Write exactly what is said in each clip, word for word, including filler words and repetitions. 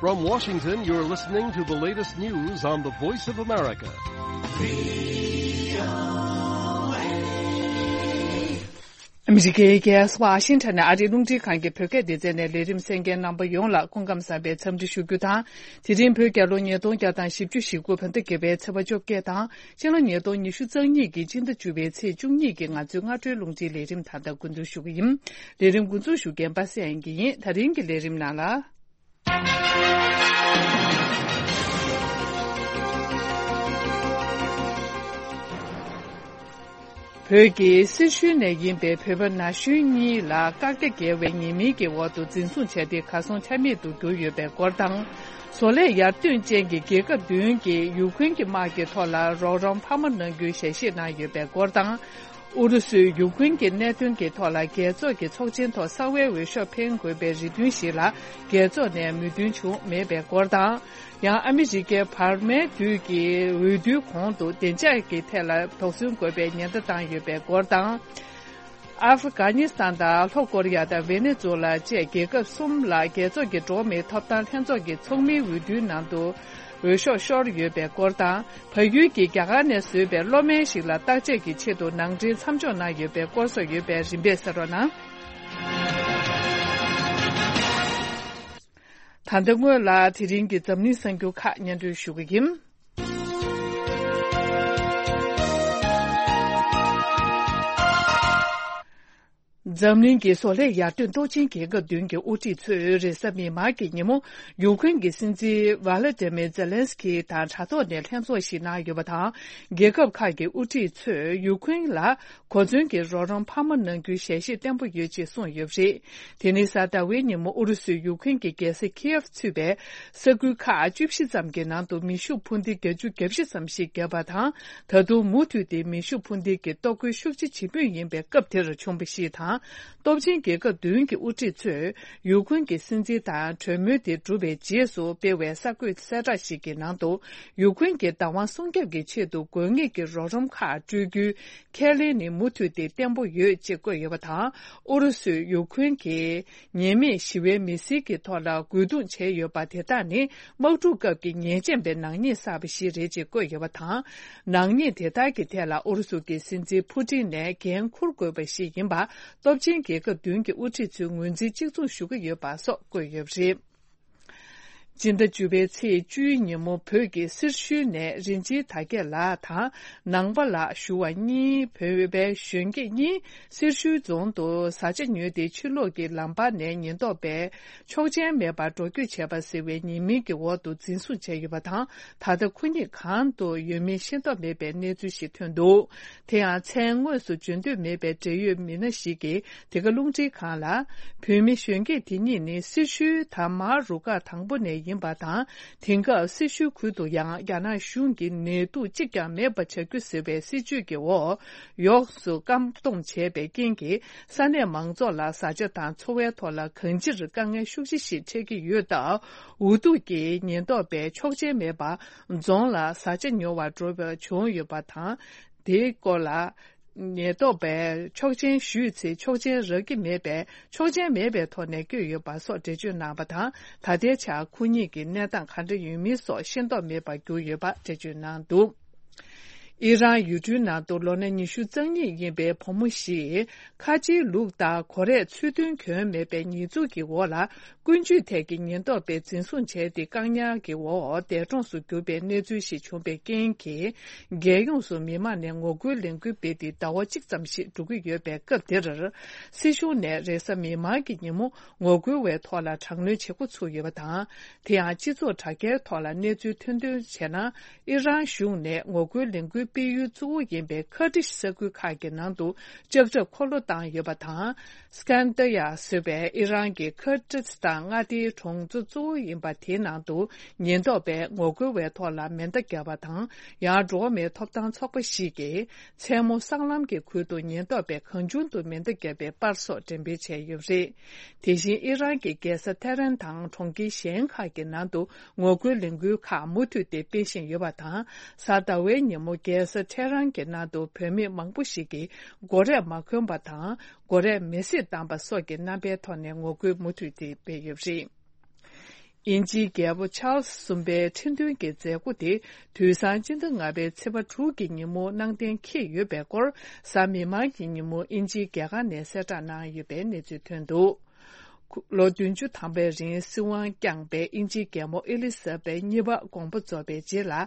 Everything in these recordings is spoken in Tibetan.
From Washington, you're listening to the latest news on the Voice of America. ཨ་མི་རི་ཀའི་རྒྱལ་ས་ཝ་ཤིང་ཊོན་ནས་ཨ་རིའི་རླུང་འཕྲིན་ཁང་གི་བོད་སྐད་སྡེ་ཚན་ནས་ལས་རིམ་གསན་མཁན་རྣམ་པ་ཡོངས་ལ་སྐུ་ཁམས་བཟང་བའི་འཚམས་འདྲི་ཞུ་རྒྱུ་དང་། དེ་རིང་བོད་རྒྱལ་ལོ་ཉིས་སྟོང་བརྒྱ་དང་བཞི་བཅུ་ཞེ་དགུ་བོད་ཟླ་བརྒྱད་པའི་ཚེས་པ་བཅོ་བརྒྱད་དང་། ཕྱི་ལོ་ཉིས་སྟོང་ཉི་ཤུ་རྩ་གཉིས་ཀྱི་སྤྱི་ཟླ་བཅུ་པའི་ཚེས་བཅུ་གཉིས་ཀྱི་ང་ཚོའི་སྔ་དྲོའི་རླུང་འཕྲིན་ལས་རིམ་ད་ལྟ་འགོ་འཛུགས་ཞུ་གི་ཡིན། ལས་རིམ་འགོ་འཛུགས་ཞུ་མཁན་པ་སངས་དབྱངས་སྐྱིད་ཡིན། ད་རིང་གི་ལས་རིམ་ནང་ལ། བོད་ཀྱི་སེར་ཤུལ་ནས་ཡིན་པའི་བོད་པ་ན་གཞོན་གཉིས་ལ་བཀག་རྒྱ་བརྒྱབ་པའི་ཉེས་མིང་གི་འོག་ཏུ་འཛིན་བཟུང་བྱས་ཏེ་གར་སོང་ཆ་མེད་དུ་གྱུར་ཡོད་པའི་སྐོར་དང་། བཟོ་ལས་ཡར་ཐོན་ཅན་གྱི་རྒྱལ་ཁབ་བདུན་གྱིས་ཡུཀ་རེན་གྱི་དམག་གི་ཐོག་ལ་རོགས་རམ་འཕར་མ་གནང་རྒྱུའི་ཞལ་བཞེས་གནང་ཡོད་པའི་སྐོར་དང་། ཨུ་རུ་སུས་ཡུཀ་རེན་གྱི་གནད་དོན་གྱི་ཐོག་ལ་རྒྱལ་ཚོགས་ཀྱི་ཚོགས་ཆེན་ཐོག་གསང་བའི་འོས་ཤོག་འཕེན་དགོས་པའི་རེ་འདུན་ཞིག་ལ་རྒྱལ་ཚོགས་ནས་མོས་མཐུན་བྱུང་མེད་པའི་སྐོར་དང་། ཡང་ཨ་མི་རི་ཀའི་བར་མའི་དུས་ཀྱི་འོས་བསྡུའི་གོང་དུ་བདེ་འཇགས་ཀྱི་ཐད་ལ་དོགས་ཟོན་དགོས་པའི་ཉེན་བརྡ་བཏང་ཡོད་པའི་སྐོར་དང་། ཨབ་གྷ་ནི་སི་ཐན་དང་ལྷོ་ཀོ་རི་ཡ་དང་ཝེ་ནེ་ཛུ་ལ་བཅས་རྒྱལ་ཁབ་གསུམ་ལ་རྒྱལ་ཚོགས་ཀྱི་འགྲོ་བ་མིའི་ཐོབ་ཐང་ལྷན་ཚོགས་ཀྱི་ཚོགས་མིའི་འོས་བསྡུའི་ནང་དུ་འོས་ཤོག་ཤོར་ཡོད་པའི་སྐོར་དང་། བལ་ཡུལ་གྱིས་རྒྱ་གར་ནས་བཟོས་པའི་གློག་མེ་ཞིག་ལ་བརྟག་དཔྱད་ཀྱི་ཆེད་དུ་ནང་འདྲེན་མཚམས་འཇོག་གནང་ཡོད་པའི་སྐོར་སོགས་ཡོད་པའི་རིམ་པས་གསན་རོགས་གནང་། ད་ལྟ་སྔོན་ལ་དེ་རིང་གི་འཛམ་གླིང་གསར་འགྱུར་ཁག་སྙན་སྒྲོན་ཞུ་གི་ཡིན། འཛམ་གླིང་གི་བཟོ་ལས་ཡར་ཐོན་སྟོབས་ཆེན་རྒྱལ་ཁབ་བདུན་གྱི་དབུ་ཁྲིད་ཚོས་རེས་གཟའ་མིག་དམར་གྱི་ཉིན་མོ་ཡུཀ་རེན་གྱི་སྲིད་འཛིན་ཝ་ལ་ཏི་མིར་ཛེ་ལན་སི་ཀི་དང་དྲ་ཐོག་ནས་ལྷན་ཚོགས་ཤིག་གནང་ཡོད་པ་དང་། རྒྱལ་ཁབ་ཁག་གི་དབུ་ཁྲིད་ཚོས་ཡུཀ་རེན་ལ་གོ་མཚོན་གྱི་རོགས་རམ་འཕར་མ་གནང་རྒྱུའི་ཞལ་བཞེས་བརྟན་པོ་ཡོད་ཅེས་གསུངས་ཡོད་པ་རེད། དེ་ནི་གཟའ་ཟླ་བའི་ཉིན་མོ་ཨུ་རུ་སུས་ཡུཀ་རེན་གྱི་རྒྱལ་ས་ཁིའེབ་ཚུད་པའི་ས་ཁུལ་ཁག་བཅུ་བཞི་ཙམ་གྱི་ནང་དུ་མེ་ཤུགས་འཕུར་མདེལ་བརྒྱད་ཅུ་གྱ་བཞི་ཙམ་ཞིག་བརྒྱབ་པ་དང་། ད་དུང་མུ་མཐུད་དེ་མེ་ཤུགས་འཕུར་མདེལ་གྱི་གཏོར་རྒོལ་ཤུགས་ཆེ་ཇི་མོ་ཡིན་པའི་སྐབས་དེར་བྱུང་བ་ཞིག་དང་། སྟོབས་ཆེན་རྒྱལ་ཁབ་བདུན་གྱི་དབུ་ཁྲིད་ཚོས་ཡུཀ་རེན་གྱི་སྲིད་འཛིན་དང་གྲོས་མོལ་དེ་གྲུབ་པའི་རྗེས་སུ་སྤེལ་བའི་གསར་འགོད་གསལ་བསྒྲགས་ཤིག་གི་ནང་དུ། ཡུཀ་རེན་གྱི་བདག་དབང་སྲུང་སྐྱོབ་ཀྱི་ཆེད་དུ་དགོས་ངེས་ཀྱི་རོགས་རམ་ཁག་སྤྲོད་རྒྱུའི་ཁས་ལེན་ནི་མུ་མཐུད་དེ་བརྟན་པོ་ཡོད་ཅེས་བཀོད་ཡོད་པ་དང་། ཨུ་རུ་སུས་ཡུཀ་རེན་གྱི་ཉེས་མེད་ཞི་བའི་མི་སེར་གྱི་ཐོག་ལ་རྒོལ་རྡུང་བྱས་ཡོད་པ་དེ་དག་ནི་དམག་འཁྲུག་སྐབས་ཀྱི་ཉེས་ཅན་པའི་ནག་ཉེས་བསགས་པ་ཞིག་རེད་ཅེས་བཀོད་ཡོད་པ་དང་། ནག་ཉེས་དེ་དག་གི་ཐད་ལ་ཨུ་རུ་སུ་གྱི་སྲིད་འཛིན་ཕུ་ཏིན་ནས་འགན་འཁུར་དགོས་པ་ཞིག་ཡིན་པ་སྟོབས་ཆེན་རྒྱལ་ཁབ་བདུན་གྱི་དབུ་ཁྲིད་ཚོས་ངོས་འཛིན་གཅིག་མཚུངས་ཞུ་གི་ཡོད་པ་སོགས་བཀོད་ཡོད་པ་རེད། སྤྱི་ཟླ་བཅུ་པའི་ཚེས་བཅུའི་ཉིན་མོ་བོད་ཀྱི་སེར་ཤུལ་ནས་རིན་ཆེན་དར་རྒྱས་ལགས་དང་ནང་པ་ལགས་ཞུ་བ་གཉིས། བོད་པའི་གཞོན་སྐྱེས་གཉིས་སེར་ཤུལ་རྫོང་དུ་བཟའ་ཆ་ཉོས་ཏེ་ཕྱི་ལོགས་ཀྱི་ལམ་བར་ནས་ཉེན་རྟོག་པས་ཆོག་མཆན་མེད་པར་འགྲོ་སྐྱོད་བྱས་པ་ཟེར་བའི་ཉེས་མིང་གི་འོག་ཏུ་འཛིན་བཟུང་བྱས་ཡོད་པ་དང་། ད་ལྟ་ཁོ་གཉིས་གང་དུ་ཡོད་མིན་ཤེས་རྟོགས་མེད་པའི་གནས་ཚུལ་ཞིག་ཐོན་འདུག་དེ་ཡང་མཚན་དངོས་སུ་བརྗོད་འདོད་མེད་པའི་འབྲེལ་ཡོད་མི་སྣ་ཞིག་གིས་འདི་ག་རླུང་འཕྲིན་ཁང་ལ། བོད་མི་གཞོན་སྐྱེས་དེ་གཉིས་ནི་སེར་ཤུལ་དང་མ་རུ་ཁག་དང་པོ་ནས་ཡིན་པ་དང་། དེང་སྐབས་སེར་ཤུལ་ཁུལ་དུ་ཡང་རྒྱ་ནག་གཞུང་གིས་ནད་དུག་གཅིག་ཀྱང་མེད་པ་བྱ་རྒྱུ་ཟེར་བའི་སྲིད་བྱུས་ཀྱི་འོག་ཡོངས་སུ་བཀག་སྡོམ་བྱས་པའི་རྐྱེན་གྱིས། ས་གནས་མང་ཚོགས་ལ་བཟའ་བཅའ་དང་འཚོ་བའི་ཐོག་ལ་གང་ཅིར་དཀའ་ངལ་ཤུགས་ཆེ་ཞིག་འཕྲད་ཀྱི་ཡོད་སྟབས། འུ་ཐུག་གིས་ཉེན་རྟོག་པས་ཆོག་མཆན་མེད་པར་རྫོང་ལ་བཟའ་བཅའ་ཉོ་བར་འགྲོ་བ་བྱུང་ཡོད་པ་དང་། དེའི་སྐོར་ལ། ཉེན་རྟོག་པས་ཆོག་མཆན་ཞུས་ཚེ་ཆོག་མཆན་རག་གི་མེད་པས་ཆོག་མཆན་མེད་པའི་ཐོག་ནས་བསྐྱོད་ཡོད་པ་སོགས་འགྲེལ་བརྗོད་གནང་བ་དང་། ད་ལྟའི་ཆར་ཁོ་གཉིས་ཀྱི་གནས་སྟངས་ག་འདྲ་ཡོད་མིན་སོགས་ཤེས་རྟོགས་མེད་པར་གྱུར་ཡོད་པ་འགྲེལ་བརྗོད་གནང་འདུག་ཨི་རན་ཡུལ་གྲུའི་ནང་དུ་ལོ་ན་ཉི་ཤུ་རྩ་གཉིས་ཡིན་པའི་བུ་མོ་ཞིག་ཁ་ཆེའི་ལུགས་ལྟར་གོ་རེག་ཚུལ་མཐུན་གྱོན་མེད་པའི་ཉེས་འཛུགས་ཀྱི་འོག་ལ། ཀུན་སྤྱོད་ཐད་ཀྱི་ཉེན་རྟོག་པས་འཛིན་བཟུང་བྱས་ཏེ། བཀག་ཉར་གྱི་འོག་འདས་གྲོངས་སུ་གྱུར་པའི་གནས་ཚུལ་ཞིག་བྱུང་བའི་རྐྱེན་གྱིས། རྒྱལ་ཡོངས་སུ་མི་མང་ནས་ངོ་རྒོལ་ལས་འགུལ་སྤེལ་ཏེ་ཟླ་བ་གཅིག་ཙམ་ཞིག་འགྲོ་གི་ཡོད་པའི་སྐབས་དེར། སྲིད་གཞུང་ནས་རེས་གཟའ་མིག་དམར་གྱི་ཉིན་མོ་ངོ་རྒོལ་བའི་ཐོག་ལ་དྲག་གནོན་བྱེད་འགོ་ཚུགས་ཡོད་པ་དང་། དེ་ཡང་སྤྱི་ཚོགས་དྲ་རྒྱའི་ཐོག་ལ་གནས་ཚུལ་ཐོན་ཐོན་བྱས་ན། ཨི་རན་གཞུང་ནས་ངོ་རྒོལ་ལས་འགུལ་སྤེལ་ཡུལ་གཙོ་བོ་ཡིན་པའི་ཁར་ཏིཤ་ས་ཁུལ་ཁག་གི་ནང་དུ་ལྕགས་ཁྲབ་འཁོར་ལོ་བཏང་ཡོད་པ་དང་། སི་ཀན་དར་ཡ་ཟེར་བའི་ཨི་རན་གྱི་ཁར་ཏིཤ་དང་མངའ་སྡེའི་གྲོང་ཚོ་གཙོ་བོ་ཡིན་པ་དེའི་ནང་དུ་ཉེན་རྟོག་པས་ངོ་རྒོལ་བའི་ཐོག་ལ་མེ་མདའ་བརྒྱབ་པ་དང་། ཡང་འགྲོ་བ་མིའི་ཐོབ་ཐང་ཚོགས་པ་ཞིག་གིས་མཚན་མོ་སྲང་ལམ་གྱི་ཁུལ་དུ་ཉེན་རྟོག་པས་གང་བྱུང་དུ་མེ་མདའ་བརྒྱབ་པའི་པར་སོགས་འགྲེམས་སྤེལ་བྱས་ཡོད་པ་རེད། དེ་བཞིན་ཨི་རན་གྱི་རྒྱལ་ས་ཐེ་རན་དང་གྲོང་ཁྱེར་གཞན་ཁག་གི་ནང་དུ་ངོ་རྒོལ་ལས་འགུལ་ཁག་མུ་མཐུད་དེ་སྤེལ་བཞིན་ཡོད་པ་དང་། གཟའ་ཟླ་བའི་ཉིན་མོ་རྒྱལ་ས་ཐེ་རན་གྱི་ནང་དུ་བོད་མི་མང་པོ་ཞིག་གིས་མགོ་རས་མ་གོན་པ་དང་། མགོ་རས་མེ་སྲེག་བཏང་པ་སོགས་ཀྱི་རྣམ་པའི་ཐོག་ནས་ངོ་རྒོལ་མུ་མཐུད་དེ་སྤེལ་ཡོད་པ་རེད། དབྱིན་ཇིའི་རྒྱལ་པོ་ཆཱལ་སི་གསུམ་པའི་ཁྲི་འདོན་གྱི་མཛད་སྒོ་དེ་དུས་སང་སྤྱི་ཟླ་ལྔ་པའི་ཚེས་པ་དྲུག་གི་ཉིན་མོ་གནང་གཏན་འཁེལ་ཡོད་པའི་སྐོར། གཟའ་མིག་དམར་གྱི་ཉིན་མོ་དབྱིན་ཇིའི་རྒྱལ་ཁང་ནས་གསལ་བསྒྲགས་གནང་ཡོད་པའི་གནས་ཚུལ་ཐོན་འདུག་ལོ་བདུན་ཅུ་ཐམ་པའི་རིང་སྲིད་དབང་བསྐྱངས་པའི་དབྱིན་ཇིའི་རྒྱལ་མོ་ཨེ་ལི་ཟ་བེ་གཉིས་པ་དགོངས་པ་རྫོགས་པའི་རྗེས་ལ།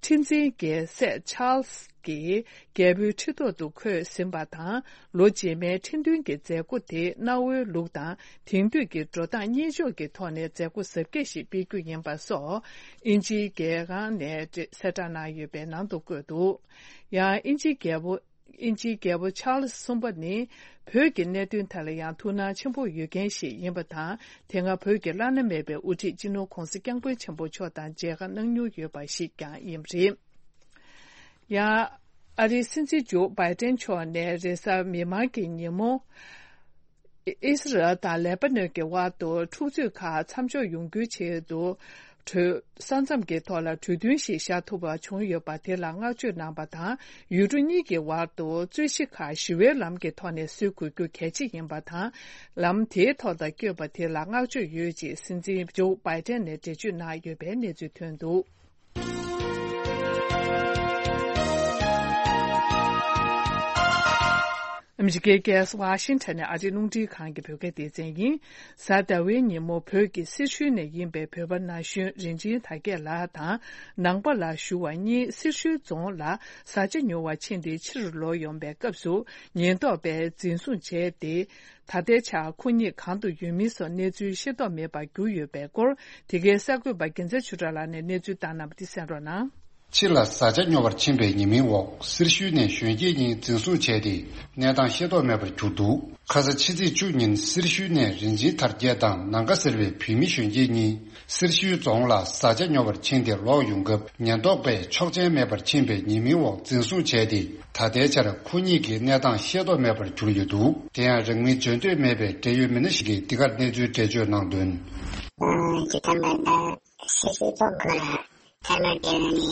ཁྲི་འཛིན་གྱི་སྲས་ཆཱལ་སི་གྱིས་རྒྱལ་པོའི་ཁྲི་ཐོག་ཏུ་འཁོད་ཟིན་པ་དང་། ལོ་རྗེས་མའི་ཁྲི་འདོན་གྱི་མཛད་སྒོ་དེ་གནའ་བོའི་ལུགས་དང་དེང་དུས་ཀྱི་འགྲོ་སྟངས་གཉིས་ཕྱོགས་ཀྱི་ཐོག་ནས་མཛད་སྒོ་གཟབ་རྒྱས་ཤིག་སྤེལ་རྒྱུ་ཡིན་པ་སོགས་དབྱིན་ཇིའི་རྒྱལ་ཁང་ནས་གསལ་བསྒྲགས་གནང་ཡོད་པའི་ནང་དུ་བཀོད་འདུག་ཡང་དབྱིན་ཇིའི་རྒྱལ་པོ། དབྱིན་ཇིའི་རྒྱལ་པོ་ཆཱལ་སི་གསུམ་པ་ནི་བོད་ཀྱི་གནད་དོན་ཐད་ལ་ཡང་ཐུགས་སྣང་ཆེན་པོ་ཡོད་མཁན་ཞིག་ཡིན་པ་དང་། དེ་སྔ་བོད་ཀྱི་བླ་ན་མེད་པའི་དབུ་ཁྲིད་སྤྱི་ནོར་༧གོང་ས་༧སྐྱབས་མགོན་ཆེན་པོ་མཆོག་དང་མཇལ་ཁ་གནང་མྱོང་ཡོད་པ་ཞིག་ཀྱང་ཡིན་པ་རེད། ཡང་ཨ་རིའི་སྲིད་འཛིན་ཇོ་བྷའི་ཏན་མཆོག་ནས་རེས་གཟའ་མིག་དམར་གྱི་ཉིན་མོ། ཨི་སི་རལ་དང་ལེ་པ་ནོན་གྱི་དབར་དུ་འཁྲུག་རྩོད་ཁག་མཚམས་འཇོག་ཡོང་རྒྱུའི་ཆེད་དུ། གྲོས་ས་མཚམས་ཀྱི་ཐོག་ལ་གྲོས་མཐུན་ཞིག་བཞག་ཐུབ་པ་བྱུང་ཡོད་པ་དེ་ལ་བསྔགས་བརྗོད་གནང་བ་དང་། ཡུལ་གྲུ་གཉིས་ཀྱི་དབར་དུ་རྩོད་གཞི་ཁག་ཞི་བའི་ལམ་གྱི་ཐོག་ནས་སེལ་དགོས་རྒྱུ་གལ་ཆེ་ཡིན་པ་དང་། ལམ་དེའི་ཐོག་ལ་བསྐྱོད་པ་དེ་ལ་བསྔགས་བརྗོད་ཡོད་ཅེས་སྲིད་འཛིན་ཇོ་བྷའི་ཏན་ནས་འགྲེལ་བརྗོད་གནང་ཡོད་པའི་གནས་ཚུལ་ཐོན་འདུག་ཨ་མི་རི་ཀའི་རྒྱལ་ས་ཝ་ཤིང་ཊོན་ནས་ཨ་རིའི་རླུང་འཕྲིན་ཁང་གི་བོད་སྐད་སྡེ་ཚན་ཡིན། གཟའ་ཟླ་བའི་ཉིན་མོ་བོད་ཀྱི་སེར་ཤུལ་ནས་ཡིན་པའི་བོད་པ་ན་གཞོན་རིན་ཆེན་དར་རྒྱས་ལགས་དང་ནང་པ་ལ་ཞུ་བ་གཉིས་སེར་ཤུལ་རྫོང་ལ་བཟའ་བཅའ་ཉོ་བར་ཕྱིན་ཏེ་ཕྱིར་ལོག་ཡོང་པའི་སྐབས་སུ་ཉེན་རྟོག་པས་འཛིན་བཟུང་བྱས་ཏེ། ད་ལྟའི་ཆར་ཁོ་གཉིས་གང་དུ་ཡོད་མིན་སོགས་གནས་ཚུལ་ཤེས་རྟོགས་མེད་པར་གྱུར་ཡོད་པའི་སྐོར། དེ་གའི་གསར་འགོད་པ་རྒྱལ་མཚན་ཆོས་གྲགས་ལགས་ནས་གནས་ཚུལ་བཏང་གནང་བ་འདི་གསན་རོགས་གནང་། ཕྱི་ལ་བཟའ་བཅའ་ཉོ་བར་ཕྱིན་པའི་ཉེས་མིང་འོག་སེར་ཤུལ་ནས་གཞོན་སྐྱེས་གཉིས་འཛིན་བཟུང་བྱས་ཏེ་གནས་སྟངས་ཤེས་རྟོགས་མེད་པར་གྱུར་འདུག་ཁ་ས་ཕྱི་ཚེས་བཅུ་ཉིན་སེར་ཤུལ་ནས་རིན་ཆེན་དར་རྒྱས་དང་ནང་ཀ་ཟེར་བའི་བུད་མེད་གཞོན་སྐྱེས་གཉིས་སེར་ཤུལ་རྫོང་ལ་བཟའ་བཅའ་ཉོ་བར་ཕྱིན་ཏེ་ལོག་ཡོང་སྐབས་ཉེན་རྟོག་པས་ཆོག་མཆན་མེད་པར་ཕྱིན་པའི་ཉེས་མིང་འོག་འཛིན་བཟུང་བྱས་ཏེ། ད་ལྟའི་ཆར་ཁོ་གཉིས་ཀྱི་གནས་སྟངས་ཤེས་རྟོགས་མེད་པར་གྱུར་ཡོད་འདུག་དེ་ཡང་རང་མིང་བརྗོད་འདོད་མེད་པའི་འབྲེལ་ཡོད་མི་སྣ་ཞིག་གིས་འདི་གར་གནས་ཚུལ་འགྲེལ་བརྗོད་གནང་དོན། ཨ། ཇི་ལྟར་མེད་ན་སི་སི་ཏོག་ག་ཐ་མ་དེ་ནི་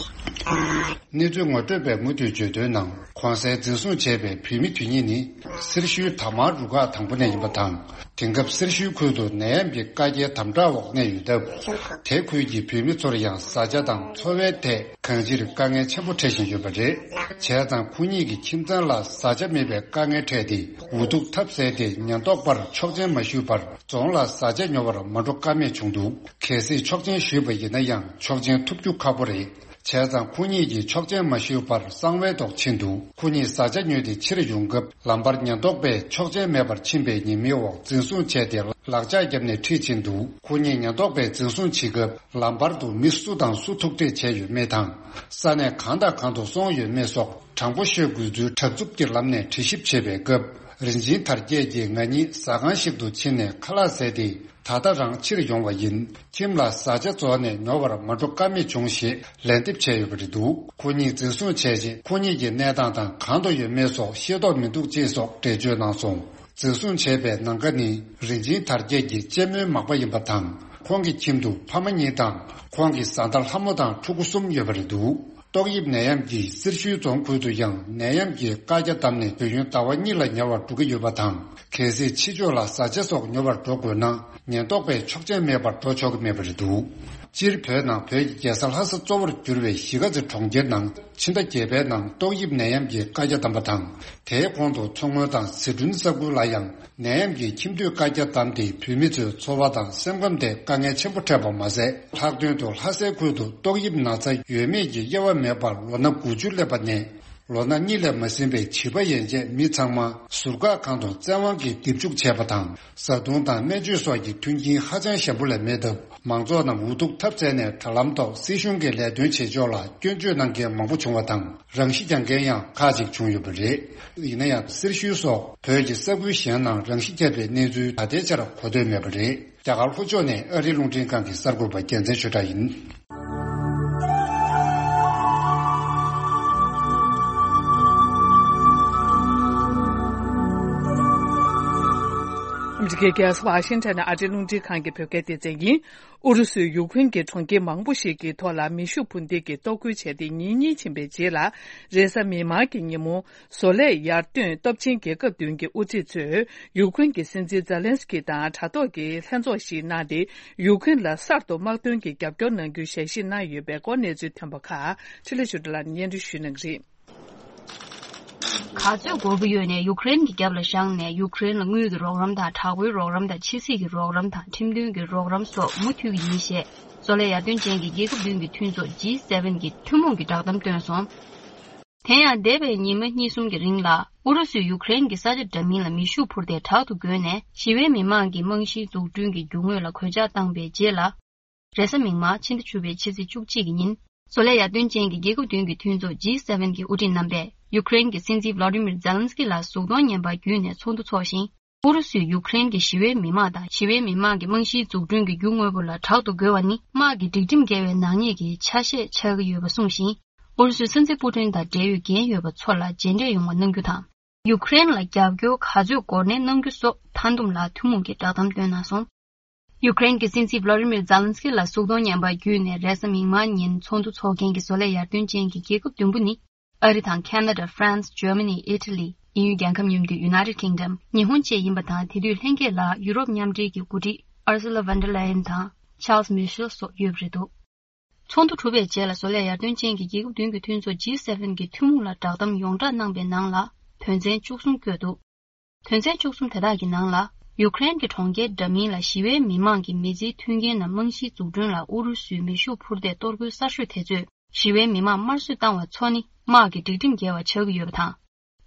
ཨ། གནས་ཚུལ་ངོ་སྤྲོད་པས་མུ་མཐུད་བརྗོད་དོན་ནང་གོང་གསལ་འཛིན་བཟུང་བྱས་པའི་བུད་མེད་དེ་གཉིས་ནི་སེར་ཤུལ་དར་དམར་རུ་ཁག་དང་པོ་ནས་ཡིན་པ་དང་། དེང་སྐབས་སེར་ཤུལ་ཁུལ་དུ་ནད་ཡམས་ཀྱི་བཀའ་རྒྱའི་དམ་དྲག་འོག་གནས་ཡོད་སྟབས། དེ་ཁུལ་གྱི་བུད་མེད་ཚོར་ཡང་བཟའ་བཅའ་དང་འཚོ་བའི་ཐད་གང་ཅིར་དཀའ་ངལ་ཆེན་པོ་འཕྲད་བཞིན་ཡོད་པ་རེད། བྱས་ཙང་ཁོ་གཉིས་ཀྱི་ཁྱིམ་ཚང་ལ་བཟའ་བཅའ་མེད་པའི་དཀའ་ངལ་འཕྲད་དེ་འུ་ཐུག་ཐབས་ཟད་དེ་ཉེན་རྟོག་པར་ཆོག་མཆན་མ་ཞུས་པར་རྫོང་ལ་བཟའ་བཅའ་ཉོ་བར་མ་འགྲོ་ཀ་མེད་བྱུང་འདུག་གལ་སྲིད་ཆོག་མཆན་ཞུས་པ་ཡིན་ན་ཡང་ཆོག་མཆན་ཐོབ་རྒྱུ་ཁག་པོ་རེད། བྱས་ཙང་ཁོ་གཉིས་ཀྱིས་ཆོག་མཆན་མ་ཞུས་པར་གསང་བའི་ཐོག་ཕྱིན་འདུག་ཁོ་གཉིས་བཟའ་བཅའ་ཉོས་ཏེ་ཕྱིར་ཡོང་སྐབས་ལམ་བར་ཉེན་རྟོག་པས་ཆོག་མཆན་མེད་པར་ཕྱིན་པའི་ཉེས་མིང་འོག་འཛིན་བཟུང་བྱས་ཏེ་ལག་ལྕགས་བརྒྱབ་ནས་ཁྲིད་ཕྱིན་འདུག་ཁོ་གཉིས་ཉེན་རྟོག་པས་འཛིན་བཟུང་བྱེད་སྐབས་ལམ་བར་དུ་མི་སུ་དང་སུ་ཐུག་འཕྲད་བྱས་ཡོད་མེད་དང་། ས་གནས་གང་དང་གང་དུ་སོང་ཡོད་མེད་སོགས་དྲང་པོ་ཤོད་དགོས་ཚུལ་དྲག་རྩུབ་ཀྱི་ལམ་ནས་དྲི་ཞིབ་བྱེད་པའི་སྐབས། རིན་ཆེན་དར་རྒྱས་ཀྱིས་ང་གཉིས་ཟ་ཁང་ཞིག་ཏུ་ཕྱིན་ནས་ཁ་ལག་ཟས་ཏེ། ད་ལྟ་རང་ཕྱིར་ཡོང་བ་ཡིན། ཁྱིམ་ལ་བཟའ་བཅའ་རྫོགས་ནས་ཉོ་བར་མ་འགྲོ་ཀ་མེད་བྱུང་ཞེས་ལན་འདེབས་བྱས་ཡོད་པ་རེད་འདུག་ཁོ་གཉིས་འཛིན་བཟུང་བྱས་རྗེས་ཁོ་གཉིས་ཀྱི་གནས་སྟངས་དང་གང་དུ་ཡོད་མེད་སོགས་ཤེས་རྟོགས་མི་འདུག་ཅེས་སོགས་འགྲེལ་བརྗོད་གནང་སོང་། འཛིན་བཟུང་བྱས་པའི་ནང་ཀ་ནི་རིན་ཆེན་དར་རྒྱས་ཀྱི་གཅེན་མོའི་མག་པ་ཡིན་པ་དང་། ཁོང་གི་ཁྱིམ་དུ་ཕ་མ་གཉིས་དང་ཁོང་གི་བཟའ་ཟླ་ལྷ་མོ་དང་ཕྲུ་གུ་གསུམ་ཡོད་པ་རེད་འདུག་ཏོག་དབྱིབས་ནད་ཡམས་ཀྱིས་སེར་ཤུལ་རྫོང་ཁུལ་དུ་ཡང་ནད་ཡམས་ཀྱི་བཀའ་རྒྱ་བསྡམས་ནས་དུས་ཡུན་ཟླ་བ་གཉིས་ལ་ཉེ་བར་འགྲོ་གི་ཡོད་པ་དང་། གལ་སྲིད་ཕྱི་ཕྱོགས་ལ་བཟའ་བཅའ་སོགས་ཉོ་བར་འགྲོ་དགོས་ན་ཉེན་རྟོག་པས་ཆོག་མཆན་མེད་པར་འགྲོ་ཆོག་གི་མེད་པ་རེད་འདུག་སྤྱིར་བོད་ནང་བོད་ཀྱི་རྒྱལ་ས་ལྷ་ས་གཙོ་བོར་གྱུར་བའི་གཞིས་ཀ་རྩེ་གྲོང་ཁྱེར་ནང་ཕྱི་ཟླ་བརྒྱད་པའི་ནང་ཏོག་དབྱིབས་ནད་ཡམས་ཀྱི་བཀའ་རྒྱ་བསྡམས་པ་དང་། དེའི་གོང་དུ་མཚོ་སྔོན་དང་ཟི་ཁྲོན་ས་ཁུལ་ལ་ཡང་ནད་ཡམས་ཀྱི་ཁྱིམ་སྡོད་བཀའ་རྒྱ་བསྡམས་ཏེ་བོད་མི་ཚོའི་འཚོ་བ་དང་སེམས་ཁམས་ཐད་དཀའ་ངལ་ཆེན་པོ་འཕྲད་པ་མ་ཟད། ལྷག་དོན་དུ་ལྷ་སའི་ཁུལ་དུ་ཏོག་དབྱིབས་ན་ཚ་ཡོད་མེད་ཀྱི་དབྱེ་བ་མེད་པར་ལོ་ན་དགུ་བཅུ་སླེབས་པ་ནས་ལོ་ན་གཉིས་ལས་མ་ཟིན་པའི་བྱིས་པ་ཡན་ཆད་མི་ཚང་མ་ཟུར་བཀག་ཁང་དུ་བཙན་དབང་གིས་རྡིབ་འཇུག་བྱས་པ་དང་། བཟའ་བཏུང་དང་སྨན་བཅོས་སོགས་ཀྱི་མཐུན་རྐྱེན་ཧ་ཅང་ཞན་པོ་ལས་མེད་སྟབས། མང་ཚོགས་རྣམས་འུ་ཐུག་ཐབས་ཟད་ནས་དྲ་ལམ་ཐོག་སྲིད་གཞུང་གི་ལས་དོན་བྱེད་ཕྱོགས་ལ་སྐྱོན་བརྗོད་གནང་མཁན་མང་པོ་བྱུང་བ་དང་། རང་ཤི་རྒྱག་མཁན་ཡང་ཁག་ཅིག་བྱུང་ཡོད་པ་རེད། ཡིན་ན་ཡང་སེར་ཤུལ་སོགས་བོད་ཀྱི་ས་ཁུལ་གཞན་ནང་རང་ཤི་བརྒྱབ་པའི་གནས་ཚུལ་ད་ལྟའི་ཆར་གོ་ཐོས་མེད་པ་རེད། རྒྱ་གར་ལྷོ་ཕྱོགས་ནས་ཨ་རིའི་རླུང་འཕྲིན་ཁང་གི་གསར་འགོད་པ་རྒྱལ་མཚན་ཆོས་གྲགས་ཡིན། ཨ་མི་ ཨ་མི་རི་ཀའི་རྒྱལ་ས་ཝ་ཤིང་ཊོན་ནས་ཨ་རིའི་རླུང་འཕྲིན་ཁང་གི་བོད་སྐད་སྡེ་ཚན་ཡིན། ཨུ་རུ་སུས་ཡུཀ་རེན་གྱི་གྲོང་ཁྱེར་མང་པོ་ཞིག་གི་ཐོག་ལ་མེ་ཤུགས་འཕུར་མདེལ་གྱིས་གཏོར་རྒོལ་བྱས་ཏེ་ཉིན་གཉིས་ཕྱིན་པའི་རྗེས་ལ། རེས་གཟའ་མིག་དམར་གྱི་ཉིན་མོ། བཟོ་ལས་ཡར་ཐོན་སྟོབས་ཆེན་རྒྱལ་ཁབ་བདུན་གྱི་དབུ་ཁྲིད་ཚོས་ཡུཀ་རེན་གྱི་སྲིད་འཛིན་ཛེ་ལན་སི་ཀི་དང་དྲ་ཐོག་གི་ལྷན་ཚོགས་ཤིག་གནང་སྟེ། ཡུཀ་རེན་ལ་གསར་དུ་དམག་དོན་གྱི་རྒྱབ་སྐྱོར་གནང་རྒྱུའི་ཞལ་བཞེས་གནང་ཡོད་པའི་སྐོར་གནས་ཚུལ་ཐོན་པ་ཁག་འཕྲིན་ལས་ཆོས་སྒྲོན་ལགས་ནས་སྙན་སྒྲོན་ཞུ་གནང་གི་རེད། ག་ཚོད་དགོས་ཀྱི་ཡོད་ནས་ཡུཀ་རེན་གྱི་རྒྱབ་ལ་བཞག་ནས་ཡུཀ་རེན་ལ་དངུལ་གྱི་རོགས་རམ་དང་དྲག་པོའི་རོགས་རམ་དང་ཕྱི་སྲིད་ཀྱི་རོགས་རམ་དང་ཁྲིམས་མཐུན་གྱི་རོགས་རམ་སོགས་མུ་མཐུད་ཀྱི་ཡིན་ཞེས་བཟོ་ལས་ཡར་ཐོན་ཅན་གྱི་རྒྱལ་ཁབ་བདུན་གྱི་མཐུན་ཚོགས་ཇི་སེ་ཝེན་གྱི་ཐུན་མོང་གི་བསྒྲགས་གཏམ་བཏོན་སོང་། དེ་ཡང་འདས་པའི་ཉི་མ་གཉིས་གསུམ་གྱི་རིང་ལ་ཨུ་རུ་སུས་ཡུཀ་རེན་གྱི་ས་ཆ་འདྲ་མིན་ལ་མེ་ཤུགས་འཕུར་མདེལ་དྲག་ཏུ་བརྒོལ་ནས་ཞི་བའི་མི་མང་གི་རྨང་གཞིའི་འཛུགས་སྐྲུན་གྱི་རྒྱུ་དངོས་ལ་གོད་ཆག་བཏང་པའི་རྗེས་ལ། རེས་གཟའ་མིག་དམར་ཕྱི་ཟླ་བཅུ་པའི་ཕྱི་ཚེས་བཅུ་གཅིག་གི་ཉིན། བཟོ་ལས་ཡར་ཐོན་ཅན་གྱི་རྒྱལ་ཁབ་བདུན་གྱི་མཐུན་ཚོགས་ཇི་སེ་ཝེན་གྱི་དབུ་ཁྲིད་རྣམ་པས་ཡུཀ་རེན་གྱི་སྲིད་འཛིན་ཝ་ལ་ཏི་མིར་ཛེ་ལན་སི་ཀི་ལ་གཟུགས་མཐོང་བརྙན་པར་བརྒྱུད་ནས་ཚོགས་འདུ་འཚོགས་ཤིང་། ཨུ་རུ་སུས་ཡུཀ་རེན་གྱི་ཞི་བའི་མི་མང་དང་ཞི་བའི་མི་མང་གི་རྨང་གཞིའི་འཛུགས་སྐྲུན་གྱི་རྒྱུ་དངོས་པོ་ལ་དྲག་ཏུ་རྒོལ་བ་ནི་དམག་གི་སྒྲིག་ཁྲིམས་འགལ་བའི་ནག་ཉེས་ཀྱི་ཆ་ཤས་ཆགས་ཀྱི་ཡོད་པ་གསུངས་ཤིང་། ཨུ་རུ་སུའི་སྲིད་འཛིན་པུ་ཏིན་དང་འབྲེལ་ཡོད་འགན་ཡོད་པ་ཚོ་ལ་རྗེས་འབྲས་ཡོང་བ་གནང་རྒྱུ་དང་། ཡུཀ་རེན་ལ་རྒྱབ་སྐྱོར་ག་ཚོད་འགོར་ནས་གནང་རྒྱུ་སོགས་མཐའ་འདུམ་ལ་ཐུན་མོང་གི་བསྒྲགས་གཏམ་བཏོན་གནང་སོང་། ཡུཀ་རེན་གྱི་སྲིད་འཛིན་ཝ་ལ་ཏི་མིར་ཛེ་ལན་སི་ཀི་ལ་གཟུགས་མཐོང་བརྙན་པར་བརྒྱུད་ནས་རེས་གཟའ་མིག་དམར་ཉིན་ཚོགས་འདུ་འཚོགས་མཁན་གྱི་བཟོ་ལས་ཡར་ཐོན་ཅན་གྱི་རྒྱལ་ཁབ་བདུན་པོ་ནི། ཨ་རི་དང་ཁེ་ན་ཌ། ཧྥ་རན་སི། ཇར་མ་ནི། ཨི་ཊ་ལི། དབྱིན་ཡུལ་རྒྱལ་ཁབ་མཉམ་འདུས་ཡུ་ནའི་ཊེཌ་ཀིང་ཌམ། ཉི་ཧོང་བཅས་ཡིན་པ་དང་། དེ་དུས་ལྷན་རྒྱས་ལ་ཡུ་རོབ་མཉམ་འབྲེལ་གྱི་འགོ་ཁྲིད་ཨར་སུ་ལ་ཝན་ཌར་ལ་ཡན་དང་ཆཱལ་སི་མི་ཤེལ་སོགས་ཡོད་པ་རེད་འདུག་ཚོགས་འདུ་གྲུབ་པའི་རྗེས་ལ་བཟོ་ལས་ཡར་ཐོན་ཅན་གྱི་རྒྱལ་ཁབ་བདུན་གྱི་མཐུན་ཚོགས་ཇི་སེ་ཝེན་གྱི་ཐུན་མོང་ལ་བསྒྲགས་གཏམ་ཡོངས་བསྒྲགས་གནང་པའི་ནང་ལ་དོན་ཚན་བཅུ་གསུམ་བཀོད་འདུག་དོན་ཚན་བཅུ་གསུམ་དེ་དག་གི་ནང་ལ། ཡུཀ་རེན་གྱི་གྲོང་ཁྱེར་འདྲ་མིན་ལ་ཞི་བའི་མི་མང་གི་མི་ཚེའི་མཐུན་རྐྱེན་དང་རྨང་གཞིའི་འཛུགས་སྐྲུན་ལ་ཨུ་རུ་སུའི་མེ་ཤུགས་འཕུར་མདེལ་གཏོར་རྒོལ་གསར་ཤོས་དེ་ཚོས་ཞི་བའི་མི་མང་དམར་གསོད་བཏང་བ་ཚོ་ནི་དམག་གི་སྒྲིག་ཁྲིམས་འགལ་བ་ཆགས་ཀྱི་ཡོད་པ་དང་།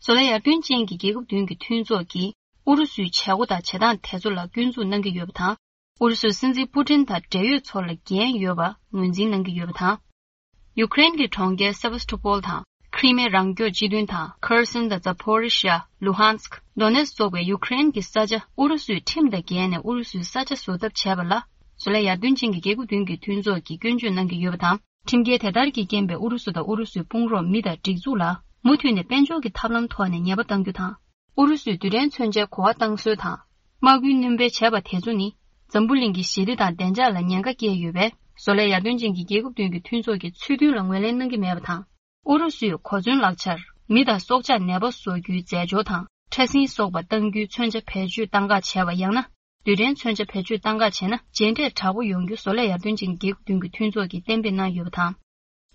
བཟོ་ལས་ཡར་ཐོན་ཅན་གྱི་རྒྱལ་ཁབ་བདུན་གྱི་མཐུན་ཚོགས་ཀྱིས་ཨུ་རུ་སུའི་བྱེད་སྒོ་དང་བྱེད་སྟངས་དེ་ཚོ་ལ་སྐྱོན་འཛུགས་གནང་གི་ཡོད་པ་དང་། ཨུ་རུ་སུའི་སྲིད་འཛིན་པུ་ཏིན་དང་འབྲེལ་ཡོད་ཚོ་ལ་འགན་ཡོད་པ་ངོས་འཛིན་གནང་གི་ཡོད་པ་དང་། ཡུཀ་རེན་གྱི་གྲོང་ཁྱེར་སེ་ཝ་སི་ཊོ་པོལ་དང་། ཁྲི་མེ་རང་སྐྱོང་སྤྱི་མཐུན་དང་། ཁེར་སོན་དང་། ཛ་པོ་རི་ཤ། ལུ་ཧན་སྐ། དོ་ནེ་སི་སོགས་པའི་ཡུཀ་རེན་གྱི་ས་ཆ་ཨུ་རུ་སུའི་ཁྲིམས་དང་འགལ་ནས་ཨུ་རུ་སུའི་ས་ཆ་བཟོ་ཐབས་བྱས་པ་ལ། བཟོ་ལས་ཡར་ཐོན་ཅན་གྱི་རྒྱལ་ཁབ་བདུན་གྱི་མཐུན་ཚོགས་ཀྱིས་སྐྱོན་བརྗོད་གནང་གི་ཡོད་པ་དང་། ཁྲིམས་འགལ་དེ་ལྟར་གྱི་རྐྱེན་པས་ཨུ་རུ་སུ་དང་ཨུ་རུ་སུའི་དཔུང་རོགས་མི་དང་སྒྲིག་འཛུགས་ལ་མུ་མཐུད་ནས་དཔལ་འབྱོར་གྱི་ཐབས་ལམ་ཐོག་ནས་ཉེས་པ་གཏང་རྒྱུ་དང་། ཨུ་རུ་སུའི་རྡུལ་ཕྲན་མཚོན་ཆའི་གོ་བ་བཏང་སྲོལ་དང་། དམག་འཁྲུག་སྣོན་སྤེལ་བྱས་པ་དེ་ཚོ་ནི། འཛམ་བུ་གླིང་གི་ཞི་བདེ་དང་བདེ་འཇགས་ལ་ཉེན་ཁ་བསྐྱལ་ཡོད་པས། བཟོ་ལས་ཡར་ཐོན་ཅན་གྱི་རྒྱལ་ཁབ་བདུན་གྱི་མཐུན་ཚོགས་ཀྱི་ཚུལ་མཐུན་ལ་ངོས་ལེན་གནང་གི་མེད་པ་དང་། ཨུ་རུ་སུས་གོ་མཚོན་ལག་ཆར། མི་དང་སྲོག་ཆགས་ནད་པ་བཟོ་རྒྱུའི་རྫས་སྦྱོར་དང་། ཕྲ་སྲིན་སོགས་པ་གཏང་རྒྱུའི་མཚོན་ཆ་བེད་སྤྱོད་གཏང་འགག་བྱས་པ། ཡང་ན། རྡུལ་ཕྲན་མཚོན་ཆ་བེད་སྤྱོད་གཏང་འགག་བྱས་ན། རྗེས་འབྲས་དྲག་པོ་ཡོང་རྒྱུ། བཟོ་ལས་ཡར་ཐོན་ཅན་གྱི་རྒྱལ་ཁབ་བདུན་གྱི་མཐུན་ཚོགས་ཀྱིས་གཏན་འབེབས་གནང་ཡོད་པ་དང་།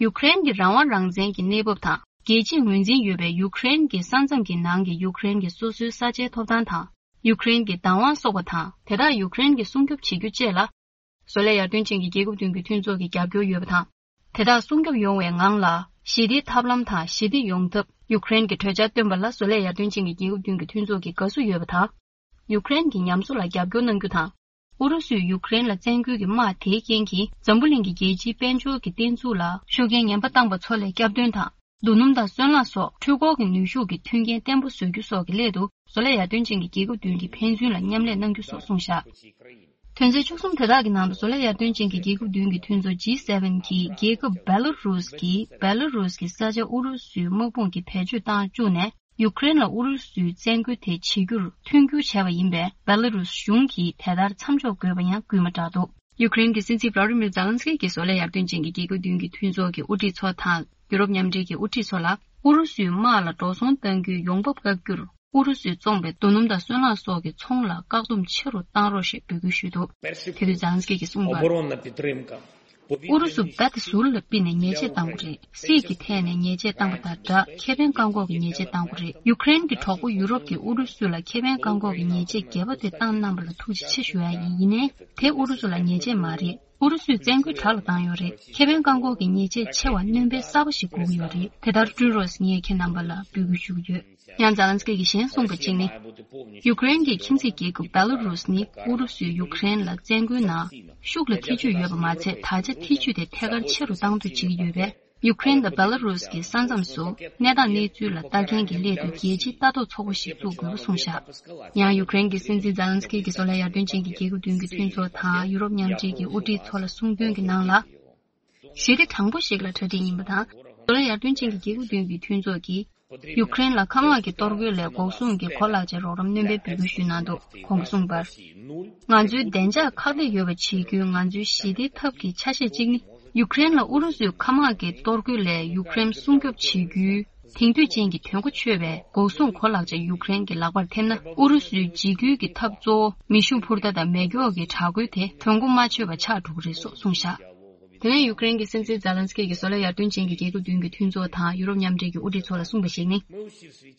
ཡུཀ་རེན་གྱི་རང་དབང་རང་བཙན་གྱི་གནས་བབ་དང་། རྒྱལ་སྤྱིས་ངོས་འཛིན་ཡོད་པའི་ཡུཀ་རེན་གྱི་ས་མཚམས་ཀྱི་ནང་གི་ཡུཀ་རེན་གྱི་སོ་སོའི་ས་ཆའི་ཐོབ་ཐང་དང་། ཡུཀ་རེན་གྱི་བདག་དབང་སོགས་པ་དང་། དེ་དག་ཡུཀ་རེན་གྱིས་སྲུང་སྐྱོབ་བྱེད་རྒྱུ་བཅས་ལ། བཟོ་ལས་ཡར་ཐོན་ཅན་གྱི་རྒྱལ་ཁབ་བདུན་གྱི་མཐུན་ཚོགས་ཀྱིས་རྒྱབ་སྐྱོར་ཡོད་པ་དང་། དེ་དག་སྲུང་སྐྱོབ་ཡོང་བའི་ངང་ལ། ཞི་བདེའི་ཐབས་ལམ་དང་ཞི་བདེ་ཡོང་ཐབས། ཡུཀ་རེན་གྱི་གྲོས་འཆར་བཏོན་པ་ལ། བཟོ་ལས་ཡར་ཐོན་ཅན་གྱི་རྒྱལ་ཁབ་བདུན་གྱི་མཐུན་ཚོགས་ཀྱིས་དགའ་བསུ་ཡོད་པ་དང་། ཡུཀ་རེན་གྱི་ཉམས་གསོ་ལ་རྒྱབ་སྐྱོར་གནང་རྒྱུ་དང་། ཨུ་རུ་སུས་ཡུཀ་རེན་ལ་བཙན་རྒོལ་གྱི་དམག་དེའི་རྐྱེན་གྱིས། འཛམ་བུ་གླིང་གི་རྒྱལ་སྤྱིའི་དཔལ་འབྱོར་གྱི་བརྟན་ཚུགས་ལ་ཤུགས་རྐྱེན་ངན་པ་བཏང་པ་ཚོ་ལ་སྐྱབས་སྟོན་དང་། རྡོ་སྣུམ་དང་སོལ་རླངས་སོགས་འཕྲུལ་འཁོར་གྱི་ནུས་ཤུགས་ཀྱི་མཐུན་རྐྱེན་བརྟན་པོ་བཟོ་རྒྱུ་སོགས་ཀྱི་སླད་དུ། བཟོ་ལས་ཡར་ཐོན་ཅན་གྱི་རྒྱལ་ཁབ་བདུན་གྱིས་ཕན་ཚུན་ལ་མཉམ་ལས་གནང་རྒྱུ་སོགས་གསུངས་བཞག་དོན་ཚན་བཅུ་གསུམ་དེ་དག་གི་ནང་དུ། བཟོ་ལས་ཡར་ཐོན་ཅན་གྱི་རྒྱལ་ཁབ་བདུན་གྱི་མཐུན་ཚོགས་ཇི་སེ་ཝེན་གྱིས། རྒྱལ་ཁབ་བེ་ལ་རུས་ཀྱིས། བེ་ལ་རུས་ཀྱི་ས་ཆ་ཨུ་རུ་སུའི་དམག་དཔུང་གིས་བེད་སྤྱོད་བཏང་བཅུག་ནས། ཡུཀ་རེན་ལ་ཨུ་རུ་སུའི་བཙན་རྒོལ་དེ་བྱེད་རྒྱུར་མཐུན་འགྱུར་བྱས་པ་ཡིན་པས། བེ་ལ་རུས་གཞུང་གིས་དེ་ལྟར་མཚམས་འཇོག་དགོས་པ་ཡང་སྐུལ་མ་བསྒྲགས་འདུག་ཡུཀ་རེན་གྱི་སྲིད་འཛིན་ཝ་ལ་ཏི་མིར་ཛེ་ལན་སི་ཀི་གིས་བཟོ་ལས་ཡར་ཐོན་ཅན་གྱི་རྒྱལ་ཁབ་བདུན་གྱི་མཐུན་ཚོགས་ཀྱི་དབུ་ཁྲིད་ཚོ་དང་། ཡུ་རོབ་མཉམ་འབྲེལ་གྱི་དབུ་ཁྲིད་ཚོ་ལ། ཨུ་རུ་སུའི་དམག་ལ་འགྲོ་སོང་གཏང་རྒྱུའི་ཡོང་འབབ་བཀག་རྒྱུར། ཨུ་རུ་སུས་བཙོངས་པའི་རྡོ་སྣུམ་དང་སོལ་རླངས་སོགས་ཀྱི་ཚོང་ལ་བཀག་སྡོམ་ཆེ་རུ་གཏང་རོགས་ཞེས་འབོད་སྐུལ་ཞུས་འདུག་དེ་དུས་ཛེ་ལན་སི་ཀི་གིས་གསུངས་པར། ཨུ་རུ་སུ་རྦད་དེ་ཟུར་ལ་ཕུད་ནས་ཉེས་ཆད་བཏང་བ་རེད། སྲིད་ཀྱི་ཐད་ནས་ཉེས་ཆད་བཏང་པ་དང་སྦྲགས། ཁེ་ཕན་བཀག་འགོག་གི་ཉེས་ཆད་བཏང་བ་རེད། ཡུཀ་རེན་གྱི་གྲོགས་པོ་ཡུ་རོབ་ཀྱིས་ཨུ་རུ་སུ་ལ་ཁེ་ཕན་བཀག་འགོག་གི་ཉེས་ཆད་བརྒྱད་པ་དེ་བཏང་གནང་པ་ལ་ཐུགས་རྗེ་ཆེ་ཞུ་ཡ་ཡིན། ཡིན་ནའི་དེ་ཨུ་རུ་སུ་ལ་ཉེས་ཆད་མ་རེད། ཨུ་རུ་སུས་བཙན་རྒོལ་དྲག་ལ་བཏང་ཡོད་རེད། ཁེ་ཕན་བཀག་འགོག་གི་ཉེས་ཆད་ཆེ་བ་སྣོན་སྤེལ་གསར་པ་ཞིག་དགོས་ཀྱི་ཡོད་རེད། དེ་ལྟར་བསྐྲུན་རོགས་ཞེས་ངས་ཁྱེད་རྣམ་པ་ལ་འབོད་སྐུལ་ཞུ་གི་ཡོད། ཡང་ཛེ་ལན་སི་ཀི་གིས་གཞན་གསུངས་པ་གཅིག་ནི། ཡུཀ་རེན་གྱི་ཁྱིམ་མཚེས་རྒྱལ་ཁབ་བེ་ལ་རུས་ནི་ཨུ་རུ་སུས་ཡུཀ་རེན་ལ་བཙན་རྒོལ་ནང་ཤུགས་ལ་ཐེ་བྱུས་ཡོད་པ་མ་ཚད། ད་ཆ་ཐེ་བྱུས་དེ་ཐད་ཀར་ཆེ་རུ་བཏང་འདོད་བྱེད་ཀྱི་ཡོད་པས། ཡུཀ་རེན་དང་བེ་ལ་རུས་ཀྱི་ས་མཚམས་སུ་གནས་སྟངས་གནས་ཚུལ་ལ་ལྟ་མཁན་གྱི་སླད་དུ་རྒྱལ་སྤྱིའི་ལྟ་རྟོག་ཚོགས་པ་ཞིག་བཙུགས་དགོས་པ་གསུངས་བཞག་ཡང་ཡུཀ་རེན་གྱི་སྲིད་འཛིན་ཛེ་ལན་སི་ཀི་གིས་བཟོ་ལས་ཡར་ཐོན་ཅན་གྱི་རྒྱལ་ཁབ་བདུན་གྱི་མཐུན་ཚོགས་དང་ཡུ་རོབ་མཉམ་འབྲེལ་གྱི་དབུ་ཁྲིད་ཚོ་ལ་གསུངས་དོན་གྱི་ནང་ལ། ཞི་བདེ་དྲང་པོ་ཞིག་ལ་གྲ་སྒྲིག་ཡིན་པ་དང་། བཟོ་ལས་ཡར་ཐོན་ཅན་གྱི་རྒྱལ་ཁབ་བདུན་གྱི་མཐུན་ཚོགས་ཀྱིས། ཡུཀ་རེན་ལ་མཁའ་དམག་གི་གཏོར་རྒོལ་ལས་འགོག་སྲུང་གི་གོ་ལག་ཆ་རོགས་རམ་སྣོན་པའི་འབོད་སྐུལ་ཞུས་གནང་འདུག་ཁོང་གིས་གསུངས་པར། ང་ཚོའི་བདེ་འཇགས་ཁག་ཐེག་ཡོད་པ་བྱེད་རྒྱུའི་ང་ཚོའི་ཞི་བདེའི་ཐབས་ཀྱི་ཆ་ཤས་གཅིག་ནི། ཡུཀ་རེན་ལ་ཨུ་རུ་སུའི་མཁའ་དམག་གི་གཏོར་རྒོལ་ལས་ཡུཀ་རེན་སྲུང་སྐྱོབ་བྱེད་རྒྱུའི་དེང་དུས་ཅན་གྱི་དོན་གོ་ཆོད་པའི་འགོག་སྲུང་གོ་ལག་ཆ་ཡུཀ་རེན་གྱི་ལག་པར་ཐེབས་ན། ཨུ་རུ་སུའི་འཇིགས་སྐུལ་གྱི་ཐབས་གཙོ་བོ་མེ་ཤུགས་འཕུར་མདའ་དང་མེ་སྒྱོགས་ཀྱི་དྲག་རྒོལ་དེ་དོན་གོ་མ་ཆོད་པ་ཆགས་འགྲོ་གི་རེད་སོགས་གསུངས་བཞག་དེ་ནས་ཡུཀ་རེན་གྱི་སྲིད་འཛིན་ཛེ་ལན་སི་ཀི་གིས་བཟོ་ལས་ཡར་ཐོན་ཅན་གྱི་རྒྱལ་ཁབ་བདུན་གྱི་མཐུན་ཚོགས་དང་ཡུ་རོབ་མཉམ་འབྲེལ་གྱི་དབུ་ཁྲིད་ཚོ་ལ་གསུངས་པ་ཞིག་ནི།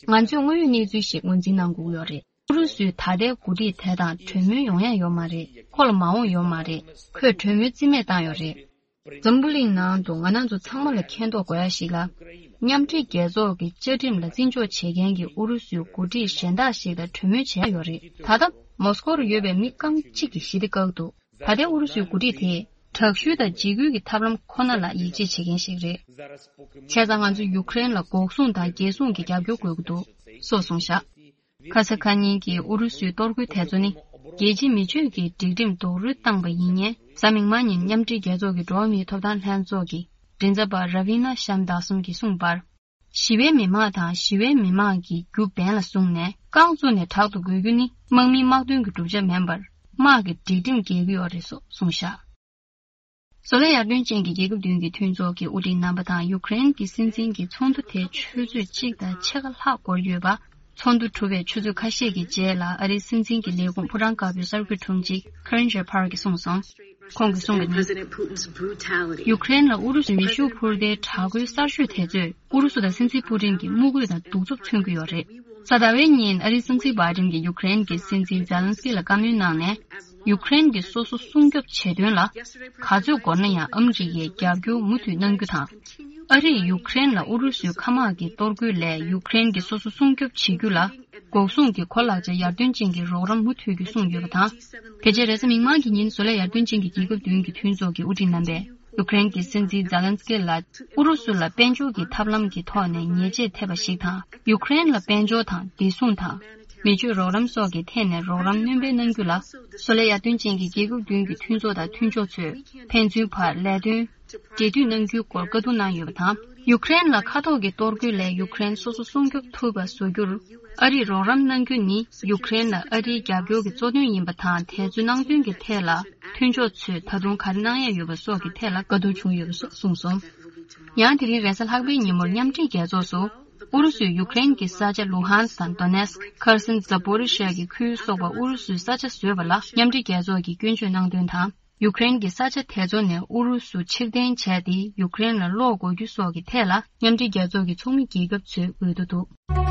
ང་ཚོས་དངོས་ཡོད་གནས་ཚུལ་ཞིག་ངོས་འཛིན་གནང་དགོས་ཀྱི་ཡོད་རེད། ཨུ་རུ་སུའི་ད་ལྟའི་འགོ་ཁྲིད་དེ་དང་གྲོས་མོལ་ཡོང་ཡ་ཡོད་མ་རེད། ཁོ་ལ་མ་འོངས་ཡོད་མ་རེད། ཁོས་གྲོས་མོལ་རྩིས་མེད་བཏང་ཡོད་རེད། འཛམ་བུ་གླིང་ནང་དུ་ང་རང་ཚོ་ཚང་མ་ལ་མཁྱེན་རྟོགས་དགོས་ཡ་ཞིག་ལ། མཉམ་འབྲེལ་རྒྱལ་ཚོགས་ཀྱི་བཅའ་ཁྲིམས་ལ་བརྩི་འཇོག་བྱེད་མཁན་གྱི་ཨུ་རུ་སུའི་འགོ་ཁྲིད་གཞན་དག་ཞིག་དང་གྲོས་མོལ་བྱས་ཡོད་རེད། ད་ལྟ་མོ་སི་ཀོ་རུ་ཡོད་པའི་མི་རྐང་གཅིག་གིས་ཞི་བདེ་བཀག་འདུག་ད་ལྟའི་ཨུ་རུ་སུའི་འགོ་ཁྲིད་དེས་དྲག་ཤུལ་དང་འཇིགས་སྐུལ་གྱི་ཐབས་ལམ་ཁོ་ན་ལ་ཡིད་ཆེས་བྱེད་མཁན་ཞིག་རེད། བྱས་ཙང་ང་ཚོས་ཡུཀ་རེན་ལ་འགོག་སྲུང་དང་རྒྱལ་སྲུང་གི་རྒྱབ་སྐྱོར་དགོས་ཀྱི་འདུག་སོགས་གསུངས་བཞག་ཁ་ས་ཁ་ཉིན་གྱི་ཨུ་རུ་སུའི་གཏོར་རྒོལ་དེ་ཚོ་ནི། རྒྱལ་སྤྱིའི་མི་སྤྱོད་ཀྱི་སྒྲིག་ཁྲིམས་རྡོག་རོལ་བཏང་པ་ཡིན་ཉེན། གཟའ་མིག་དམར་ཉིན་མཉམ་འབྲེལ་རྒྱལ་ཚོགས་ཀྱི་འགྲོ་བ་མིའི་ཐོབ་ཐང་ལྷན་ཚོགས་ཀྱི་མགྲིན་ཚབ་པ་ར་བི་ན་ཤམ་དཱ་སུན་གྱིས་གསུངས་པར། ཞི་བའི་མི་དམངས་དང་ཞི་བའི་མི་དམངས་ཀྱི་རྒྱུ་འབེན་ལ་བཟུང་ནས་རྐང་བཙུགས་ནས་དྲག་ཏུ་རྒོལ་རྒྱུ་ནི་དམག་མིའི་དམག་དོན་གྱི་གྲུབ་ཆ་མིན་པར། དམག་གི་སྒྲིག་ཁྲིམས་འགལ་གྱི་ཡོད་རེད་སོགས་གསུངས་བཞག་བཟོ་ལས་ཡར་ཐོན་ཅན་གྱི་རྒྱལ་ཁབ་བདུན་གྱི་མཐུན་ཚོགས་ཀྱི་དབུ་ཁྲིད་རྣམ་པ་དང་ཡུཀ་རེན་གྱི་སྲིད་འཛིན་གྱི་ཚོགས་འདུ་དེ་ཆུ་ཚོད་གཅིག་དང་ཕྱེད་ཀ་ལྷག་འགོར་ཡོད་པ། ཚོགས་འདུ་གྲུབ་པའི་ཆུ་ཚོད་ཁ་ཤས་ཀྱི་རྗེས་ལ་ཨ་རིའི་སྲིད་འཛིན་གྱི་ལས་ཁུངས་ཕོ་བྲང་དཀར་པོའི་གསར་འགོད་དྲུང་ཆེ་ཁ་རན་ཇེ་ཕར་གྱིས་གསུངས་སོང་། ཁོང་གིས་གསུངས་པ་ནི། ཡུཀ་རེན་ལ་ཨུ་རུ་སུའི་མེ་ཤུགས་འཕུར་མདའི་དྲག་རྒོལ་གསར་ཤོས་དེ་ཚོས་ཨུ་རུ་སུ་དང་སྲིད་འཛིན་པུ་ཏིན་གྱི་དམུ་རྒོད་དང་གདུག་རྩུབ་མཚོན་གྱི་ཡོད་རེད། གཟའ་ཟླ་བའི་ཉིན་ཨ་རིའི་སྲིད་འཛིན་བྷའི་ཏིན་གྱིས་ཡུཀ་རེན་གྱི་སྲིད་འཛིན་ཛེ་ལན་སི་ཀི་ལ་བཀའ་མོལ་གནང་ནས། ཡུཀ་རེན་གྱིས་སོ་སོ་སྲུང་སྐྱོབ་བྱེད་དོན་ལ། ག་ཚོད་འགོར་ན་ཡང་ཨ་མི་རི་ཀས་རྒྱབ་སྐྱོར་མུ་མཐུད་གནང་རྒྱུ་དང་། ཨ་རིས་ཡུཀ་རེན་ལ་ཨུ་རུ་སུའི་མཁའ་དམག་གི་གཏོར་རྒོལ་ལས་ཡུཀ་རེན་གྱིས་སོ་སོ་སྲུང་སྐྱོབ་བྱེད་རྒྱུ་ལ། འགོག་སྲུང་གི་གོ་ལག་ཆ་ཡར་ཐོན་ཅན་གྱི་རོགས་རམ་མུ་མཐུད་རྒྱུ་གསུངས་ཡོད་པ་དང་། དེ་རྗེས་རེས་གཟའ་མིག་དམར་གྱི་ཉིན་བཟོ་ལས་ཡར་ཐོན་ཅན་གྱི་རྒྱལ་ཁབ་བདུན་གྱི་མཐུན་ཚོགས་ཀྱི་དབུ་ཁྲིད་རྣམ་པས། ཡུཀ་རེན་གྱི་སྲིད་འཛིན་ཛེ་ལན་སི་ཀི་ལ། ཨུ་རུ་སུ་ལ་དཔལ་འབྱོར་གྱི་ཐབས་ལམ་གྱི་ཐོག་ནས་ཉེས་ཆད་ཐེབས་པ་ཞིག་དང་། ཡུཀ་རེན་ལ་དཔལ་འབྱོར་དང་བདེ་སྲུང་དང་། མི་སྤྱོད་རོགས་རམ་སོགས་ཀྱི་ཐད་ནས་རོགས་རམ་སྣོན་སྤེལ་གནང་རྒྱུ་ལ། བཟོ་ལས་ཡར་ཐོན་ཅན་གྱི་རྒྱལ་ཁབ་བདུན་གྱི་མཐུན་ཚོགས་དང་མཐུན་ཕྱོགས་ཚོས་ཕན་ཚུན་བར་ལས་དོན་འབྲེལ་མཐུད་གནང་རྒྱུའི་སྐོར་བཀའ་བསྡུར་གནང་ཡོད་པ་དང་། ཡུཀ་རེན་ལ་མཁའ་ཐོག་གི་གཏོར་རྒོལ་ལས་ཡུཀ་རེན་སོ་སོ་སྲུང་སྐྱོབ་ཐུབ་པ་བཟོ་རྒྱུར་ཨ་རིས་རོགས་རམ་གནང་རྒྱུ་ནི་ཡུཀ་རེན་ལ་ཨ་རིའི་རྒྱབ་སྐྱོར་གྱི་གཙོ་དོན་ཡིན་པ་དང་། དེ་ཚོའི་གནད་དོན་གྱི་ཐད་ལ་མཐུན་ཕྱོགས་ཚོས་ད་དུང་ག་རེ་གནང་ཡས་ཡོད་པ་སོགས་ཀྱི་ཐད་ལ་བཀའ་བསྡུར་བྱུང་ཡོད་པ་སོགས་གསུངས་སོང་། ཡང་དེ་རིང་རེས་གཟའ་ལྷག་པའི་ཉིན་མོར་མཉམ་འབྲེལ་རྒྱལ་ཚོགས་སུ། ཨུ་རུ་སུས་ཡུཀ་རེན་གྱི་ས་ཆ་ལུ་ཧན་སི་དང་དོ་ནེ་སི་ཁི། ཁར་སན། ཛ་པོ་རི་ཤ་གི་ཁུལ་སོགས་པ་ཨུ་རུ་སུའི་ས་ཆ་བཟོས་པ་ལ་མཉམ་འབྲེལ་རྒྱལ་ཚོགས་ཀྱིས་སྐྱོན་བརྗོད་གནང་དོན་དང་། ཡུཀ་རེན་གྱི་ས་ཆ་དེ་ཚོ་ནས་ཨུ་རུ་སུ་ཕྱིར་འཐེན་བྱས་ཏེ་ཡུཀ་རེན་ལ་སློག་དགོས་རྒྱུ་སོགས་ཀྱི་ཐད་ལ་མཉམ་འབྲེལ་རྒྱལ་ཚོགས་ཀྱི་ཚོགས་མི་རྒྱལ་ཁབ་ཚོས་འོས་བསྡུ་འདུག་ཨ་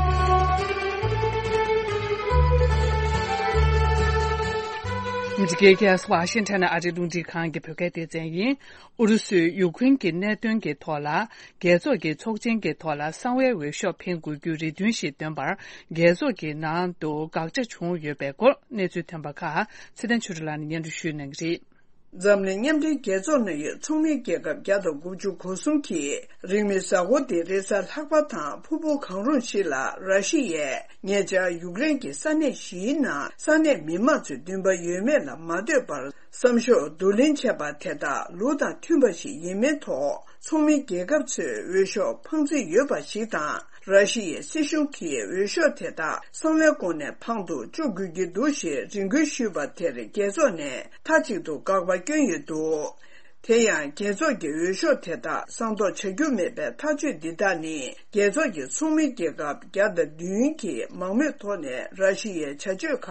མི་རི་ཀའི་རྒྱལ་ས་ཝ་ཤིང་ཊོན་ནས་ཨ་རིའི་རླུང་འཕྲིན་ཁང་གི་བོད་སྐད་སྡེ་ཚན་ཡིན། ཨུ་རུ་སུས་ཡུཀ་རེན་གྱི་གནད་དོན་གྱི་ཐོག་ལ། རྒྱལ་ཚོགས་ཀྱི་ཚོགས་ཆེན་གྱི་ཐོག་ལ་གསང་བའི་འོས་ཤོག་འཕེན་དགོས་རྒྱུའི་རེ་འདུན་ཞིག་བཏོན་པར། རྒྱལ་ཚོགས་ཀྱི་ནང་དུ་དགག་བྱ་བྱུང་ཡོད་པའི་སྐོར་གནས་ཚུལ་ཐོན་པ་ཁག་ཚེ་བརྟན་ཆོས་སྒྲོན་ལགས་ནས་སྙན་སྒྲོན་ཞུ་གནང་གི་རེད། འཛམ་གླིང་མཉམ་འབྲེལ་རྒྱལ་ཚོགས་ནང་ཡོད་ཚོགས་མི་རྒྱལ་ཁབ་བརྒྱ་དང་དགུ་བཅུ་གོ་གསུམ་གྱིས་རིང་མིན་གཟའ་འཁོར་འདིའི་རེས་གཟའ་ལྷག་པ་དང་ཕུར་བུ་གང་རུང་ཞིག་ལ་ར་ཤི་ཡས་ཉེ་ཆར་ཡུཀ་རེན་གྱི་ས་གནས་བཞིའི་ནང་ས་གནས་མི་མང་ཚོས་འདུན་པ་ཡོད་མེད་ལ་མ་ལྟོས་པར། བསམ་ཤོག་བསྡུ་ལེན་བྱས་པ་དེ་དག་ལུགས་དང་མཐུན་པ་ཞིག་ཡིན་མིན་ཐོག་ཚོགས་མི་རྒྱལ་ཁབ་ཚོས་འོས་ཤོག་འཕང་རྩིས་ཡོད་པ་ཞིག་དང་། ར་ཤི་ཡའི་སྲིད་གཞུང་གིས་འོས་ཤོག་དེ་དག་གསང་བའི་སྒོ་ནས་འཕང་དུ་བཅུག་དགོས་ཀྱི་འདུག་ཞེས་རེ་སྐུལ་ཞུས་པ་དེར་རྒྱལ་ཚོགས་ནས་མཐའ་གཅིག་ཏུ་དགག་པ་བསྐྱོན་ཡོད་འདུག་དེ་ཡང་རྒྱལ་ཚོགས་ཀྱི་འོས་ཤོག་དེ་དག་གསང་རྟོགས་བྱ་རྒྱུ་མེད་པའི་ཐག་གཅོད་འདི་དག་ནི་རྒྱལ་ཚོགས་ཀྱི་ཚོགས་མི་རྒྱལ་ཁབ་བརྒྱ་དང་བདུན་གྱིས་མང་མོས་ཐོག་ནས་ར་ཤི་ཡའི་བྱ་སྤྱོད་ཁག་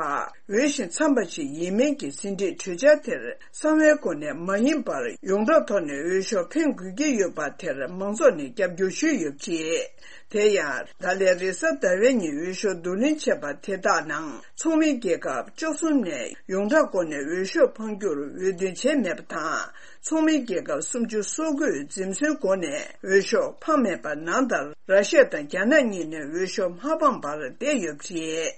འོས་ཤིང་འཚམ་པ་ཞིག་ཡིན་མིན་གྱི་ཟིན་བྲིས་གྲོས་འཆར་དེར་གསང་བའི་སྒོ་ནས་མ་ཡིན་པར་ཡོངས་གྲགས་ཐོག་ནས་འོས་ཤོག་འཕེན་དགོས་ཀྱི་ཡོད་པ་དེར་མང་ཚོགས་ནས་རྒྱབ་སྐྱོར་ཞུས་ཡོད་པ་རེད། དེ་ཡང་ད་ལན་རེས་གཟའ་ཟླ་བའི་ཉིན་འོས་ཤོག་བསྡུ་ལེན་བྱས་པ་དེ་དག་ནང་ཚོགས་མི་རྒྱལ་ཁབ་བཅུ་གསུམ་ནས་ཡོངས་གྲགས་སྒོ་ནས་འོས་ཤོག་འཕང་རྒྱུར་འོས་བསྡུ་བྱས་མེད་པ་དང་། ཚོགས་མི་རྒྱལ་ཁབ་སུམ་ཅུ་སོ་དགུས་འཛེམ་ཟོན་སྒོ་ནས་འོས་ཤོག་འཕངས་མེད་པ་ནང་ལྟར། ར་ཤི་ཡ་དང་རྒྱ་ནག་གཉིས་ནས་འོས་ཤོག་མ་འཕངས་པར་བསྡད་ཡོད་པ་རེད།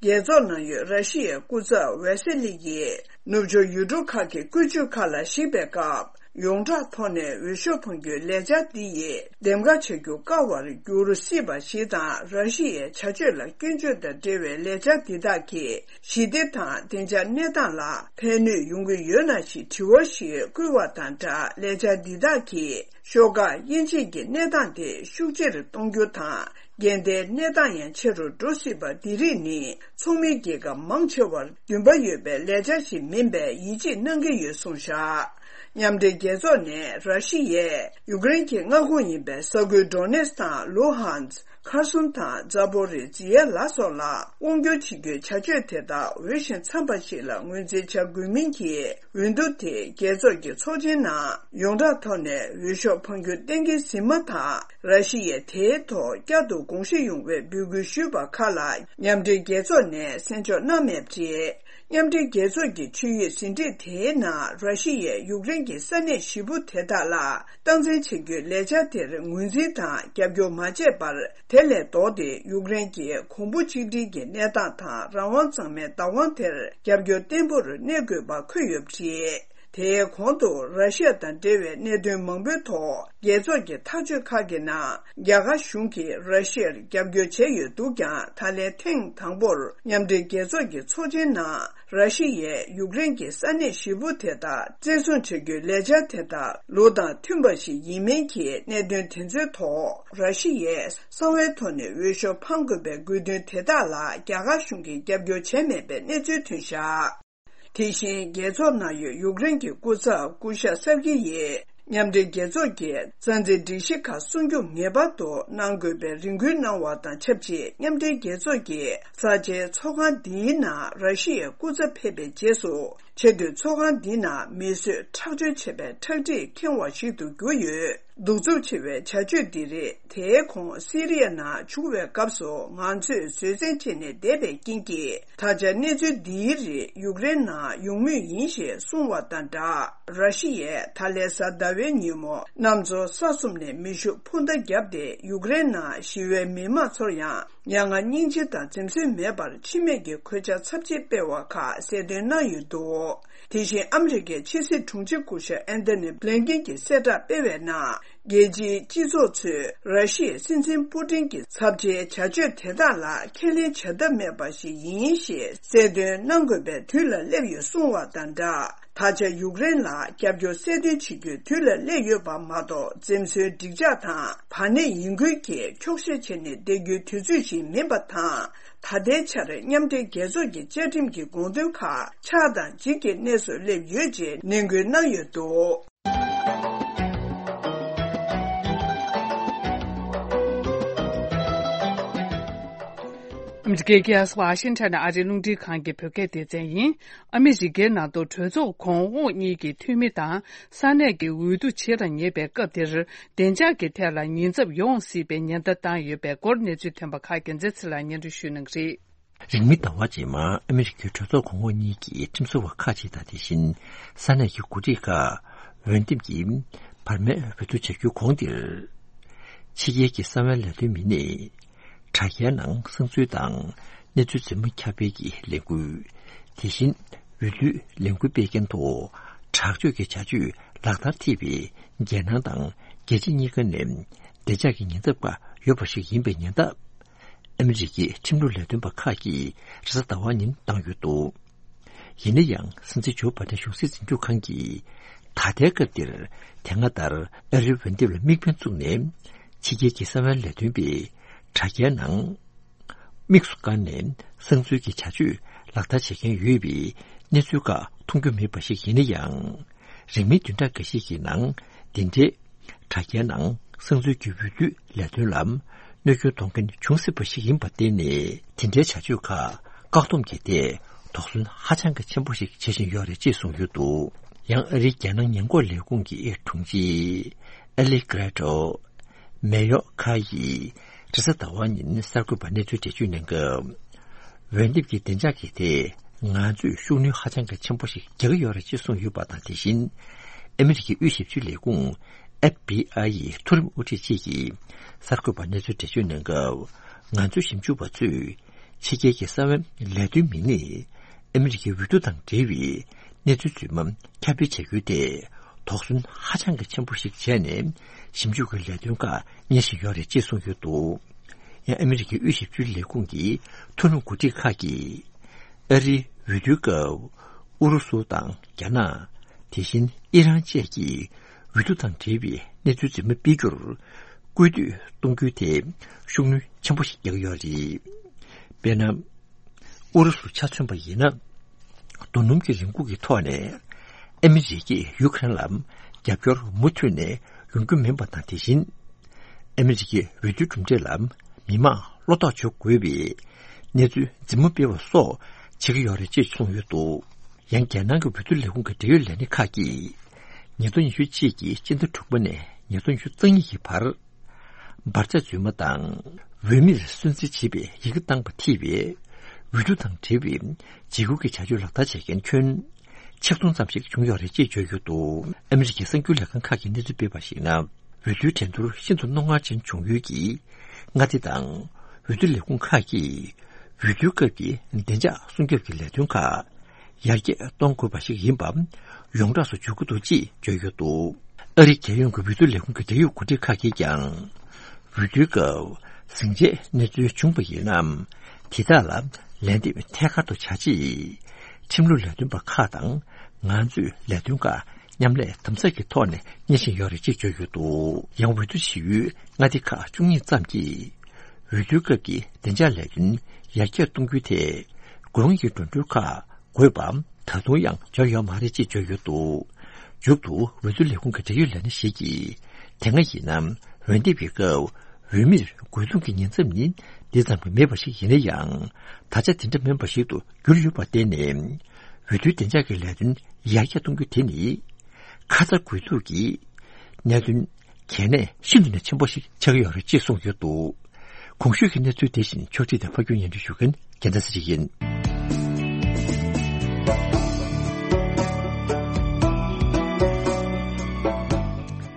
རྒྱལ་ཚོགས་ནང་ཡོད་ར་ཤི་ཡའི་སྐུ་ཚབ་ཝེ་སི་ལི་ཡིས་ནུབ་ཕྱོགས་ཡུལ་གྲུ་ཁག་གི་བཀོད་ཇུས་ཁག་ལ་གཞིགས་པའི་སྐབས། ཡོངས་གྲགས་ཐོག་ནས་འོས་ཤོག་འཕང་རྒྱུའི་ལས་འཆར་འདི་ཡིས་འདེམས་ཀ་བྱ་རྒྱུ་དཀའ་བར་འགྱུར་སྲིད་པ་ཞིག་དང་། ར་ཤི་ཡའི་བྱ་སྤྱོད་ལ་སྐྱོན་བརྗོད་དང་འབྲེལ་བའི་ལས་འཆར་འདི་དག་གིས་ཞི་བདེ་དང་བདེ་འཇགས་གནས་སྟངས་ལ་ཕན་ནུས་ཡོང་གི་ཡོད་ན་ཞེས་དྲི་བ་ཞིག་བསྐུལ་བ་དང་སྦྲགས། ལས་འཆར་འདི་དག་གིས་ཤོག་ཁག་དབྱེ་འབྱེད་ཀྱི་གནས་སྟངས་དེ་ཤུགས་ཆེར་གཏོང་རྒྱུ་དང་ འགལ་ཟླའི་གནས་སྟངས་ཡང་ཆེ་རུ་འགྲོ་སྲིད་པ་འདི་རིགས་ནི་ཚོགས་མི་རྒྱལ་ཁབ་མང་ཆེ་བར་འདུན་པ་ཡོད་པའི་ལས་འཆར་ཞིག་མིན་པའི་ཡིད་ཆེས་གནང་གི་ཡོད་གསུངས་བཞག། མཉམ་འབྲེལ་རྒྱལ་ཚོགས་ནས་ར་ཤི་ཡས་ཡུཀ་རེན་གྱི་མངའ་ཁོངས་ཡིན་པའི་ས་ཁུལ་ཌོ་ནེ་སི་དང་ལུ་ཧན་སི། ཁར་སོན་དང་ཛ་པོ་རི་ཛི་ཡ་ལ་སོགས་ལ་དབང་སྒྱུར་བྱེད་རྒྱུའི་བྱ་སྤྱོད་དེ་དག་འོས་ཤིང་འཚམས་པ་ཞིག་ལ་ངོས་འཛིན་བྱ་དགོས་མིན་གྱི་འོས་བསྡུ་དེ་རྒྱལ་ཚོགས་ཀྱི་ཚོགས་ཆེན་ནང་ཡོངས་གྲགས་ཐོག་ནས་འོས་ཤོག་འཕང་རྒྱུ་གཏན་འཁེལ་ཟིན་མ་ཐག་ར་ཤི་ཡས་དེའི་ཐོག་བསྐྱར་དུ་དགོངས་ཞིབ་ཡོང་བའི་འབོད་སྐུལ་ཞུས་པ་ཁག་ལ་མཉམ་འབྲེལ་རྒྱལ་ཚོགས་ནས་གསན་འཇོག་གནང་མེད་པ་རེད། མཉམ་འབྲེལ་རྒྱལ་ཚོགས་ཀྱི་ཆིངས་ཡིག་ཟིན་བྲིས་དེའི་ནང་ར་ཤི་ཡས་ཡུཀ་རེན་གྱི་ས་གནས་བཞི་པོ་དེ་དག་ལ་སྟངས་འཛིན་བྱེད་རྒྱུའི་ལས་འཆར་དེར་ངོས་འཛིན་དང་རྒྱབ་སྐྱོར་མ་བྱས་པར། དེ་ལས་ལྡོག་སྟེ་ཡུཀ་རེན་གྱི་གོང་བུ་གཅིག་སྒྲིལ་གྱི་གནས་སྟངས་དང་རང་དབང་གཙང་མའི་བདག་དབང་དེར་རྒྱབ་སྐྱོར་བརྟན་པོར་གནས་དགོས་པ་འཁོད་ཡོད་པ་རེད། དེའི་གོང་དུ་ར་ཤི་ཡ་དང་འབྲེལ་བའི་གནད་དོན་མང་པོའི་ཐོག་རྒྱལ་ཚོགས་ཀྱི་ཐག་གཅོད་ཁག་གི་ནང་རྒྱ་གར་གཞུང་གིས་ར་ཤི་ཡར་རྒྱབ་སྐྱོར་བྱས་ཡོད་འདུག་ཀྱང་ད་ལན་ཐེངས་དང་པོར་མཉམ་འབྲེལ་རྒྱལ་ཚོགས་ཀྱི་ཚོགས་ཆེན་ནང་། ར་ཤི་ཡས་ཡུཀ་རེན་གྱི་ས་གནས་བཞི་པོ་དེ་དག་བཙན་བཟུང་བྱ་རྒྱུའི་ལས་འཆར་དེ་དག་ལུགས་དང་མཐུན་པ་ཞིག་ཡིན་མིན་གྱི་གནད་དོན་དེ་ཚོའི་ཐོག་ར་ཤི་ཡས་གསང་བའི་ཐོག་ནས་འོས་ཤོག་འཕང་དགོས་པའི་དགོས་འདུན་དེ་དག་ལ་རྒྱ་གར་གཞུང་གིས་རྒྱབ་སྐྱོར་བྱས་མེད་པའི་གནས་ཚུལ་ཐོན་བཞག། དེ་བཞིན་རྒྱལ་ཚོགས་ནང་ཡོད་ཡུཀ་རེན་གྱི་སྐུ་ཚབ་སྐུ་ཞབས་སར་ཀི་ཡིས། མཉམ་འབྲེལ་རྒྱལ་ཚོགས་ཀྱི་རྩ་འཛིན་སྒྲིག་གཞི་ཁག་སྲུང་སྐྱོབ་ངེས་པར་དུ་གནང་དགོས་པའི་རེ་སྐུལ་གནང་བ་དང་ཆབས་ཅིག་མཉམ་འབྲེལ་རྒྱལ་ཚོགས་ཀྱི་གསར་བརྗེའི་ཚོགས་ཁང་འདིའི་ནང་ར་ཤི་ཡའི་སྐུ་ཚབ་ཕེབས་པའི་རྗེས་སུ། ཆེས་མཐོའི་ཚོགས་ཁང་འདི་ནང་མིས་བཟོས་ཁྲག་སྦྱོར་བྱས་པའི་ཁྲག་མཁྲིས་ཁེངས་པ་ཞིག་ཏུ་གྱུར་ཡོད། གདུག་རྩུབ་ཆེ་བའི་བྱ་སྤྱོད་འདི་རིགས་དེའི་གོང་སི་རི་ཡ་ནང་བྱུང་བའི་སྐབས་སུ་ང་ཚོས་བཟོད་བསྲན་བྱས་ནས་བསྡད་པའི་རྐྱེན་གྱིས། ད་ཆ་གནས་ཚུལ་འདིའི་རིགས་ཡུཀ་རེན་ནང་ཡོང་མུས་ཡིན་ཞེས་གསུངས་བ་དང་སྦྲགས། ར་ཤི་ཡས་ད་ལན་གཟའ་ཟླ་བའི་ཉིན་མོ་གནམ་མཚོ་ས་གསུམ་ནས་མེ་ཤུགས་འཕུར་མདའ་བརྒྱབ་སྟེ་ཡུཀ་རེན་ནང་ཞི་བའི་མི་མང་ཚོར་ཡང་མྱ་ངན་སྙིང་རྗེ་དང་འཛེམ་ཟོན་མེད་པར་འཆི་རྨས་ཀྱི་གོད་ཆག་ཚབས་ཆེ་སྤེལ་བ་ཁག་གསལ་སྟོན་གནང་ཡོད་འདུག་དེ་བཞིན་ཨ་མི་རི་ཀའི་ཕྱི་སྲིད་དྲུང་ཆེ་སྐུ་ཞབས་ཨན་ཐོ་ནི་བྷི་ལིན་ཀེན་གྱིས་གསལ་བསྒྲགས་སྤེལ་བའི་ནང་། རྒྱལ་སྤྱིའི་སྤྱི་ཚོགས་ཚོས་ར་ཤི་ཡའི་སྲིད་འཛིན་པུ་ཏིན་གྱི་ཚབས་ཆེའི་བྱ་སྤྱོད་དེ་དག་ལ་ཁས་ལེན་བྱ་ཐབས་མེད་པ་ཞིག་ཡིན་ཞེས་གསལ་སྟོན་གནང་དགོས་པའི་དུས་ལ་སླེབས་ཡོད་གསུངས་བ་དང་སྦྲགས། ད་ཆ་ཡུཀ་རེན་ལ་རྒྱབ་སྐྱོར་གསལ་སྟོན་བྱེད་རྒྱུའི་དུས་ལ་སླེབས་ཡོད་པ་མ་གཏོགས་འཛེམ་ཟོན་འགྲིག་འཇགས་དང་བར་གནས་ཡིན་ཁུལ་གྱིས་འཁྱོག་བཤད་བྱས་ནས་བསྡད་རྒྱུའི་དུས་ཚོད་ཞིག་མིན་པ་དང་། ད་ལྟའི་ཆར་མཉམ་འབྲེལ་རྒྱལ་ཚོགས་ཀྱི་བཅའ་ཁྲིམས་ཀྱི་དགོངས་དོན་ཁག་ཆགས་སྡང་འཇིགས་ཀྱི་གནས་སུ་སླེབས་ཡོད་ཅེས་ནན་སྐུལ་གནང་ཡོད་འདུག་ཨ་མི་རི་ཀའི་རྒྱལ་ས་ཝ་ཤིང་ཊོན་ནས་ཨ་རིའི་རླུང་འཕྲིན་ཁང་གི་བོད་སྐད་སྡེ་ཚན་ཡིན། ཨ་མི་རི་ཀའི་ནང་དུ་གྲོས་ཚོགས་གོང་འོག་གཉིས་ཀྱི་འཐུས་མི་དང་ས་གནས་ཀྱི་འོས་བསྡུ་བྱེད་རང་ཉེ་བའི་སྐབས་འདིར། བདེ་འཇགས་ཀྱི་ཐད་ལ་ཉེན་ཚབས་ཡོང་སྲིད་པའི་ཉེན་བརྡ་བཏང་ཡོད་པའི་སྐོར་གནས་ཚུལ་ཐོན་པ་ཁག་རྒྱལ་མཚན་ཚེ་ལགས་སྙན་སྒྲོན་ཞུ་གནང་གི་རེད། རིང་མིན་ཟླ་བ་རྗེས་མར་ཨ་མི་རི་ཀའི་གྲོས་ཚོགས་གོང་འོག་གཉིས་ཀྱི་ཁྲིམས་བཟོ་བ་ཁག་ཅིག་དང་། དེ་བཞིན་ས་གནས་ཀྱི་འགོ་ཁྲིད་ཁག་འོས་འདེམས་ཀྱི་བར་མའི་འོས་བསྡུ་བྱ་རྒྱུའི་གོང་དེར། ཕྱི་རྒྱལ་གྱི་གསང་བའི་ལས་དོན་མི་སྣས་དྲ་རྒྱའི་ནང་གསང་ཚུལ་དང་གནས་ཚུལ་རྫུན་མ་ཁྱབ་སྤེལ་གྱི་ལས་འགུལ། དེ་བཞིན་འོས་བསྡུའི་ལས་འགུལ་སྤེལ་མཁན་ཐོག་དྲག་སྤྱོད་ཀྱི་བྱ་སྤྱོད་ལག་བསྟར་ཐེབས་པའི་རྒྱལ་ནང་དང་རྒྱལ་སྤྱི་གཉིས་ཀ་ནས་བདེ་འཇགས་ཀྱི་ཉེན་ཚབས་ཁག་ཡོད་པ་ཞིག་ཡིན་པའི་ཉེན་བརྡ། ཨ་མི་རི་ཀའི་ཁྲིམས་ལུགས་ལས་དོན་པ་ཁག་གིས་རེས་གཟའ་ཟླ་བ་ཉིན་བཏང་ཡོད་འདུག་ཡིན་ན་ཡང་སྲིད་འཛིན་ཇོ་བྷ་དན་གཞུང་སྲིད་འཛིན་སྐྱོང་ཁང་གིས་ད་ལྟའི་སྐབས་འདིར་དེ་སྔ་ལྟར་ཨ་རིའི་འོས་འདེམས་ལ་དམིགས་འབེན་བཙུགས་ནས་ཕྱི་རྒྱལ་གྱི་གསང་བའི་ལས་དོན་པས་དྲ་རྒྱའི་ནང་དམིགས་སུ་བཀར་ནས་གསང་འཛུལ་གྱི་བྱ་སྤྱོད་ལག་བསྟར་བྱེད་མཁན་ཡོད་པའི་གནས་ཚུལ་ཁག་མཐོང་རྒྱུ་མེད་པ་ཞིག་ཡིན་ན་ཡང་། རིང་མིན་བདུན་ཕྲག་འགའ་ཤས་ཀྱི་ནང་འདི་འདྲའི་དྲ་རྒྱའི་ནང་གསང་འཛུལ་གྱི་འོས་བསྡུའི་ལས་དོན་ལ་གནོད་སྐྱོན་གཏོང་མཁན་བྱུང་སྲིད་པ་ཞིག་ཡིན་པར་བརྟེན་ནས། དེ་འདྲའི་བྱ་སྤྱོད་ཁག་བཀག་སྡོམ་བྱས་ཏེ་དོགས་ཟོན་ཧ་ཅང་གི་ཆེན་པོ་ཞིག་བྱེད་བཞིན་ཡོད་རེད་ཅེས་གསུངས་ཡོད་འདུག་ཡང་ཨ་རིའི་རྒྱལ་ནང་ཉེན་འགོག་ལས་ཁུངས་ཀྱི་དྲུང་ཆེ་ཨེ་ལི་ཀྲེ་ཏོ་མེ་ཡོ་ཁ་ཡིས་རེས་གཟའ་ཟླ་བ་ཉིན་གསར་འགོད་པར་གནས་ཚུལ་འགྲེལ་བརྗོད་གནང་སྐབས། འོས་འདེམས་ཀྱི་བདེ་འཇགས་ཀྱི་ཐད་ང་ཚོས་ཤུགས་སྣོན་ཧ་ཅང་གི་ཆེན་པོ་ཞིག་རྒྱག་གི་ཡོད་རེད་ཅེས་གསུངས་ཡོད་པ་དང་། དེ་བཞིན་ཨ་མི་རི་ཀའི་དབུས་ཞིབ་དཔྱོད་ལས་ཁུངས་ཨེཕ་བྷི་ཨའི་ཡི་མཐོ་རིམ་དབུ་ཁྲིད་ཅིག་གིས་གསར་འགོད་པར་གནས་ཚུལ་འགྲེལ་བརྗོད་གནང་སྐབས། ང་ཚོའི་ཞིབ་འཇུག་པ་ཚོས་ཕྱི་རྒྱལ་གྱི་གསང་བའི་ལས་དོན་མི་སྣས་ཨ་མི་རི་ཀའི་འོས་བསྡུ་དང་འབྲེལ་བའི་གནས་ཚུལ་རྫུན་མ་ཁྱབ་སྤེལ་བྱ་རྒྱུའི་ཐད་དོགས་ཟོན་ཧ་ཅང་གི་ཆེན་པོ་ཞིག་བྱས་ནས་ཞིབ་འཇུག་གི་ལས་དོན་ཁག་གཉེར་བཞིན་ཡོད་རེད་ཅེས་གསུངས་ཡོད་འདུག་ཡང་ཨ་མི་རི་ཀའི་དབུས་ཞིབ་དཔྱོད་ལས་ཁུངས་ཀྱི་མཐོ་རིམ་འགོ་ཁྲིད་ཁག་གིས་ཨ་རིའི་འོས་བསྡུའི་སྐབས་ཨུ་རུ་སུ་དང་རྒྱ་ནག་དེ་བཞིན་ཨི་རན་བཅས་ཀྱིས་འོས་བསྡུ་དང་འབྲེལ་བའི་གནས་ཚུལ་རྫུན་མ་སྤེལ་རྒྱུར་ སྐུལ་འདེད་གཏོང་རྒྱུ་དེ་ཤུགས་སྣོན་ཆེན་པོ་ཞིག་རྒྱག་གི་ཡོད་རེད། དཔེར་ན། ཨུ་རུ་སུ་ཆ་མཚོན་པ་ཡིན་ན། རྡོ་སྣུམ་གྱི་རིན་གོང་གི་ཐོག་ནས་ཨ་མི་རི་ཀས་ཡུ་ཀེ་རེན་ལ་རྒྱབ་སྐྱོར་མུ་མཐུད་ནས་ཡོང་རྒྱུ་མིན་པ་དང་། དེ་བཞིན་ཨ་མི་རི་ཀའི་འོས་བསྡུའི་གྲུབ་འབྲས་ལ་མི་མང་བློ་དོགས་བྱེད་དགོས་པའི་གནས་ཚུལ་འཛིན་མ་སྤེལ་བ་སོགས་བྱེད་ཀྱི་ཡོད་རེད་ཅེས་གསུངས་ཡོད་འདུག་ཡང་རྒྱལ་ནང་གི་འོས་བསྡུ་ལས་ཁུངས་ཀྱི་འབྲེལ་ཡོད་ལས་སྣེ་ཁག་གིས་ཉིས་སྟོང་ཉི་ཤུ་གཅིག་གི་སྤྱི་ཟླ་དྲུག་པ་ནས་ཉིས་སྟོང་ཉི་ཤུ་རྩ་གཉིས་ཀྱི་བར། འབར་རྫས་རྫུན་མ་དང་འོས་མིར་སུན་གཙེར་བྱེད་པའི་ཡི་གེ་བཏང་པ་ཐེ་བའི་འོས་བསྡུ་དང་འབྲེལ་བའི་འཇིགས་སྐུལ་གྱི་བྱ་སྤྱོད་ལག་བསྟར་བྱེད་མཁན་ཁྱོན་ཆིག་སྟོང་ཙམ་ཞིག་བྱུང་ཡོད་རེད་ཅེས་བརྗོད་ཡོད་འདུག་ཨ་མི་རི་ཀའི་གསར་འགྱུར་ལས་ཁང་ཁག་གིས་གནས་ཚུལ་སྤེལ་བར་གཞིགས་ན། འོས་བསྡུའི་འགྲན་བསྡུར་ཤིན་ཏུ་རྣོ་ངར་ཅན་བྱུང་ཡུལ་གྱི་མངའ་སྡེ་དང་འོས་བསྡུ་ལས་ཁུངས་ཁག་གིས་འོས་བསྡུའི་སྐབས་ཀྱི་བདེ་འཇགས་སྲུང་སྐྱོབ་ཀྱི་ལས་དོན་ཁག་ཡར་རྒྱས་གཏོང་དགོས་པ་ཞིག་ཡིན་པ་ཡོངས་གྲགས་སུ་འཇོག་གི་འདུག་ཅེས་བརྗོད་ཡོད་འདུག་ཨ་རིའི་རྒྱལ་ཡོངས་ཀྱི་འོས་བསྡུ་ལས་ཁུངས་ཀྱི་འབྲེལ་ཡོད་འགོ་ཁྲིད་ཁག་གིས་ཀྱང་། འོས་བསྡུའི་སྐབས་ཟིང་ཆའི་གནས་ཚུལ་བྱུང་བ་ཡིན་ན། དེ་དག་ལ་ལན་འདེབས་ཐད་ཀར་དུ་བྱ་ཆེད། ཁྲིམས་ལུགས་ལས་དོན་པ་ཁག་དང་ང་ཚོས་ལས་དོན་ཁག་མཉམ་ལས་དམ་ཟབ་ཀྱི་ཐོག་ནས་གཉེར་བཞིན་ཡོད་རེད་ཅེས་བརྗོད་ཡོད་འདུག་ཡང་འོས་བསྡུ་བྱེད་ཡུལ་མངའ་སྡེ་ཁག་བཅུ་གཉིས་ཙམ་གྱིས། འོས་བསྡུའི་སྐབས་ཀྱི་བདེ་འཇགས་ལས་དོན་ཡར་རྒྱས་གཏོང་རྒྱུའི་ཐད། དགོས་དབང་གི་འགྲོ་གྲོན་ཁག་དགོས་པ་ད་དུང་ཡང་འབྱོར་ཡོད་མ་རེད་ཅེས་བརྗོད་ཡོད་འདུག་མཇུག་ཏུ་འོས་བསྡུ་ལས་ཁུངས་ཀྱི་འབྲེལ་ཡོད་ལས་སྣེ་ཞིག་གིས། དེ་སྔ་ཡིན་ན་འོས་འདེམས་པའི་སྐབས་འོས་མིར་རྒོལ་རྡུང་གི་ཉེན་ཚབས་ནི་འདི་ཙམ་གྱིས་མེད་པ་ཞིག་ཡིན་ན་ཡང་། ད་ཆ་དེ་འདྲ་མིན་པ་ཞིག་ཏུ་གྱུར་ཡོད་པར་བརྟེན་ནས། འོས་བསྡུའི་བདེ་འཇགས་ཀྱི་ལས་དོན་ཡར་རྒྱས་གཏོང་རྒྱུ་དེ་ནི། ཁ་ཚ་དགོས་གཏུགས་ཀྱི་གནད་དོན་གལ་གནད་ཤིན་ཏུ་ནས་ཆེན་པོ་ཞིག་ཆགས་ཀྱི་ཡོད་རེད་ཅེས་གསུངས་ཡོད་འདུག་གོང་ཞུས་ཀྱི་གནས་ཚུལ་དེ་བཞིན་ཕྱོགས་སྒྲིག་དང་ཕབ་སྒྱུར་སྙན་སྒྲོན་ཞུ་མཁན་རྒྱལ་མཚན་ཚེ་རིང་ཡིན།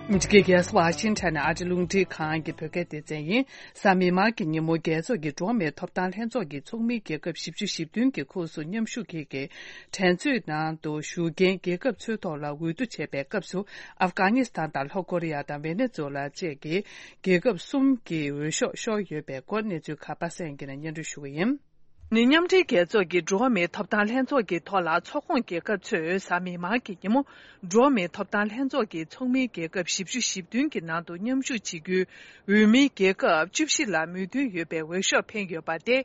ཨ་མི་རི་ཀའི་རྒྱལ་ས་ཝ་ཤིང་ཊོན་ནས་ཨ་རི་རླུང་འཕྲིན་ཁང་གི་བོད་སྐད་སྡེ་ཚན་ཡིན། གཟའ་མིག་དམར་གྱི་ཉིན་མོ། རྒྱལ་ཚོགས་ཀྱི་འགྲོ་བ་མིའི་ཐོབ་ཐང་ལྷན་ཚོགས་ཀྱི་ཚོགས་མིའི་རྒྱལ་ཁབ་བཞི་བཅུ་ཞེ་བདུན་གྱི་ཁོངས་སུ་མཉམ་ཞུགས་ཀྱིས། འགྲན་རྩོད་ནང་དུ་ཞུགས་མཁན་རྒྱལ་ཁབ་ཚོའི་ཐོག་ལ་འོས་བསྡུ་བྱེད་པའི་སྐབས་སུ། ཨབ་གྷ་ནི་སི་ཐན་དང་ལྷོ་ཀོ་རི་ཡ་དང་ཝེ་ནེ་ཛུ་ལ་བཅས་ཀྱི་རྒྱལ་ཁབ་གསུམ་གྱི་འོས་ཤོག་ཤོར་ཡོད་པའི་སྐོར། གནས་ཚུལ་ཁ་པར་གསན་གྱི་ནས་སྙན་སྒྲོན་ཞུ་གི་ཡིན། ནི། མཉམ་འབྲེལ་རྒྱལ་ཚོགས་ཀྱི་འགྲོ་བ་མིའི་ཐོབ་ཐང་ལྷན་ཚོགས་ཀྱི་ཐོག་ལ། ཚོགས་ཁོངས་རྒྱལ་ཁབ་ཚོས་གཟའ་མིག་དམར་གྱི་ཉིན་མོ། འགྲོ་བ་མིའི་ཐོབ་ཐང་ལྷན་ཚོགས་ཀྱི་ཚོགས་མིའི་རྒྱལ་ཁབ་བཞི་བཅུ་ཞེ་བདུན་གྱི་ནང་དུ་མཉམ་ཞུགས་བྱེད་རྒྱུའི་འོས་མིའི་རྒྱལ་ཁབ་བཅུ་བཞི་ལ་མོས་མཐུན་ཡོད་པའི་འོས་ཤོག་འཕེན་ཡོད་པ་སྟེ།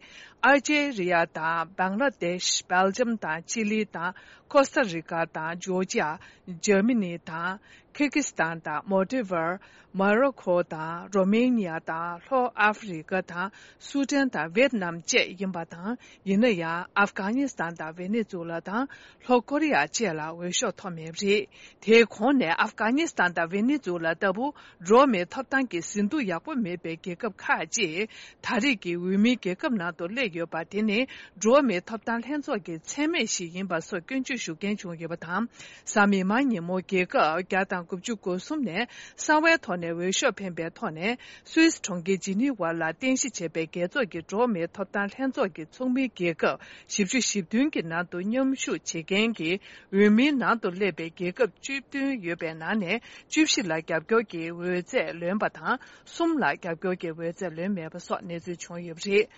ཨལ་ཇེ་རི་ཡ་དང་། བང་ལ་དེཤ། སྦེལ་ཇམ་དང་། ཅི་ལི་དང་། ཁོ་སྟ་རི་ཀ་དང་། ཇོར་ཇི་ཡ། འཇར་མ་ནི་དང་། ཁིར་གི་སི་ཐན་དང་། མོལ་ཏི་ཝར། མོ་རོ་ཁོ་དང་། རོ་མེ་ནི་ཡ་དང་། ལྷོ་ཨ་ཧྥེ་རི་ཀ་དང་། སུ་ཏན་དང་། ཝེད་ནམ་བཅས་ཡིན་པ་དང་། ཡིན་ན་ཡང་། ཨབ་གྷ་ནི་སི་ཐན་དང་། ཝེ་ནེ་ཛུ་ལ་དང་། ལྷོ་ཀོ་རི་ཡ་བཅས་ལ་འོས་ཤོག་ཐོབ་མེད་པ་རེད། དེའི་གོང་ནས་ཨབ་གྷ་ནི་སི་ཐན་དང་ཝེ་ནེ་ཛུ་ལ་ལྟ་བུ་འགྲོ་བ་མིའི་ཐོབ་ཐང་གི་ཟིན་ཐོ་ཡག་པོ་མེད་པའི་རྒྱལ་ཁབ་ཁག་ཅིག་ད་རེས་ཀྱི་འོས་མིའི་རྒྱལ་ཁབ་ནང་དུ་སླེབས་ཡོད་པ། དེ་ནི་འགྲོ་བ་མིའི་ཐོབ་ཐང་ལྷན་ཚོགས་ཀྱི་མཚན་སྨད་ཞིག་ཡིན་པ་སོགས་སྐྱོན་བརྗོད་ཞུ་མཁན་བྱུང་ཡོད་པ་དང་། གཟའ་མིག་དམར་ཉིན་མོ་རྒྱལ་ཁབ་བརྒྱ་དང་དགུ་བཅུ་གོ་གསུམ་ནས་གསང་བའི་ཐོག་ནས་འོས་ཤོག་འཕེན་པའི་ཐོག་ནས། སུད་སི་གྲོང་ཁྱེར་ཇི་ནི་ཝ་ལ་རྟེན་གཞི་བྱས་པའི་རྒྱལ་ཚོགས་ཀྱི་འགྲོ་བ་མིའི་ཐོབ་ཐང་ལྷན་ཚོགས་ཀྱི་ཚོགས་མིའི་རྒྱལ་ཁབ་བཞི་བཅུ་ཞེ་བདུན་གྱི་ནང་དུ་མཉམ་ཞུགས་བྱེད་མཁན་གྱི་འོས་མིའི་ནང་དུ་སླེབས་པའི་རྒྱལ་ཁབ་བཅུ་བདུན་ཡོད་པའི་ནང་ནས། བཅུ་བཞི་ལ་རྒྱབ་སྐྱོར་གྱི་འོས་ཚད་ལོན་པ་དང་། གསུམ་ལ་རྒྱབ་སྐྱོར་གྱི་འོས་ཚད་ལོན་མེད་པ་སོགས་གནས་ཚུལ་བྱུང་ཡོད་པ་རེད།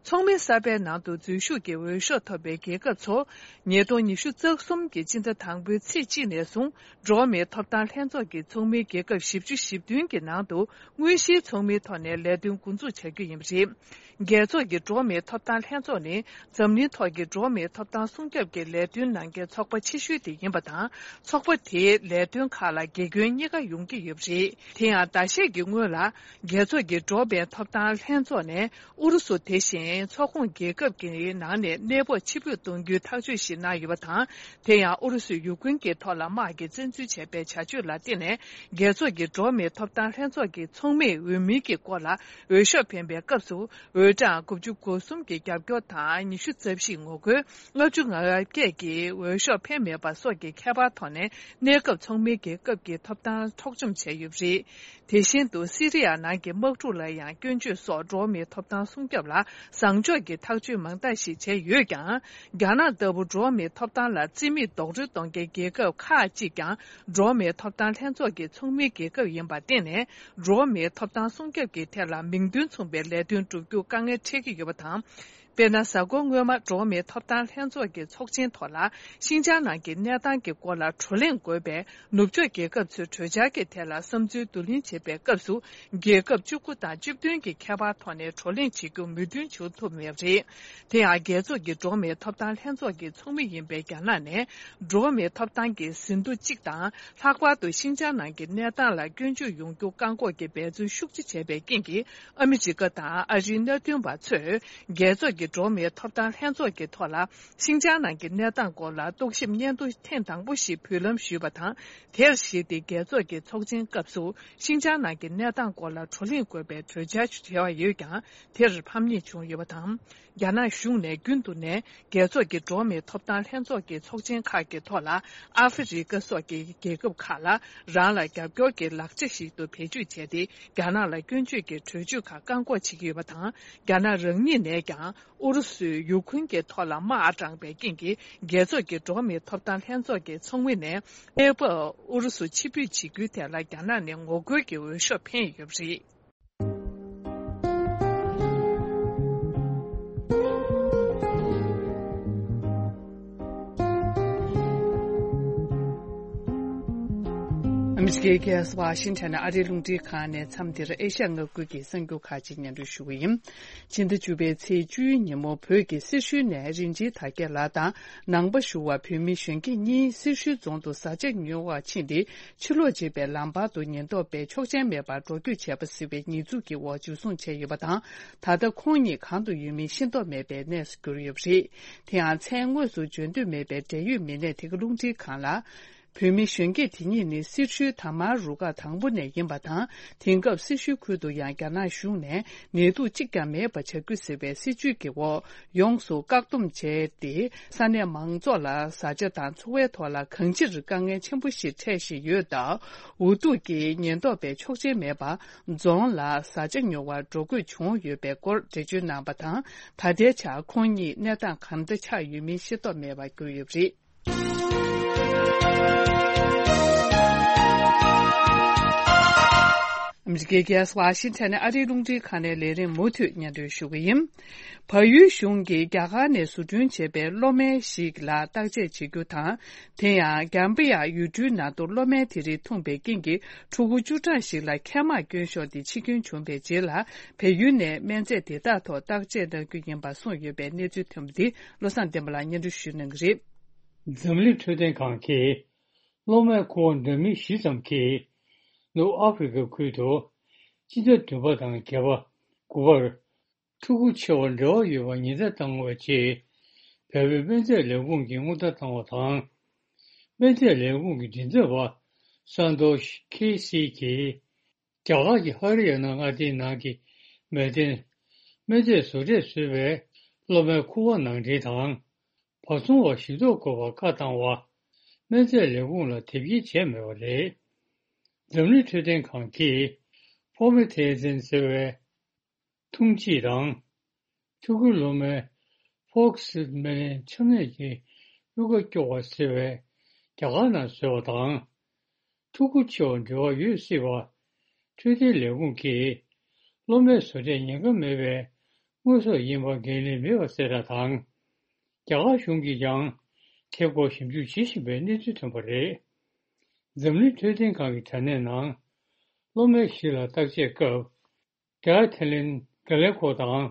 ཚོགས་མི་གསར་པའི་ནང་དུ་འཛུལ་ཞུགས་ཀྱི་འོས་ཤོག་ཐོབ་པའི་རྒྱལ་ཁབ་ཚོ། ཉིས་སྟོང་ཉི་ཤུ་རྩ་གསུམ་གྱི་སྤྱི་ཟླ་དང་པོའི་ཚེས་གཅིག་ནས་བཟུང་། འགྲོ་བ་མིའི་ཐོབ་ཐང་ལྷན་ཚོགས་ཀྱི་ཚོགས་མིའི་རྒྱལ་ཁབ་བཞི་བཅུ་ཞེ་བདུན་གྱི་ནང་དུ། དངོས་གཞིའི་ཚོགས་མིའི་ཐོག་ནས་ལས་དོན་འགོ་འཛུགས་བྱ་རྒྱུ་ཡིན་པ་རེད། རྒྱལ་ཚོགས་ཀྱི་འགྲོ་བ་མིའི་ཐོབ་ཐང་ལྷན་ཚོགས་ནི། འཛམ་གླིང་ཐོག་གི་འགྲོ་བ་མིའི་ཐོབ་ཐང་སྲུང་སྐྱོབ་ཀྱི་ལས་དོན་གནང་མཁན་ཚོགས་པ་ཆེ་ཤོས་དེ་ཡིན་པ་དང་། ཚོགས་པ་དེའི་ལས་དོན་ཁག་ལ་དགེ་སྐྱོན་གཉིས་ཀ་ཡོང་གི་ཡོད་པ་རེད། དེ་ཡང་ཟླ་ཤས་ཀྱི་སྔོན་ལ། རྒྱལ་ཚོགས་ཀྱི་འགྲོ་བ་མིའི་ཐོབ་ཐང་ལྷན་ཚོགས་ནས། ཨུ་རུ་སུ་དེ་བཞིན་ཚོགས་ཁོངས་རྒྱལ་ཁབ་ཀྱི་ནང་ནས་གནས་སྤོ་ཕྱིར་འབུད་གཏོང་རྒྱུའི་ཐག་གཅོད་ཞིག་གནང་ཡོད་པ་དང་། དེ་ཡང་ཨུ་རུ་སུས་ཡུཀ་རེན་གྱི་ཐོག་ལ་དམག་གིས་བཙན་འཛུལ་བྱས་པའི་བྱ་སྤྱོད་ལ་བརྟེན་ནས། རྒྱལ་ཚོགས་ཀྱི་འགྲོ་བ་མིའི་ཐོབ་ཐང་ལྷན་ཚོགས་ཀྱི་ཚོགས་མིའི་འོས་མིའི་གི་སྐོར་ལ་འོས་ཤོག་འཕེན་པའི་སྐབས་སུ། འོས་གྲངས་དགུ་བཅུ་གོ་གསུམ་གྱི་རྒྱབ་སྐྱོར་དང་། ཉི་ཤུ་རྩ་བཞིས་ངོ་རྒོལ། ལྔ་བཅུ་ང་བརྒྱད་ཀྱིས་འོས་ཤོག་འཕེན་མེད་པ་སོགས་ཀྱི་ཁྱད་པར་ཐོག་ནས། གནས་སྐབས་ཚོགས་མིའི་རྒྱལ་ཁབ་ཀྱི་ཐོབ་ཐང་འཕྲོག་བཅོམ་བྱས་ཡོད་པ་རེད། དེ་བཞིན་དུ། སི་རི་ཡ་ནང་གི་དམག་འཁྲུག་ལ་ཡང་སྐྱོན་བརྗོད་སོགས་འགྲོ་བ་མིའི་ཐོབ་ཐང་སྲུང་སྐྱོབ་ལ་བཟང་ཕྱོགས་ཀྱི་ཐག་གཅོད་མང་དག་ཞིག་བྱས་ཡོད་ཀྱང་། རྒྱ་ནག་ལྟ་བུ་འགྲོ་བ་མིའི་ཐོབ་ཐང་ལ་རྩིས་མེད་རྡོག་རོལ་གཏོང་མཁན་རྒྱལ་ཁབ་ཁག་ཅིག་ཀྱང་། འགྲོ་བ་མིའི་ཐོབ་ཐང་ལྷན་ཚོགས་ཀྱི་ཚོགས་མིའི་རྒྱལ་ཁབ་ཡིན་པར་བརྟེན་ནས། འགྲོ་བ་མིའི་ཐོབ་ཐང་སྲུང་སྐྱོབ་ཀྱི་ཐད་ལ་མིང་དོན་མཚུངས་པའི་ལས་དོན་བསྒྲུབ་རྒྱུ་དཀའ་ངལ་འཕྲད་ཀྱི་ཡོད་པ་དང་། དཔེར་ན། གཟའ་འཁོར་སྔོན་མ་འགྲོ་བ་མིའི་ཐོབ་ཐང་ལྷན་ཚོགས་ཀྱི་ཚོགས་ཆེན་ཐོག་ལ། ཤིན་ཅང་ནང་གི་གནས་སྟངས་ཀྱི་སྐོར་ལ་བགྲོ་གླེང་དགོས་པའི་ནུབ་ཕྱོགས་རྒྱལ་ཁབ་ཚོའི་གྲོས་འཆར་གྱི་ཐད་ལ་བསམ་ཚུལ་བསྡུ་ལེན་བྱེད་པའི་སྐབས་སུ། རྒྱལ་ཁབ་བཅུ་དགུ་དང་བཅུ་བདུན་གྱི་ཁྱད་པར་ཐོག་ནས་བགྲོ་གླེང་བྱེད་རྒྱུ་མོས་མཐུན་བྱུང་ཐུབ་མེད་པ་རེད། དེ་ཡང་། རྒྱལ་ཚོགས་ཀྱི་འགྲོ་བ་མིའི་ཐོབ་ཐང་ལྷན་ཚོགས་ཀྱི་ཚོགས་མི་ཡིན་པའི་རྒྱ་ནག་ནས། འགྲོ་བ་མིའི་ཐོབ་ཐང་གི་ཟིན་ཐོ་གཅིག་དང་། ལྷག་པར་དུ་ཤིན་ཅང་ནང་གི་གནས་སྟངས་ལ་སྐྱོན་བརྗོད་ཡོང་རྒྱུ་བཀག་འགོག་གི་འབད་བརྩོན་ཤུགས་ཆེ་བྱས་པའི་རྐྱེན་གྱིས། ཨ་མི་རི་ཀ་དང་ཨ་རིའི་མནའ་མཐུན་པ་ཚོས། རྒྱལ་ཚོགས་ཀྱི་འགྲོ་བ་མིའི་ཐོབ་ཐང་ལྷན་ཚོགས་ཀྱི་ཐོག་ལ། ཤིན་ཅང་ནང་གི་གནས་སྟངས་སྐོར་ལ་རྟོག་ཞིབ་སྙན་ཐོ་ཐེངས་དང་པོ་ཞིག་འབུལ་ལམ་ཞུས་པ་དང་། དེར་གཞིགས་ཏེ། རྒྱལ་ཚོགས་ཀྱི་ཚོགས་ཆེན་སྐབས་སུ། ཤིན་ཅང་ནང་གི་གནས་སྟངས་སྐོར་ལ་བགྲོ་གླེང་དགོས་པའི་གྲོས་འཆར་ཞུ་བ་ཡོད་ཀྱང་། དེར་ཕམ་ཉེས་བྱུང་ཡོད་པ་དང་། རྒྱ་ནག་གཞུང་ནས་རྒྱུན་དུ་ནས། རྒྱལ་ཚོགས་ཀྱི་འགྲོ་བ་མིའི་ཐོབ་ཐང་ལྷན་ཚོགས་ཀྱི་ཚོགས་ཆེན་ཁག་གི་ཐོག་ལ། ཨ་ཧྥེ་རི་ཀ་སོགས་ཀྱི་རྒྱལ་ཁབ་ཁག་ལ། རང་ལ་རྒྱབ་སྐྱོར་གྱི་ལག་ཆ་ཞིག་ཏུ་བེད་སྤྱོད་བྱས་ཏེ། རྒྱ་ནག་ལ་སྐྱོན་བརྗོད་ཀྱི་གྲོས་ཆོད་ཁག་བཀག་འགོག་བྱེད་ཀྱི་ཡོད་པ་དང་། རྒྱ་ནག་རང་ཉིད་ནས་ཀྱང་། ཨུ་རུ་སུས་ཡུ་ཁུན་གྱི་ཐོག་ལ་དམག་དྲངས་པའི་རྐྱེན་གྱིས། རྒྱལ་ཚོགས་ཀྱི་འགྲོ་བ་མིའི་ཐོབ་ཐང་ལྷན་ཚོགས་ཀྱི་ཚོགས་མི་ནས། གནས་བབ་ཨུ་རུ་སུ་ཕྱིར་འབུད་བྱེད་རྒྱུའི་ཐད་ལ། རྒྱ་ནག་ནས་ངོ་རྒོལ་གྱི་འོས་ཤོག་འཕེན་ཡོད་པ་རེད། ཨ་མི་རི་ཀའི་རྒྱལ་ས་ཝ་ཤིང་ཊོན་ནས་ཨ་རིའི་རླུང་འཕྲིན་ཁང་ནས། མཚམས་འདིར་ཨེ་ཤ་ཡ་མངའ་ཁུལ་གྱི་གསར་འགྱུར་ཁག་ཅིག་སྙན་སྒྲོན་ཞུ་གི་ཡིན། ཕྱི་ཟླ་བཅུ་པའི་ཚེས་བཅུའི་ཉིན་མོ། བོད་ཀྱི་སེར་ཤུལ་ནས་རིན་ཆེན་དར་རྒྱས་ལགས་དང་ནང་པ་ཞུ་བ་བོད་མི་གཞོན་སྐྱེས་གཉིས། སེར་ཤུལ་རྫོང་དུ་བཟའ་ཆས་ཉོ་བར་ཕྱིན་ཏེ། ཕྱིར་ལོག་བྱེད་པའི་ལམ་བར་དུ་ཉེན་རྟོག་པས་ཆོག་མཆན་མེད་པར་འགྲོ་སྐྱོད་བྱས་པ་ཟེར་བའི་ཉེས་འཛུགས་ཀྱི་འོག་འཇུ་བཟུང་བྱས་ཡོད་པ་དང་། ད་ལྟ་ཁོང་གཉིས་གང་དུ་ཡོད་མིན་ཤེས་རྟོགས་མེད་པའི་གནས་སུ་གྱུར་ཡོད་པ་རེད། དེ་ཡང་། མཚན་དངོས་སུ་བརྗོད་འདོད་མེད་པའི་འབྲེལ་ཡོད་མི་སྣས་དེ་ག་རླུང་འཕྲིན་ཁང་ལ། བོད་མི་གཞོན་སྐྱེས་དེ་གཉིས་ནི་སེར་ཤུལ་དར་དམར་རུ་ཁག་དང་པོ་ནས་ཡིན་པ་དང་། དེང་སྐབས་སེར་ཤུལ་ཁུལ་དུ་ཡང་རྒྱ་ནག་གཞུང་ནས་ནད་དུག་གཅིག་ཀྱང་མེད་པ་བྱ་རྒྱུ་ཟེར་བའི་སྲིད་ཇུས་ཀྱི་འོག་ཡོངས་སུ་བཀག་སྡོམ་བྱས་ཏེ། ས་གནས་མང་ཚོགས་ལ་བཟའ་བཅའ་དང་འཚོ་བའི་ཐོག་ལ་གང་ཅིར་དཀའ་ངལ་ཆེན་པོ་ཞིག་འཕྲད་བཞིན་ཡོད་སྟབས། འུ་ཐུག་གིས་ཉེན་རྟོག་པས་ཆོག་མཆན་མེད་པར་རྫོང་ལ་བཟའ་བཅའ་ཉོ་བར་འགྲོ་དགོས་བྱུང་ཡོད་པའི་སྐོར་འགྲེལ་བརྗོད་གནང་བ་དང་། ད་ལྟའི་ཆར་ཁོང་གཉིས་གནས་སྟངས་གང་འདྲ་ཆགས་ཡོད་མིན་ཤེས་རྟོགས་མེད་པར་གྱུར་ཡོད་པ་རེད། ཨ་མི་རི་ཀའི་རྒྱལ་ས་ཝ་ཤིང་ཊོན་ནས་ཨ་རིའི་རླུང་འཕྲིན་ཁང་ནས་ལས་རིམ་མུ་མཐུད་སྙན་སྒྲོན་ཞུ་གི་ཡིན། བལ་ཡུལ་གཞུང་གིས་རྒྱ་གར་ནས་བཟོ་སྐྲུན་བྱས་པའི་གློག་མེ་ཞིག་ལ་བརྟག་དཔྱད་བྱེད་རྒྱུ་དང་། དེ་ཡང་། ཀམ་པུ་ཡ་ཡུལ་གྲུའི་ནང་དུ་གློག་མེ་དེ་རིགས་འཐུང་པའི་རྐྱེན་གྱིས། ཕྲུ་གུ་བཅུ་གྲངས་ཤིག་ལ་མཁལ་མར་སྐྱོན་ཤོར་ཏེ་འཆི་སྐྱོན་བྱུང་བའི་རྗེས་ལ། བལ་ཡུལ་ནས་སྨན་རྫས་དེ་དག་ཐོག་བརྟག་དཔྱད་གནང་རྒྱུ་ཡིན་པ་གསུངས་ཡོད་པའི་གནས་ཚུལ་ཐོན་པ་འདི། བློ་བཟང་བསྟན་པ་ལགས་སྙན་སྒྲོན་ཞུ་གནང་གི་རེད། འཛམ་གླིང་འཕྲོད་བསྟེན་ཁང་གིས། གློག་མེ་ཁུ་བ་འདྲ་མིན་བཞི་ཙམ་གྱིས། ནུབ་ཨ་ཧྥེ་རི་ཁ་ཁུལ་དུ། སྤྱི་ཟླ་བདུན་པ་དང་བརྒྱད་པ། དགུ་པར། ཕྲུ་གུ་ཆེ་བ་འབྲེལ་བ་ཡོད་པ་ཉེན་བརྡ་བཏང་བའི་རྗེས། བལ་པོའི་སྨན་རྫས་ལས་ཁུངས་ཀྱིས་སྔོན་བརྡ་བཏང་བ་དང་། སྨན་རྫས་ལས་ཁུངས་ཀྱི་མགྲིན་ཚབ་པ་སན་ཏོ་ཤི་ཁེ་སི་གིས། རྒྱ་གར་གྱི་ཧ་རི་ཡ་ན་མངའ་སྡེའི་ནང་གི་མལ་སྟན། སྨན་རྫས་བཟོ་གྲས་བཟོས་པའི་གློག་མེ་ཁུ་བ་ནང་འདྲེན་དང་། བ་ཚོང་བ་ཞིབ་འཚོགས་དགོས་པར་བཀའ་བཏང་བ། སྨན་རྫས་ལས་ཁུངས་ལ་དེབ་སྐྱེལ་བྱས་མེད་པ་རེད། འཛམ་གླིང་འཕྲོད་བསྟེན་ཁང་གིས། ཕོ་མེ་ཐེ་ཛིན་ཟེར་བའི། འཐུང་བྱེད་དང་། ཕྲུ་གུའི་གློ་མའི་ཕོག་སི་མེ་ལན་ཆམ་ནད་ཀྱི་གཡུག་ཁ་སྐྱོ་བ་ཟེར་བའི་རྒྱ་གར་ནང་བཟོས་པ་དང་། ཕྲུ་གུ་ཆེ་བ་འབྲེལ་བ་ཡོད་སྲིད་པ། འཕྲོད་བསྟེན་ལས་ཁུངས་ཀྱིས། གློ་མའི་བཟོ་གྲས་ཉེན་ཁ་མེད་པའི་དངོས་ཟོག་ཡིན་པ་འགན་ལེན་མེད་པ་གསལ་བསྒྲགས་དང་། རྒྱ་གར་གཞུང་གིས་ཀྱང་། དེ་སྐོར་ཞིབ་འཇུག་བྱེད་བཞིན་པའི་གནས་ཚུལ་ཐོན་པ་རེད། འཛམ་གླིང་འཕྲོད་བསྟེན་ཁང་གི་དྲ་གནས་ནང་། གློ་མའི་གཞི་ལ་བརྟག་དཔྱད་སྐབས། ཌི་ཨེ་ཐི་ལིན་གྷི་ལེ་ཁོ་དང་།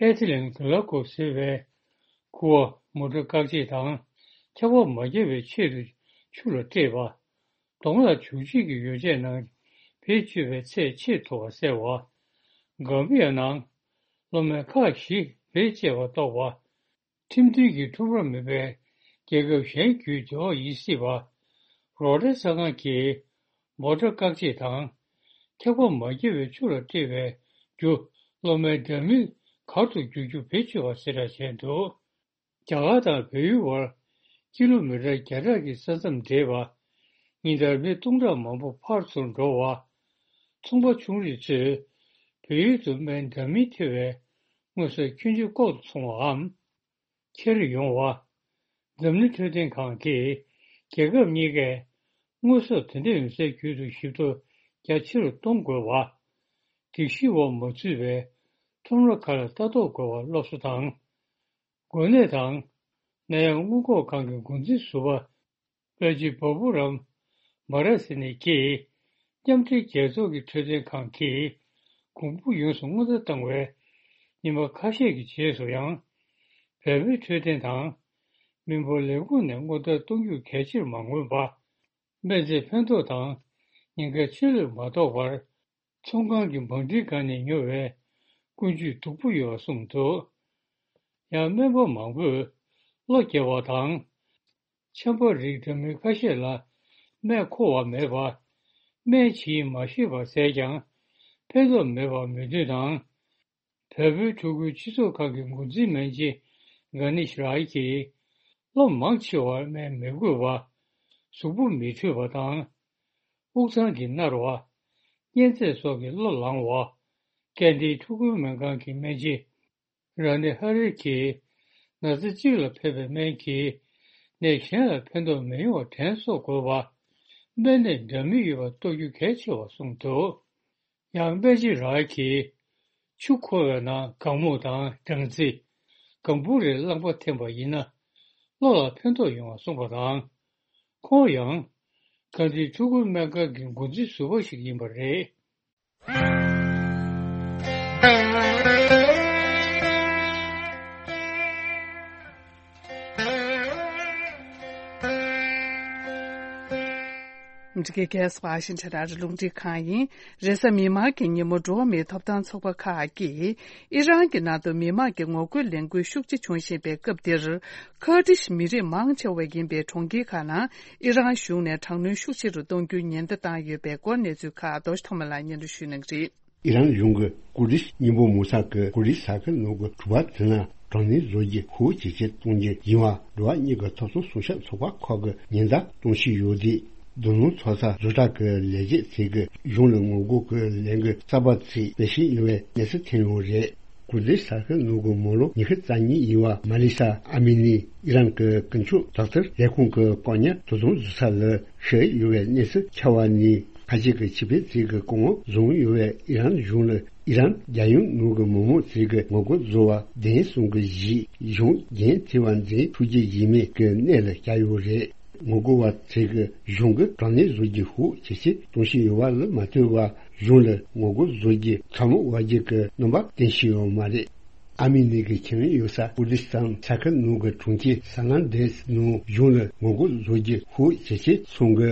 ཨེ་ཐི་ལིན་གྷི་ལེ་ཁོ་ཟེར་བའི་ཁུ་བ་མོ་ཊ་བཀག་བྱེད་དང་། འཁྱག་པ་མ་བརྒྱབ་པའི་ཆེད་དུ་ཆུ་ལ་སྤྲད་པ། གདོང་ལ་བྱུག་བྱེད་ཀྱི་ཡོ་བྱད་ནང་བེད་སྤྱོད་པའི་ཚད་ཆེས་མཐོ་བ་བསལ་བ། གམ་བུ་ཡ་ནང་གློ་མའི་ཁག་བཞི་བེད་སྤྱད་པ་རྟོགས་པ། ཁྲིམས་མཐུན་གྱི་འཁྲུག་པ་མེད་པའི་རྒྱལ་ཁབ་གཞན་བརྒྱུད་འབྲེལ་བ་ཡིན་སྲིད་པ། རོ་ཊ་ཟ་ཁང་གིས་མོ་ཊ་བཀག་བྱེད་དང་། འཁྱག་པ་མ་བརྒྱབ་པའི་ཆུ་ལ་སྤྲད་པའི་རྒྱུ་གློ་མའི་འདྲ་མིན་གར་དུ་བསྒྱུར་རྒྱུ་བེད་སྤྱོད་པ་ཟེར་གྲངས་བྱས་འདུག་རྒྱ་གར་དང་བལ་ཡུལ་བར་ཀི་ལོ་མི་ཊར་བརྒྱ་ཕྲག་གི་ས་མཚམས་འདྲེས་པ། ཉིན་ལྟར་མི་སྟོང་ཕྲག་མང་པོ་ཕར་ཚུར་འགྲོ་བ། ཚོང་པ་ཆུང་རིགས་ཚོས་བལ་ཡུལ་དུ་སྨན་འདྲ་མིན་ཐེ་བའི་དངོས་ཟོག་ཁྱོན་ཆེ་ལྐོག་ཏུ་འཚོང་བའམ། འཁྱེར་ཡོང་བ། འཛམ་གླིང་འཕྲོད་བསྟེན་ཁང་གིས་རྒྱལ་ཁབ་གཉིས་ཀས་དངོས་ཟོག་དེ་འདྲ་ཡོང་སའི་རྒྱུད་དུ་ཞིབ་ཐོ་རྒྱ་ཆེ་རུ་གཏོང་དགོས་པ། སྒྲིག་གཞིའི་འོག་མ་ཚུད་པའི་ ཁྲོམ་ར་ཁག་ལ་ལྟ་རྟོག་དགོས་པར་སློབ་གསོ་དང་། འགོས་ནད་དང་ནད་ཡམས་སྔོན་འགོག་ཁང་གི་འགོ་འཛིན་ཟུར་པ་དཔལ་སྐྱིད་བ་བུ་རམ་བྷ་ར་སི་ནི་ཀྱིས། མཉམ་འབྲེལ་རྒྱལ་ཚོགས་ཀྱི་འཕྲོད་བསྟེན་ཁང་གིས་གོང་བུ་ཡོངས་སུ་སྔོན་བརྡ་བཏང་བའི་ཉིན་མ་ཁ་ཤས་ཀྱི་རྗེས་སུ་ཡང་། བལ་པོའི་འཕྲོད་བསྟེན་དང་མི་འབོར་ལས་ཁུངས་ནས་སྔོན་བརྡ་གཏོང་རྒྱུ་གལ་ཆེར་མ་མངོན་པ། སྨན་རྫས་ཕན་ཐོགས་དང་ཉེན་ཁའི་ཆེད་ལས་མ་གཏོགས་པར། ཚོང་ཁང་གི་བང་སྒྲིག་སྒང་ནས་ཉོ་བའི་ཀུན་སྤྱོད་སྡུག་པོ་ཡོད་པ་གསུངས་འདུག་ཡང་སྨན་པ་མང་པོས་གློ་བརྒྱབ་པ་དང་། ཆམ་པ་རིགས་འདྲ་མིན་ཁ་ཤས་ལ་སྨན་མཁོ་བ་མེད་པ། སྨན་ཇི་ཡིན་མ་ཤེས་པ་བཟས་ཀྱང་ཕན་ཐོགས་མེད་པར་མོས་མཐུན་དང་། བལ་པོའི་ཕྲུ་གུའི་སྤྱི་ཚོགས་ཁང་གི་འགོ་འཛིན་སྨན་ཆེན་གྷ་ནི་ཤི་རའི་གྱིས། གློ་མང་ཆེ་བ་སྨན་མི་དགོས་པ། གཟུགས་པོ་མི་འཕྲོད་པ་དང་། དབུགས་གཙང་གིས་མནར་བ། གཉན་ཚད་སོགས་ཀྱིས་གློ་ལངས་པ། ཀན་ཏིའི་ཕྲུ་གུའི་སྨན་ཁང་གི་སྨན་ཆེན་ར་ནི་ཧ་རི་གྱིས། ན་ཚ་གཅིག་ལ་ཕན་པའི་སྨན་གྱིས་ནད་གཞན་ལ་ཕན་ཐོགས་མི་ཡོང་བ་དྲན་གསོ་དགོས་པ། སྨན་ནད་འདྲ་མིན་ཡོད་པ་རྟོགས་རྒྱུ་གལ་ཆེ་བ་གསུངས་འདུག་ཡང་སྨན་ཆེན་རའི་གྱིས། ཆུ་འཁོལ་བའི་ནང་གང་མུ་དང་སྦྲང་རྩི། གང་བུ་རེ་རླངས་པ་འཐེན་པ་ཡིན་ན། གློ་ལ་ཕན་ཐོགས་ཡོང་བ་གསུངས་པ་དང་། ཁོང་ཡང་། གྷན་དྷིའི་ཕྲུ་གུའི་སྨན་ཁང་གི་འགོ་འཛིན་ཟུར་པ་ཞིག་ཡིན་པ་རེད། འདི་གའི་རྒྱལ་ས་ཝ་ཤིང་ཊོན་ཨ་རི་རླུང་འཕྲིན་ཁང་ཡིན། རེས་གཟའ་མིག་དམར་གྱི་ཉིན་མོ་འགྲོ་བ་མིའི་ཐོབ་ཐང་ཚོགས་པ་ཁག་གིས་ཨི་རན་གྱི་ནང་དུ་མི་མང་གི་ངོ་རྒོལ་ལས་འགུལ་ཤུགས་ཆེ་བྱུང་བཞིན་པའི་སྐབས་འདིར། ཁར་ཏིཤ་མི་རིགས་མང་ཆེ་བ་ཡིན་པའི་གྲོང་ཁྱེར་ཁག་ནང་ཨི་རན་གཞུང་ནས་དྲག་གནོན་ཤུགས་ཆེ་རུ་གཏོང་རྒྱུའི་ཉེན་བརྡ་བཏང་ཡོད་པའི་སྐོར་གནས་ཚུལ་ཁག་རྡོ་རྗེ་ཐོགས་མེད་ལགས་སྙན་སྒྲོན་ཞུ་གནང་གི་རེད། ཨི་རན་གཞུང་གིས་ཀུར་ཏིཤ་སྙིང་པོ་མུ་ས་ཀི་ཀུར་ཏིཤ་ས་ཁུལ་ནང་གི་གྲུ་པ་དེ་ནང་དྲག་གནོན་བཟོ་རྒྱུ་ཤུགས་ཇེ་ཆེར་གཏོང་རྒྱུ་ཡིན་པ་འགྲོ་བ་མིའི་ཐོབ་ཐང་སྲུང་སྐྱོབ་ཚོགས་པ་ཁག་གིས་ཉེན་བརྡ་གཏོང་བཞིན་ཡོད་དུས། རྡུལ་སྣུམ་ཚོད་ས་བཟོ་གྲྭ་གི་ལས་བྱེད་ཚོས་གཞུང་ལ་ངོ་རྒོལ་གྱི་ལས་འགུལ་གསར་པ་ཞིག་སྤེལ་བཞིན་ཡོད་པའི་གནས་ཚུལ་ཐོན་ཡོད་རེད། ཀུར་ཏིཤ་ས་ཁུལ་ནང་གི་མི་ལོ་ཉི་ཤུ་རྩ་གཉིས་ཡིན་པ་མ་ལི་ས་ཨ་མི་ནི་ཨི་རན་གྱི་ཀུན་སྤྱོད་དག་ཐེར་ལས་ཁུངས་ཀྱི་བཀག་ཉར་དུ་དང་འཛུལ་ས་ལ་ཞུགས་ཡོད་པའི་གནས་ཚུལ་ཁྱབ་པ་ནས། ཁ་ཆེ་གི་ཆིག་སྤྱོད་ཅིག་གི་སྐུ་ངོ་བཟུང་ཡོད་པའི་ཨི་རན་གཞུང་ལ་ཨི་རན་རྒྱལ་ཡོངས་ནང་གི་མི་མང་ཅིག་གིས་ངོ་རྒོལ་བཟོ་བ་བདེན་གསུང་གི་གཞིས་གཞུང་འགན་འཁྱེར་བ་འཛིན་ཐུབ་རྒྱུ་ཡིན་མིན་གྱི་གནས་ལ་བསྐྱལ་ཡོད་རེད། ངོ་རྒོལ་བ་ཚོས་གཞུང་གིས་དྲག་གནོན་བཟོ་རྒྱུ་ཤུགས་ཇེ་ཆེར་གཏོང་བཞིན་ཡོད་པ་ལ་མ་ལྟོས་པར་གཞུང་ལ་ངོ་རྒོལ་བཟོ་རྒྱུ་ཚ་མོ་བར་རྒྱུ་གི་རྣམ་པ་བསྟན་བཞིན་ཡོད་མ་རེད། ཨ་མི་ནི་གི་ཁྱིམ་ཡོད་ས་ཀུར་ཏིཤ་ཐན་ས་ཁུལ་ནང་གི་གྲོང་ཁྱེར་ས་ན་འདྲེས་ནང་གཞུང་ལ་ངོ་རྒོལ་བཟོ་རྒྱུ་ཤུགས་ཇེ་ཆེར་སོང་གི།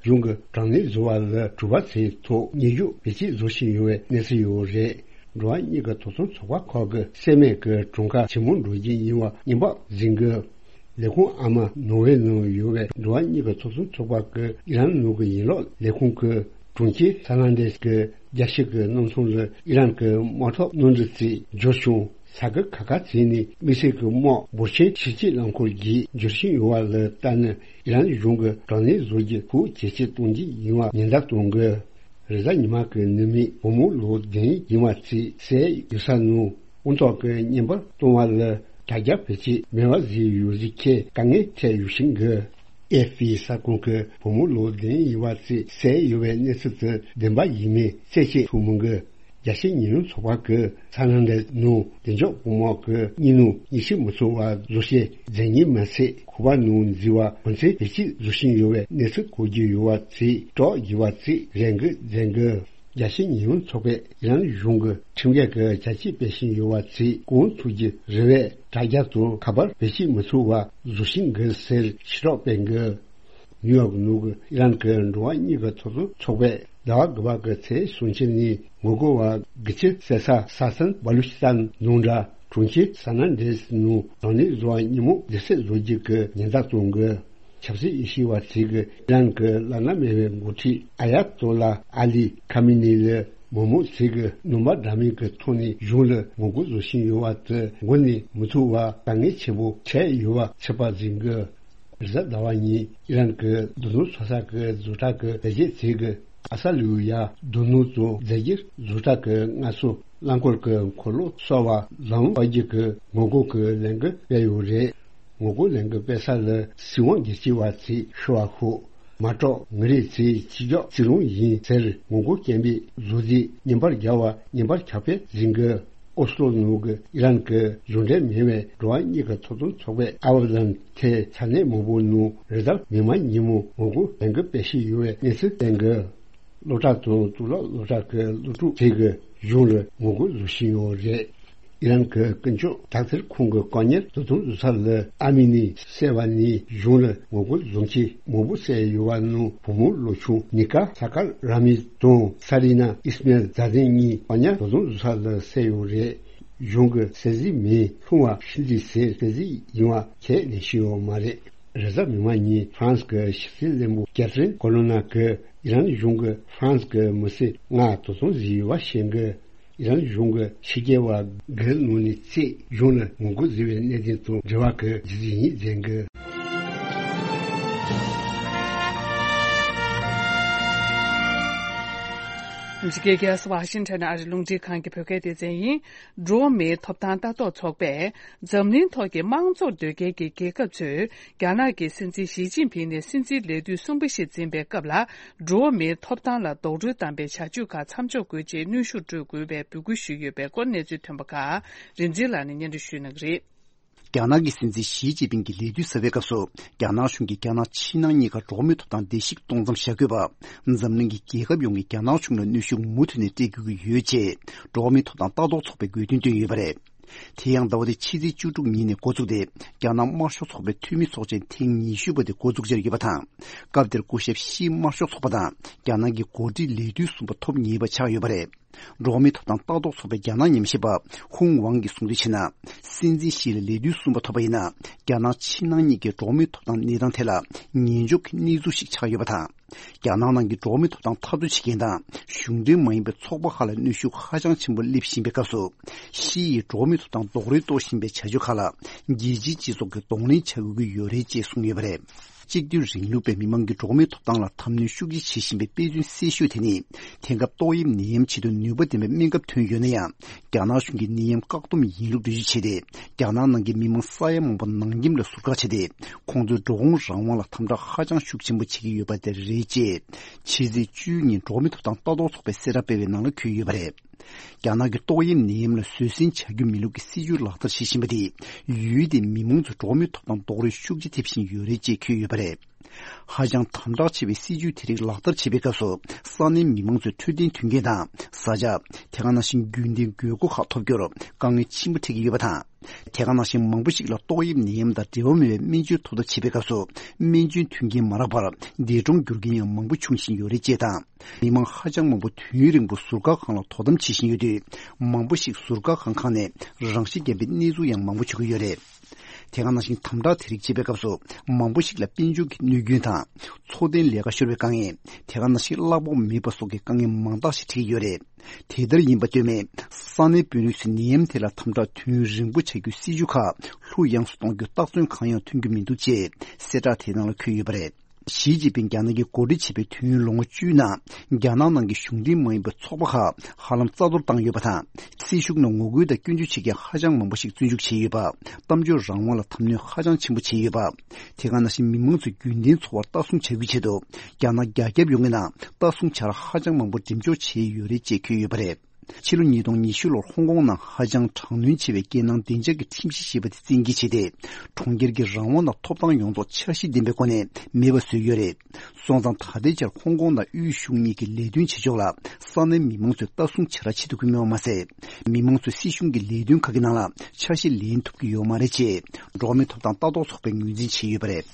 གཞུང་གིས་དྲག་གནོན་བཟོ་བ་ལ་གྲུ་པ་ཚོའི་ཐོག་ཉེས་འགྱུར་བེད་སྤྱོད་བཟོ་བཞིན་ཡོད་པའི་གནས་ཚུལ་ཡོད་རེད། འགྲོ་བ་མིའི་ཐོབ་ཐང་ཚོགས་པ་ཁག་གིས་སེལ་མེད་ཀྱི་གྲངས་ཀ་ཇེ་མང་འགྲོ་རྒྱུ་ཡིན་པ་སྔོན་དཔག་བཟོ་གི། ལས་ཁུངས་ཨ་མ་ནོར་ཝེ་ནང་ཡོད་པའི་འགྲོ་བ་མིའི་ཐོབ་ཐང་ཚོགས་པ་གིས་ཨི་རན་ནང་གི་ཡན་ལག་ལས་ཁུངས་ཀྱིས་གྲོང་ཁྱེར་ས་ན་འདྲེས་ཀྱི་རྒྱལ་སྤྱི་གི་གནམ་ཐང་ལ་ཨི་རན་གྱི་དམག་འཐབ་གནམ་གྲུ་ཚོས་འབྱོར་བྱུང་། ས་ཁུལ་ཁག་ཁག་ཚོ་ནས་དམིགས་བསལ་གྱི་དམག་འབོར་ཆེན་ཕྱི་སྐྱོད་རླངས་འཁོར་བརྒྱུད་འབྱོར་བཞིན་ཡོད་པ་ལ་བལྟས་ན། ཨི་རན་གཞུང་གིས་དྲག་གནོན་བཟོ་རྒྱུ་ཤུགས་ཇེ་ཆེར་གཏོང་རྒྱུ་ཡིན་པ་ཉེན་བརྡ་གཏོང་གི། རེས་གཟའ་ཉི་མ་གི་ནུབ་མོ་བུ་མོ་ལོ་བདུན་ཡིན་པ་ཚོས་བསད་ཡོད་ས་ནང་དབང་ཐོག་གིས་བརྙན་པར་བཏང་བ་ལ་དྲ་རྒྱ་བེད་སྤྱོད་མེད་པ་བཟོས་ཡོད་རྒྱུའི་ཐད་དཀའ་ངལ་འཕྲད་ཡོད་བཞིན་གི། ཨེ་ཧྥི་གསར་ཁང་གིས་བུ་མོ་ལོ་བདུན་ཡིན་པ་ཚོས་བསད་ཡོད་པའི་གནས་ཚུལ་དེ་བདེན་པ་ཡིན་མིན་རྩད་གཅོད་ཐུབ་མི་འདུག་རྒྱལ་སྤྱིའི་ཉེས་ལས་ཚོགས་པ་གིས་ས་ན་འདྲེས་ནང་བདེ་འཇགས་དཔུང་དམག་གིས་གཉིས་ནང་གཉིས་ཤིག་མི་ཚང་བ་བཟོ་བྱེད་རྫས་ཉེས་མ་ཚད་ཁོ་པ་ནང་འཛུལ་བ་གོ་མཚོན་བེད་སྤྱོད་བཟོ་བཞིན་ཡོད་པའི་གནས་ཚུལ་གོ་རྒྱུ་ཡོད་པ་ཚོས་སྐྲག་དགོས་པ་ཚོས་རེ་འགུལ་མཛད་འདུག་རྒྱལ་སྤྱིའི་ཉེས་ལས་ཚོགས་པས་ཨི་རན་གཞུང་གིས་ཁྲིམས་འགལ་གྱི་བྱ་སྤྱོད་སྤེལ་བཞིན་ཡོད་པ་ཚོས་གང་ཐུབ་ཀྱི་རེ་བའི་དྲ་རྒྱ་དང་ཁ་པར་བེད་སྤྱོད་མི་ཚུགས་པ་བཟོ་བཞིན་འདུག་ཟེར་ཞེ་དྲག་སྤེལ་འདུག་ནིའུ་ཡོག་ནང་གི་ཨི་རན་གྱི་འགྲོ་བ་མིའི་ཐོབ་ཐང་ཚོགས་པས་ཟླ་བ་དགུ་པ་གི་ཚེས་སུམ་ཅུ་ཉིན་ངོ་རྒོལ་བ་དགུ་བཅུ་བསད་ས་ས་ཟན་བ་ལུ་ཅི་སྟན་ནང་འདྲ་གྲོང་ཁྱེར་ས་ན་འདྲེས་ནང་དྲག་གནོན་བཟོ་བ་ཉིན་མོ་སྡེབ་གསོད་བཟོ་རྒྱུ་གི་ཉེན་བརྡ་གཏོང་གི། ཆབ་སྲིད་དབྱེ་ཞིབ་པ་ཚོས་གི་ཨི་རན་གྱི་བླ་ན་མེད་པའི་འགོ་ཁྲིད་ཨ་ཡ་ཏོ་ལ་ཨ་ལི་ཁ་མི་ནི་ལ་མི་མང་ཚོས་གི་རྣམ་པ་འདྲ་མིན་གྱི་ཐོག་ནས་གཞུང་ལ་ངོ་རྒོལ་བཟོ་བཞིན་ཡོད་པ་དེ་མགོ་ནས་མི་ཐུབ་པ་དཀའ་ངལ་ཆེན་པོ་འཕྲད་ཡོད་པ་ཚོད་དཔག་བྱེད་གི། རེས་གཟའ་ཟླ་བ་ཉིན་ཨི་རན་གྱི་རྡུལ་སྣུམ་ཚོད་ས་གི་བཟོ་གྲྭ་གི་ལས་བྱེད་ཚོས་གི་ཨ་ས་ལུ་ཡ་རྡུལ་སྣུམ་དང་རྫས་འགྱུར་བཟོ་གྲྭ་གི་སྔར་སྲོལ་རླངས་འཁོར་གྱི་འཁོར་ལོ་གསར་པ་ལམ་སྤར་རྒྱུ་གི་ངོ་རྒོལ་གྱི་ལས་འགུལ་སྤེལ་ཡོད་རེད། ངོ་རྒོལ་ལས་འགུལ་སྤེལ་ས་ལ་སྲིད་དབང་སྒེར་གཅོད་པ་ཚོས་ཤོར་བ་ཤོག་མ་གཏོགས་ངོ་རེ་ཚོས་སྤྱི་ཁྱབ་རྩིས་རང་ཡིན་ཟེར་ངོ་རྒོལ་སྐད་འབོད་བཟོ་རྩིས་བརྙན་པར་རྒྱག་པ་བརྙན་པར་ཁྱབ་སྤེལ་བྱེད་གི། ཨོ་སི་ལོ་ནང་གི་ཨི་རན་གྱི་གཞུང་འབྲེལ་མིན་པའི་འགྲོ་བ་མིའི་ཐོབ་ཐང་ཚོགས་པས་ཨ་བ་ལན་ཐེ་ས་གནས་མང་པོ་ནང་རེས་གཟའ་མིག་དམར་ཉིན་མོ་ངོ་རྒོལ་ལས་འགུལ་སྤེལ་བཞིན་ཡོད་པའི་གནས་ཚུལ་བསྟན་གྱི། སློབ་གྲྭ་དང་གཙུག་ལག་སློབ་གྲྭ་གི་སློབ་ཕྲུག་ཚོས་གཞུང་ལ་ངོ་རྒོལ་བཟོ་བཞིན་ཡོད་རེད། ཨི་རན་གྱི་ཀུན་སྤྱོད་དག་ཐེར་ཁང་གི་བཀག་ཉར་བཟོ་སྟངས་བཟོ་ས་ལ་ཨ་མི་ནི་ཟེར་བ་ནི་གཞུང་ལ་ངོ་རྒོལ་བཟོ་མཁན་མང་པོ་བསད་ཡོད་པ་ནང་བུ་མོ་ལོ་ཆུང་ནི་ཀ་ས་ཀར་ར་མི་དང་ས་རི་ན་ཨིས་མེལ་ཛ་དན་གཉིས་བཀག་ཉར་བཟོ་སྟངས་བཟོ་ས་ལ་བསད་ཡོད་རེད། གཞུང་གི་གསལ་གཟིགས་མིན་ལྷུང་བ་ཤི་འདི་ཟེར་གསལ་གཟིགས་ཡིན་པ་ཁས་ལེན་བཞིན་ཡོད་མ་རེད། རེས་གཟའ་མིག་དམར་ཉིན་ཧྥ་རན་སི་གི་ཕྱི་སྲིད་བློན་པོ་ཀེ་ཐི་རིན་ཀོ་ལོ་ན་གིས་ཨི་རན་གཞུང་གིས་ཧྥ་རན་སི་གི་མི་སེར་ལྔ་དོ་དམ་བཟོས་ཡོད་པ་བཤད་གི། ཨི་རན་གཞུང་གི་ཕྱི་རྒྱལ་བ་དགུའི་ནང་ནས་གཅིག་གཞུང་ལ་ངོ་རྒོལ་བཟོས་པའི་གནད་དོན་དང་འབྲེལ་བ་གི་རྒྱུ་མཚན་ཡིན་བརྗོད་གི། འཇིགས་སྐལ་རྒྱལ་ས་ཝ་ཤིང་ཊོན་ཨ་རི་རླུང་འཕྲིན་ཁང་གི་བོད་སྐད་སྡེ་ཚན་ཡིན། འགྲོ་བ་མིའི་ཐོབ་ཐང་ལྟ་རྟོག་ཚོགས་པས་འཛམ་གླིང་ཐོག་གི་དམངས་གཙོར་འདོད་མཁན་གྱི་རྒྱལ་ཁབ་ཚོས་རྒྱ་ནག་གི་སྲིད་འཛིན་ཞི་ཅིན་ཕིང་ནས་སྲིད་འཛིན་ལས་དུས་གསུམ་པ་ཞིག་འཛིན་པའི་སྐབས་ལ། འགྲོ་བ་མིའི་ཐོབ་ཐང་ལ་རྡོག་རོལ་བཏང་པའི་བྱ་སྤྱོད་ཁག་མཚམས་འཇོག་དགོས་ཅེས་གནོན་ཤུགས་སྤྲོད་དགོས་པའི་འབོད་སྐུལ་ཞུས་ཡོད་པའི་སྐོར་གནས་ཚུལ་ཐོན་པ་ཁག་རིག་འཛིན་ལགས་ནས་སྙན་སྒྲོན་ཞུ་གནང་གི་རེད། རྒྱ་ནག་གི་སྲིད་འཛིན་ཞི་ཅིན་ཕིང་གིས་ལས་དུས་གསར་པའི་སྐབས་སུ། རྒྱ་ནག་གཞུང་གིས་རྒྱ་ནག་ཕྱི་ནང་གཉིས་ཀར་འགྲོ་བ་མིའི་ཐོབ་ཐང་བརྡལ་བཤིག་གཏོང་མཚམས་བཞག་དགོས་པ། འཛམ་གླིང་གི་རྒྱལ་ཁབ་ཡོངས་ཀྱིས་རྒྱ་ནག་གཞུང་ལ་གནོན་ཤུགས་མུ་མཐུད་ནས་སྤྲད་དགོས་ཀྱི་ཡོད་ཅེས། འགྲོ་བ་མིའི་ཐོབ་ཐང་ལྟ་རྟོག་ཚོགས་པས་དགོས་འདུན་བཏོན་ཡོད་པ་རེད། དེ་ཡང་ཟླ་བ་འདིའི་ཕྱི་ཚེས་བཅུ་དྲུག་ཉིན་ནས་འགོ་བཙུགས་ཏེ། རྒྱ་ནག་དམར་ཤོག་ཚོགས་པའི་འཐུས་མི་ཚོགས་ཆེན་ཐེངས་ཉི་ཤུ་པ་དེ་འགོ་འཛུགས་བྱས་ཡོད་པ་དང་། སྐབས་དེར་སྐུ་ཞབས་ཤིས་དམར་ཤོག་ཚོགས་པ་དང་རྒྱ་ནག་གི་འགོ་ཁྲིད་ལས་དུས་གསུམ་པ་ཐོབ་ངེས་པ་ཆགས་ཡོད་པ་རེད། འགྲོ་བ་མིའི་ཐོབ་ཐང་ལྟ་རྟོག་ཚོགས་པའི་རྒྱ་ནག་ཉམས་ཞིབ་པ་ཧུང་ཝང་གིས་གསུངས་དོན་བྱས་ན། སྲིད་འཛིན་ཞི་ལ་ལས་དུས་གསུམ་པ་ཐོབ་པ་ཡིན་ན། རྒྱ་ནག་ཕྱི་ནང་གཉིས་ཀའི་འགྲོ་བ་མིའི་ཐོབ་ཐང་གནས་སྟངས་ཐད་ལ་ཉན་འཇོག་གི་གནས་ཚུལ་ཞིག་ཆགས་ཡོད་པ་དང་། རྒྱ་ནག་ནང་གི་འགྲོ་བ་མིའི་ཐོབ་ཐང་འཐབ་རྩོད་བྱེད་མཁན་དང་གཞུང་འབྲེལ་མ་ཡིན་པའི་ཚོགས་པ་ཁག་ལ་གནོན་ཤུགས་ཧ་ཅང་ཆེན་པོ་སླེབས་བཞིན་པའི་སྐབས་སུ། ཕྱི་ཡི་འགྲོ་བ་མིའི་ཐོབ་ཐང་རྡོག་རོལ་གཏོང་བཞིན་པའི་བྱ་སྤྱོད་ཁག་ལ་རྒྱལ་སྤྱིའི་སྤྱི་ཚོགས་ཀྱིས་གདོང་ལེན་བྱ་དགོས་ཀྱི་ཡོད་རེད་ཅེས་གསུངས་ཡོད་པ་རེད། གཅིག་སྡུད་རིང་ལུགས་པས་མི་མང་གི་འགྲོ་བ་མིའི་ཐོབ་ཐང་ལ་དམ་གནོན་ཤུགས་ཆེ་བྱེད་བཞིན་པའི་དཔེ་མཚོན་གསལ་ཤོས་དེ་ནི། དེང་སྐབས་ཏོག་དབྱིབས་ནད་ཡམས་ཆེད་དུ་ནུས་པ་ལྡན་པའི་སྨན་ཁབ་ཐོན་ཡོད་ན་ཡང་། རྒྱ་ནག་གཞུང་གིས་ནད་ཡམས་བཀག་སྡོམ་ཡིན་ལུགས་འགྲེལ་བརྗོད་བྱས་ཏེ། རྒྱ་ནག་ནང་གི་མི་མང་ས་ཡ་མང་པོ་ནང་ཁྱིམ་ལ་ཟུར་བཀག་བྱས་ཏེ། ཁོང་ཚོའི་འགྲོ་འོང་རང་དབང་ལ་དམ་དྲག་ཧ་ཅང་ཤུགས་ཆེན་པོ་བྱེད་ཀྱི་ཡོད་པ་དེ་རེད་ཅེས། ཕྱི་ཚེས་བཅུ་ཉིན་འགྲོ་བ་མིའི་ཐོབ་ཐང་ལྟ་རྟོག་ཚོགས་པས་གསལ་བསྒྲགས་སྤེལ་བའི་ནང་ལ་འཁོད་ཡོད་པ་རེད། རྒྱ་ནག་གི་ཏོག་དབྱིབས་ནད་ཡམས་ལ་བཟོད་བསྲན་བྱ་རྒྱུ་མིན་ལུགས་ཀྱི་སྲིད་ཇུས་ལག་བསྟར་བྱེད་བཞིན་པ་དེས། ཡུལ་དེའི་མི་མང་ཚོའི་འགྲོ་བ་མིའི་ཐོབ་ཐང་རྡོག་རོལ་ཤུགས་ཆེ་ཐེབས་བཞིན་ཡོད་རེད་ཅེས་འཁོད་ཡོད་པ་རེད། ཧ་ཅང་དམ་དྲག་ཆེ་བའི་སྲིད་ཇུས་དེ་རིགས་ལག་བསྟར་བྱེད་པའི་སྐབས་སུ། ས་གནས་མི་མང་ཚོའི་འཕྲོད་བསྟེན་མཐུན་རྐྱེན་དང་། བཟའ་བཅའ། དེ་ག་ནང་བཞིན་རྒྱུན་ལྡན་དགོས་མཁོ་ཁག་ཐོབ་རྒྱུར་དཀའ་ངལ་ཆེན་པོ་འཕྲད་ཀྱི་ཡོད་པ་དང་། དེ་ག་ནང་བཞིན་མང་པོ་ཞིག་ལ་ཏོག་དབྱིབས་ནད་ཡམས་དང་འབྲེལ་བ་མེད་པའི་སྨན་བཅོས་ཐོབ་ཐབས་བྱེད་པའི་སྐབས་སུ། སྨན་བཅོས་མཐུན་རྐྱེན་མ་རག་པར་འདས་གྲོངས་གྱུར་མཁན་ཡང་མང་པོ་འབྱུང་བཞིན་ཡོད་རེད་ཅེས་དང་། མི་མང་ཧ་ཅང་མང་པོ་དུས་ཡུན་རིང་པོ་ཟུར་བཀག་ཁང་ལ་དོ་དམ་བྱེད་བཞིན་ཡོད་དུས། མང་པོ་ཞིག་ཟུར་བཀག་ཁང་ཁག་ནས་རང་ཤི་བརྒྱབ་པའི་གནས་ཚུལ་ཡང་མང་པོ་བྱུང་གི་ཡོད་རེད། དེ་ག་ནང་བཞིན་དམ་དྲག་དེ་རིགས་བྱེད་པའི་སྐབས་སུ། མང་པོ་ཞིག་ལ་དཔལ་འབྱོར་གྱི་གནོད་སྐྱོན་དང་། འཚོ་རྟེན་ལས་ཀ་ཤོར་བའི་དཀའ་ངལ། དེ་ག་ནང་བཞིན་གླ་ཕོགས་མེད་པ་སོགས་ཀྱི་དཀའ་ངལ་མང་དག་ཞིག་འཕྲད་ཀྱི་ཡོད་རེད། དེ་ལྟར་ཡིན་པ་ལྟོས་མེད། ས་གནས་དཔོན་རིགས་ཚོས་ནད་ཡམས་དེ་ལ་དམ་དྲག་དུས་ཡུན་རིང་པོ་བྱ་རྒྱུའི་སྲིད་ཇུས་ཁག་ལྷུག་ཡངས་སུ་གཏོང་རྒྱུ་རྟགས་མཚན་གང་ཡང་ཐོན་རྒྱུ་མི་འདུག་ཅེས་གསལ་བསྒྲགས་དེའི་ནང་ལ་འཁོད་ཡོད་པ་རེད། ཞི་ཅིན་ཕིང་རྒྱ་ནག་གིས་འགོ་ཁྲིད་བྱས་པའི་དུས་ཡུན་ལོ་ངོ་བཅུའི་ནང་། རྒྱ་ནག་ནང་གི་གཞུང་འབྲེལ་མ་ཡིན་པའི་ཚོགས་པ་ཁག་ཧ་ལམ་རྩ་གཏོར་བཏང་ཡོད་པ་དང་། སྲིད་གཞུང་ནང་ངོ་རྒོལ་དང་སྐྱོན་བརྗོད་བྱེད་མཁན་ཧ་ཅང་མང་པོ་ཞིག་བཙོན་འཇུག་བྱས་ཡོད་པ། གཏམ་བརྗོད་རང་དབང་ལ་དམ་གནོན་ཧ་ཅང་ཆེན་པོ་བྱས་ཡོད་པ། དེ་ག་ནང་བཞིན་མི་མང་ཚོས་རྒྱུན་ལྡན་འཚོ་བར་ལྟ་སྲུང་བྱ་རྒྱུའི་ཆེད་དུ། རྒྱ་ནག་རྒྱ་ཁྱབ་ཡོངས་ཀྱི་ནང་ལྟ་སྲུང་བྱ་ར་ཧ་ཅང་མང་པོ་འགྲེམས་འཇོག་བྱས་ཡོད་རེད་ཅེས་འཁོད་ཡོད་པ་རེད། ཕྱི་ལོ་ཉིས་སྟོང་ཉི་ཤུ་ལོར་ཧོང་ཀོང་ནང་ཧ་ཅང་དྲག་གནོན་ཆེ་བའི་རྒྱལ་ནང་བདེ་འཇགས་ཀྱི་ཁྲིམས་གཞི་ཞེས་པ་དེ་བཙན་འགེལ་བྱས་ཏེ། གྲོང་ཁྱེར་གྱི་རང་དབང་དང་ཐོབ་ཐང་ཡོངས་རྫོགས་འཆར་གཞི་ལྡན་པའི་སྒོ་ནས་མེད་པ་བཟོས་ཡོད་རེད། སོང་ཙང་ད་ལྟའི་ཆར་ཧོང་ཀོང་དང་དབུས་གཞུང་གཉིས་ཀྱི་ལས་དོན་བྱེད་ཕྱོགས་ལ་ས་གནས་མི་མང་ཚོས་ལྟ་སྲུང་བྱ་ར་བྱེད་ཐུབ་ཀྱི་མེད་པ་མ་ཟད། མི་མང་ཚོས་སྲིད་གཞུང་གི་ལས་དོན་ཁག་གི་ནང་ལ་འཆར་གཞི་ལེན་ཐུབ་ཀྱི་ཡོད་མ་རེད་ཅེས་འགྲོ་བ་མིའི་ཐོབ་ཐང་ལྟ་རྟོག་ཚོགས་པས་ངོས་འཛིན་བྱས་ཡོད་པ་རེད།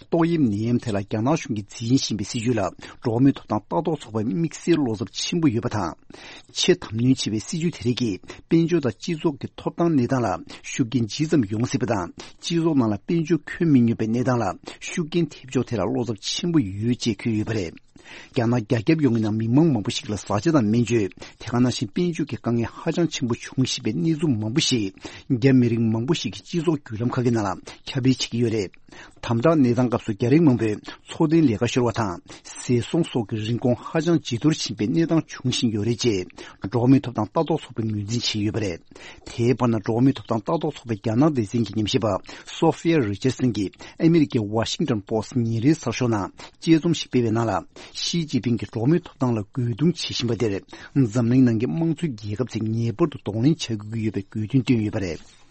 ཏོག་དབྱིབས་ནད་ཡམས་ཐད་ལ་རྒྱ་ནག་གཞུང་གིས་འཛིན་བཞིན་པའི་སྲིད་ཇུས་ལ་འགྲོ་བ་མིའི་ཐོབ་ཐང་ལྟ་རྟོག་ཚོགས་པའི་དམིགས་བསལ་བློ་འཚབ་ཆེན་པོ་ཡོད་པ་དང་། ཆེས་དམ་གནོན་ཆེ་བའི་སྲིད་ཇུས་དེ་རིགས་ཀྱིས་དཔལ་འབྱོར་དང་སྤྱི་ཚོགས་ཀྱི་ཐོབ་ཐང་གནས་སྟངས་ལ་ཤུགས་རྐྱེན་ཇི་ཙམ་ཡོང་སྲིད་པ་དང་། སྤྱི་ཚོགས་ནང་ལ་དཔལ་འབྱོར་ཁྱོན་མི་མཉམ་པའི་གནས་སྟངས་ལ་ཤུགས་རྐྱེན་ཐེབས་ཕྱོགས་དེ་ལ་བློ་འཚབ་ཆེན་པོ་ཡོད་ཅེས་འཁོད་ཡོད་པ་རེད། རྒྱ་ནག་རྒྱ་ཁྱབ་ཡོངས་ཀྱི་ནང་མི་མང་མང་པོ་ཞིག་ལ་བཟའ་བཅའ་དང་སྨན་བཅོས། དེ་ག་ནང་བཞིན་དཔལ་འབྱོར་གྱི་དཀའ་ངལ་ཧ་ཅང་ཆེན་པོ་འབྱུང་བཞིན་པའི་གནས་ཚུལ་མང་པོ་ཞིག་རྒྱ་མི་རིགས་མང་པོ་ཞིག་གི་སྤྱི་ཚོགས་བརྒྱུད་ལམ་ཁག་གི་ནང་ལ་ཁྱབ་སྤེལ་བྱེད་ཀྱི་ཡོད་རེད། དམ་དྲག་གནས་སྟངས་སྐབས་སུ་རྒྱ་རིགས་མང་པོས་འཚོ་རྟེན་ལས་ཀ་ཤོར་བ་དང་། བཙན་བཟུང་སོགས་ཀྱི་རིན་གོང་ཧ་ཅང་ཇེ་མཐོར་ཕྱིན་པའི་གནས་སྟངས་འབྱུང་བཞིན་ཡོད་རེད་ཅེས། འགྲོ་བ་མིའི་ཐོབ་ཐང་ལྟ་རྟོག་ཚོགས་པས་ངོས་འཛིན་བྱས་ཡོད་པ་རེད། དེའི་བར་ན་འགྲོ་བ་མིའི་ཐོབ་ཐང་ལྟ་རྟོག་ཚོགས་པའི་རྒྱ་ནག་སྡེ་ཚན་གྱི་ཉམས་ཞིབ་པ་སོ་ཧྥི་ཡ་རི་ཅར་སན་གྱིས་ཨ་མི་རི་ཀའི་ཝ་ཤིང་ཏོན་པོ་སི་ཉིན་རེའི་གསར་ཤོག་ནང་དཔྱད་རྩོམ་ཞིག་སྤེལ་བའི་ནང་ལ། ཞི་ཅིན་ཕིང་གིས་འགྲོ་བ་མིའི་ཐོབ་ཐང་ལ་རྒོལ་རྡུང་བྱེད་བཞིན་པ་དེར། འཛམ་གླིང་ནང་གི་དམངས་གཙོའི་རྒྱལ་ཁབ་ཚོས་ངེས་པར་དུ་གདོང་ལེན་བྱ་དགོས་ཀྱི་ཡོད་པའི་དགོས་འདུན་བཏོན་ཡོད་པ་རེད།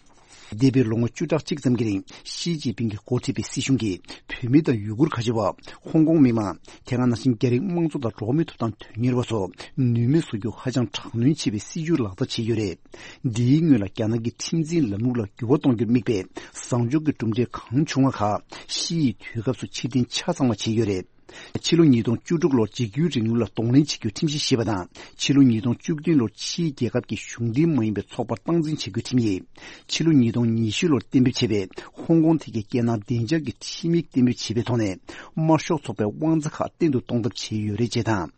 འདས་པའི་ལོ་ངོ་བཅུ་ཕྲག་གཅིག་ཙམ་གྱི་རིང་ཞི་ཅིན་ཕིང་གིས་འགོ་ཁྲིད་པའི་སྲིད་གཞུང་གིས་བོད་མི་དང་ཡུ་གུར་ཁ་ཆེ་བ། ཧོང་ཀོང་མི་མང་། དེ་ག་ནང་བཞིན་རྒྱ་རིགས་དམངས་གཙོ་དང་འགྲོ་བ་མིའི་ཐོབ་ཐང་དོན་གཉེར་བ་སོགས་ནུས་མེད་བཟོ་རྒྱུ་ཧ་ཅང་དྲག་གནོན་ཆེ་བའི་སྲིད་བྱུས་ལག་བསྟར་བྱས་ཡོད་རེད། འདིའི་སྔོན་ལ་རྒྱ་ནག་གི་ཁྲིམས་འཛིན་ལམ་ལུགས་ལ་འགྱུར་བ་གཏོང་རྒྱུར་དམིགས་པའི་བཟང་ཕྱོགས་ཀྱི་གྲུབ་འབྲས་གང་བྱུང་བ་ཁག་ཞི་ཡིས་དུས་སྐབས་སུ་ཕྱིར་འཐེན་ཆ་ཚང་བ་བྱས་ཡོད་རེད། ཕྱི་ལོ་ཉིས་སྟོང་བཅུ་དྲུག་ལོར་འཇིགས་སྐུལ་རིང་ལུགས་ལ་གདོང་ལེན་བྱེད་རྒྱུའི་ཁྲིམས་གཞི་ཞེས་པ་དང་། ཕྱི་ལོ་ཉིས་སྟོང་བཅུ་བདུན་ལོར་ཕྱིའི་རྒྱལ་ཁབ་ཀྱི་གཞུང་འབྲེལ་མ་ཡིན་པའི་ཚོགས་པར་སྟངས་འཛིན་བྱེད་རྒྱུའི་ཁྲིམས་ཡིག་ཕྱི་ལོ་ཉིས་སྟོང་ཉི་ཤུ་ལོར་གཏན་འབེབས་བྱས་པའི་ཧོང་ཀོང་ཐད་ཀྱི་རྒྱལ་ནང་བདེ་འཇགས་ཀྱི་ཁྲིམས་ཡིག་གཏན་འབེབས་བྱས་པའི་ཐོག་ནས། དམར་ཤོག་ཚོགས་པའི་དབང་ཆ་ཁག་བརྟན་དུ་གཏོང་ཐབས་བྱས་ཡོད་རེད་ཅེས་དང་།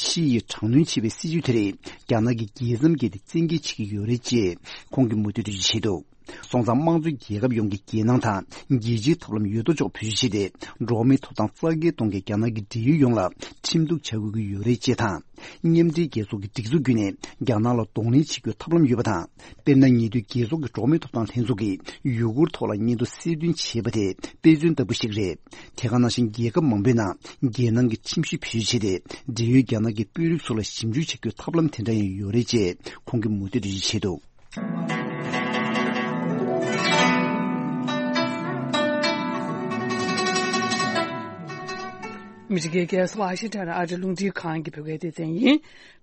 ཞི་ཡིས་དྲག་གནོན་བྱས་པའི་སྲིད་བྱུས་དེ་རིགས་རྒྱ་ནག་གི་རྒྱལ་མཚམས་བརྒལ་ཏེ་བཙན་འགེལ་བྱེད་ཀྱི་ཡོད་རེད་ཅེས་ཁོང་གིས་མུ་མཐུད་འགྲེལ་བརྗོད་བྱས་འདུག་སོང་ཙང་། དམངས་གཙོའི་རྒྱལ་ཁབ་ཡོངས་ཀྱི་རྒྱལ་ནང་དང་རྒྱལ་སྤྱིའི་ཐབས་ལམ་ཡོད་དོ་ཅོག་བེད་སྤྱོད་བྱས་ཏེ། འགྲོ་བ་མིའི་ཐོབ་ཐང་རྩ་འགེངས་གཏོང་མཁན་རྒྱ་ནག་གི་འབྲེལ་ཡོད་ཡོངས་ལ་ཁྲིམས་གཏུག་བྱ་དགོས་ཀྱི་ཡོད་རེད་ཅེས་དང་། མཉམ་འབྲེལ་རྒྱལ་ཚོགས་ཀྱི་སྒྲིག་འཛུགས་བརྒྱུད་ནས་རྒྱ་ནག་ལ་གདོང་ལེན་བྱེད་རྒྱུའི་ཐབས་ལམ་ཡོད་པ་དང་། དཔེར་ན། ཉེ་དུས་རྒྱལ་ཚོགས་ཀྱི་འགྲོ་བ་མིའི་ཐོབ་ཐང་ལྷན་ཚོགས་ཀྱིས་ཡུ་གུར་ཐོག་ལ་སྙན་ཐོ་གསལ་སྟོན་བྱས་པ་དེ་དཔེ་མཚོན་ལྟ་བུ་ཞིག་རེད། དེ་ག་ནང་བཞིན། རྒྱལ་ཁབ་མང་པོའི་ནང་རྒྱལ་ནང་གི་ཁྲིམས་གཞི་བེད་སྤྱོད་བྱས་ཏེ། འབྲེལ་ཡོད་རྒྱ་ནག་གི་དཔོན་རིགས་ཚོ་ལ་ཞིབ་འཇུག་བྱ་རྒྱུའི་ཐབས་ལམ་དེ་འདྲ་ཡང་ཡོད་རེད་ཅེས་ཁོང་གིས་མུ་མཐུད་འགྲེལ་བརྗོད་བྱས་འདུག་ཨ་མི་རི་ཀའི་རྒྱལ་ས་ཝ་ཤིང་ཊོན་ཨ་རིའི་རླུང་འཕྲིན་ཁང་གི་བོད་སྐད་སྡེ་ཚན་ཡིན།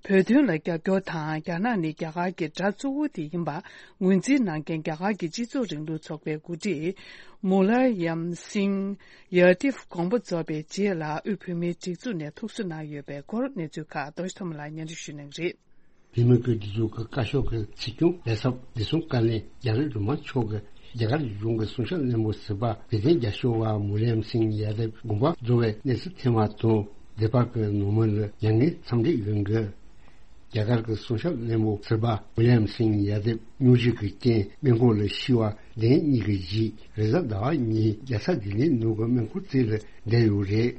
བོད་དོན་ལ་རྒྱབ་སྐྱོར་དང་། རྒྱ་ནག་ནི་རྒྱ་གར་གྱི་དགྲ་གཙོ་བོ་དེ་ཡིན་པ་ངོས་འཛིན་གནང་མཁན་རྒྱ་གར་གྱི་སྤྱི་ཚོགས་རིང་ལུགས་ཚོགས་པའི་འགོ་ཁྲིད་མུ་ལ་ཡམ་སིང་ཡ་དིབ་དགོངས་པ་རྫོགས་པའི་རྗེས་ལ། དབུས་བོད་མིའི་སྒྲིག་འཛུགས་ནས་ཐུགས་གསོ་གནང་ཡོད་པའི་སྐོར་གནས་ཚུལ་ཁག་རྡོ་རྗེ་ཐོགས་མེད་ལགས་སྙན་སྒྲོན་ཞུ་གནང་གི་རེད། བོད་མིའི་སྒྲིག་འཛུགས་ཀྱི་བཀའ་ཤོག་གི་སྲིད་སྐྱོང་ལས་ཚབ་བདེ་སྲུང་བཀའ་བློན་རྒྱ་རི་སྒྲོལ་མ་མཆོག་གིས་རྒྱ་གར་གཞུང་གི་སྲུང་སྐྱོབ་བློན་པོ་ཟུར་པ་བེ་ཏན་རྒྱ་ཤོར་བ་མུ་ལ་ཡམ་སིང་ཡ་དེབ་དགོངས་པ་རྫོགས་པའི་གནས་ཚུལ་ཐོན་པ་དང་། སྡེ་པ་གི་ནང་མི་ལ་མྱ་ངན་འཚམས་འདྲི་ཡོད་འགི། རྒྱ་གར་གྱི་སྲུང་སྐྱོབ་བློན་པོ་ཟུར་པ་མུ་ལ་ཡམ་སིང་ཡ་དེབ་སྙུང་གཞི་གི་རྐྱེན་སྨན་ཁང་ལ་ཤི་བ་བདུན་གཉིས་ཀྱི་རྗེས། རེས་གཟའ་ཟླ་བ་ཉིན་རྒྱལ་ས་ལྡི་ལིའི་ནང་གི་སྨན་ཁང་རྩིས་ལ་བསྡད་ཡོད་རེད།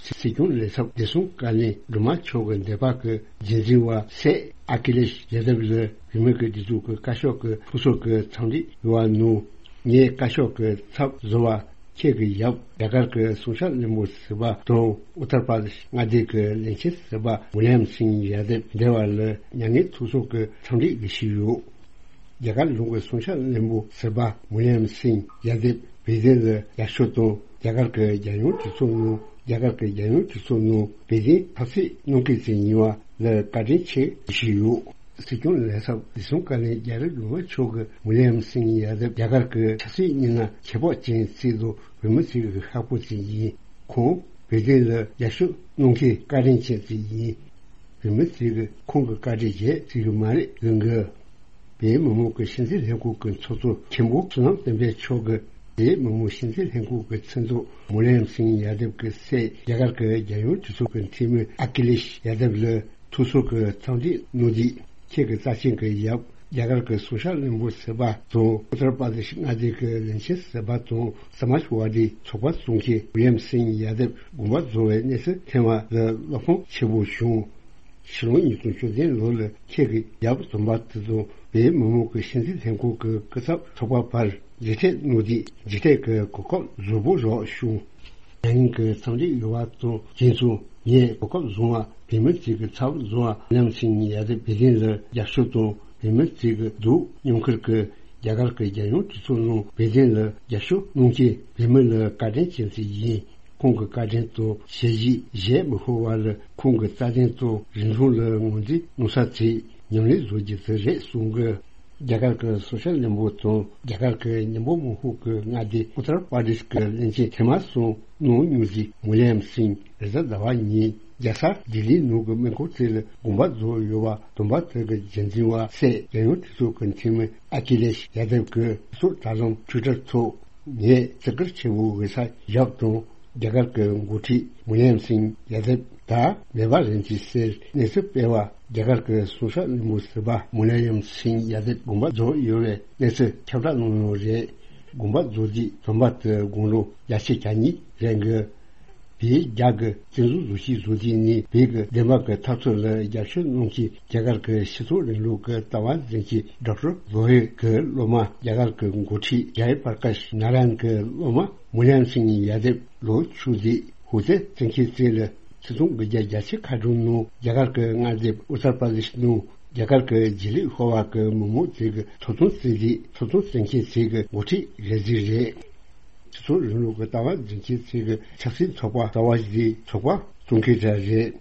སྲིད་སྐྱོང་ལས་ཚབ་བདེ་སྲུང་བཀའ་བློན་སྒྲོལ་མ་མཆོག་གི་འདས་པ་གི་རྒྱུན་འཛིན་པ་སྲས་ཨ་ཁི་ལེཤ་ཡ་དབ་ལ་བོད་མི་གི་སྒྲིག་འཛུགས་ཀྱི་བཀའ་ཤོག་གི་ཕུན་ཚོགས་ཀྱི་འཚམས་འདྲི་ཡོད་པ་ནང་། ངས་བཀའ་ཤོག་གི་ཚབ་བཟོ་བ་ཁྱེད་ཀྱི་ཡབ་རྒྱ་གར་གྱི་སྲུང་སྐྱོབ་བློན་པོ་ཟུར་པ་དང་ཨུ་ཏར་པར་དེཤ་མངའ་སྡེ་གི་བློན་ཆེན་ཟུར་པ་མུ་ལ་ཡམ་སིང་ཡ་དབ་འདས་པ་ལ་མྱ་ངན་ཐུགས་གསོ་གི་འཚམས་འདྲི་ཞུས་ཡོད། རྒྱ་གར་གཞུང་གི་སྲུང་སྐྱོབ་བློན་པོ་ཟུར་པ་མུ་ལ་ཡམ་སིང་ཡ་དབ་བེ་ཏན་ལ་ཡར་ཞུ་དང་རྒྱ་གར་གྱི་རྒྱལ་ཡོངས་གྲོས་ཚོགས་ནང་། རྒྱ་གར་གྱི་རྒྱལ་ཡོངས་གྲོས་ཚོགས་ནང་བེ་ཏན་ཆབ་སྲིད་གནང་མཁན་ཞིག་ཡིན་པ་ལ་བཀའ་དྲིན་ཆེ་ཞུས་ཡོད། སྲིད་སྐྱོང་ལས་ཚབ་བདེ་སྲུང་བཀའ་བློན་རྒྱ་རི་སྒྲོལ་མ་མཆོག་གིས་མུ་ལ་ཡམ་སིང་ཡ་དབ་རྒྱ་གར་གྱི་ཆབ་སྲིད་གཉིས་ན་ཁྱད་འཕགས་ཅན་ཞིག་དང་། བོད་མི་ཞིག་གི་ཤག་པོ་ཞིག་ཡིན། ཁོང་བེ་ཏན་ལ་ཡར་ཞུ་གནང་མཁན་བཀའ་དྲིན་ཅན་ཞིག་ཡིན། བོད་མི་ཞིག་གིས་ཁོང་གི་བཀའ་དྲིན་བརྗེད་ཐུབ་ཀྱི་མ་རེད་ལབ་གི། བོད་མི་མང་གི་སྤྱི་འཐུས་ལྷན་ཁང་གི་ཚོགས་གཙོ་མཁན་པོ་བསོད་ནམས་བསྟན་འཕེལ་མཆོག་གིས་བོད་མི་མང་སྤྱི་འཐུས་ལྷན་ཁང་གི་མཚན་ཐོག་མུ་ལ་ཡམ་སིང་ཡ་དབ་ཀྱི་སྲས་རྒྱ་གར་གྱི་རྒྱལ་ཡོངས་གྲོས་ཚོགས་ཀྱི་འཐུས་མི་ཨ་ཁི་ལེཤ་ཡ་དབ་ལ་ཐུགས་གསོ་གི་འཚམས་འདྲི་གནང་དུས། ཁྱེད་ཀྱི་རྩ་ཆེན་གྱི་ཡབ་རྒྱ་གར་གྱི་སྲུང་སྐྱོབ་བློན་པོ་ཟུར་པ་དང་ཨུ་ཏར་པར་དེཤ་མངའ་སྡེ་གི་བློན་ཆེན་ཟུར་པ་དང་སྨ་ཇ་ཝ་དིའི་ཚོགས་པ་བཙུགས་མཁན་མུ་ལ་ཡམ་སིང་ཡ་དབ་དགོངས་པ་རྫོགས་པའི་གནས་ཚུལ་ཐོན་པ་ལ་བློ་ཕམ་ཆེན་པོ་བྱུང་། ཕྱི་ལོ་ཉིས་སྟོང་བཅུ་བདུན་ལོ་ལ་ཁྱེད་ཀྱི་ཡབ་དམ་པ་དེ་དང་བོད་མི་མང་གི་སྤྱི་འཐུས་ལྷན་ཁང་གི་སྐུ་ཚབ་ཚོགས་པ་བར་མཇལ་འཕྲད་གནང་དུས་མཇལ་འཕྲད་ཀྱི་གོ་སྐབས་རྫོགས་པོ་རག་བྱུང་། མྱ་ངན་གྱི་འཚམས་འདྲི་ཡོད་པ་དང་། རྗེས་སུ་ངས་གོ་སྐབས་བཟུང་བ་བོད་མི་ཞིག་གི་ཚབ་བཟུང་བ་མུ་ལ་ཡམ་སིང་ཡ་དབ་བེ་ཏན་ལ་རྒྱབ་སྐྱོར་དང་། བོད་མི་ཞིག་གི་སྡུག་མྱོང་ཁུལ་གྱི་རྒྱ་གར་གྱི་རྒྱལ་ཡོངས་གྲོས་ཚོགས་ནང་བེ་ཏན་ལ་རྒྱབ་སྐྱོར་གནང་མཁན་བོད་མི་ལ་བཀའ་དྲིན་ཅན་ཞིག་ཡིན། ཁོང་གི་བཀའ་དྲིན་དང་བྱས་རྗེས་གཞལ་མི་ཤོར་བ་ལ་ཁོང་གི་རྩ་དོན་དང་རིག་གཞུང་ལ་ངོས་འཛིན་གནང་ས་དེ་ཉམས་ལེན་བཟོ་རྒྱུ་དེ་རེད་གསུང་གི། རྒྱ་གར་གྱི་སྲུང་སྐྱོབ་བློན་པོ་དང་རྒྱ་གར་གྱི་མི་མང་མང་ཤོས་ཀྱི་མངའ་སྡེ་ཨུ་ཏར་པར་དེཤ་གི་བློན་ཆེན་ཐེངས་མ་གསུམ་གནང་མྱོང་ཞིག་མུ་ལ་ཡམ་སིང་རེས་གཟའ་ཟླ་བ་ཉིན་རྒྱལ་ས་ལྡི་ལིའི་ནང་གི་སྨན་ཁང་ཞིག་ལ་དགོངས་པ་རྫོགས་ཡོད་པ། དམ་པ་དེ་གི་རྒྱུན་འཛིན་པ་སྲས་རྒྱལ་ཡོངས་གྲོས་ཚོགས་ཀྱི་འཐུས་མི་ཨ་ཁི་ལེཤ་ཡ་དབ་ཀྱིས་སོ་དྲ་ལམ་ཊུའི་ཊར་ཐོག་ངས་བརྩི་བཀུར་ཆེན་པོ་ཞུ་ས་ཡབ་དང་རྒྱ་གར་གྱི་འགོ་ཁྲིད་མུ་ལ་ཡམ་སིང་ཡ་དབ་ད་མེད་པ་རེད་ཅེས་ཟེར་གནས་ཚུལ་སྤེལ་བ། རྒྱ་གར་གྱི་སྲུང་སྐྱོབ་བློན་པོ་ཟུར་པ་མུ་ལ་ཡམ་སིང་ཡ་དབ་དགོངས་པ་རྫོགས་ཡོད་པའི་གནས་ཚུལ་ཁྱབ་བསྒྲགས་གནང་ཡོད་རེད། དགོངས་པ་རྫོགས་རྗེས་དམ་པ་དེ་དགུང་ལོ་བརྒྱད་ཅུ་གྱ་གཉིས་རེད་འདུག། བོད་རྒྱ་གི་བཙན་བཟུང་བཟོ་བྱེད་བཟོ་དུས་ནས་བོད་ཀྱི་བདེན་པ་གི་འཐབ་རྩོད་ལ་རྒྱབ་སྐྱོར་གནང་མཁན་རྒྱ་གར་གྱི་སྤྱི་ཚོགས་རིང་ལུགས་ཀྱི་ལྟ་བ་འཛིན་མཁན་ཌོག་ཊར་ལོ་ཧེ་གི་སློབ་མ་རྒྱ་གར་གྱི་འགོ་ཁྲིད་ཇའི་པར་ཀཱཤ་ནཱ་ར་ཡན་གྱི་སློབ་མ་མུ་ལམ་སིང་ཡ་དབ་ལོ་བཅུ་དེ་ཧུ་ཙེ་བཙན་ཁྱེད་བཙན་ལ་ཆིག་སྟོང་དགུ་བརྒྱ་བརྒྱད་ཅུ་ཁ་གྲངས་ནང་རྒྱ་གར་གྱི་མངའ་སྡེ་ཨུ་ཏར་པར་དེ་ཤི་ནང་རྒྱ་གར་གྱི་རྗེས་ལུས་ཤོར་བ་གི་མི་མང་ཚོ་གི་ཐོབ་ཐང་རྩོད་དེ་ཐོབ་ཐང་རྩོད་མཁན་ཚོ་གི་འགོ་ཁྲིད་རེད་ཟེར་རེད། སྤྱི་ཚོགས་རིང་ལུགས་ཀྱི་ལྟ་བ་འཛིན་མཁན་ཚོ་གི་ཆབ་སྲིད་ཚོགས་པ་གསར་བ་ཞིག་ཚོགས་པ་བཙུགས་མཁན་འདྲ་རེད།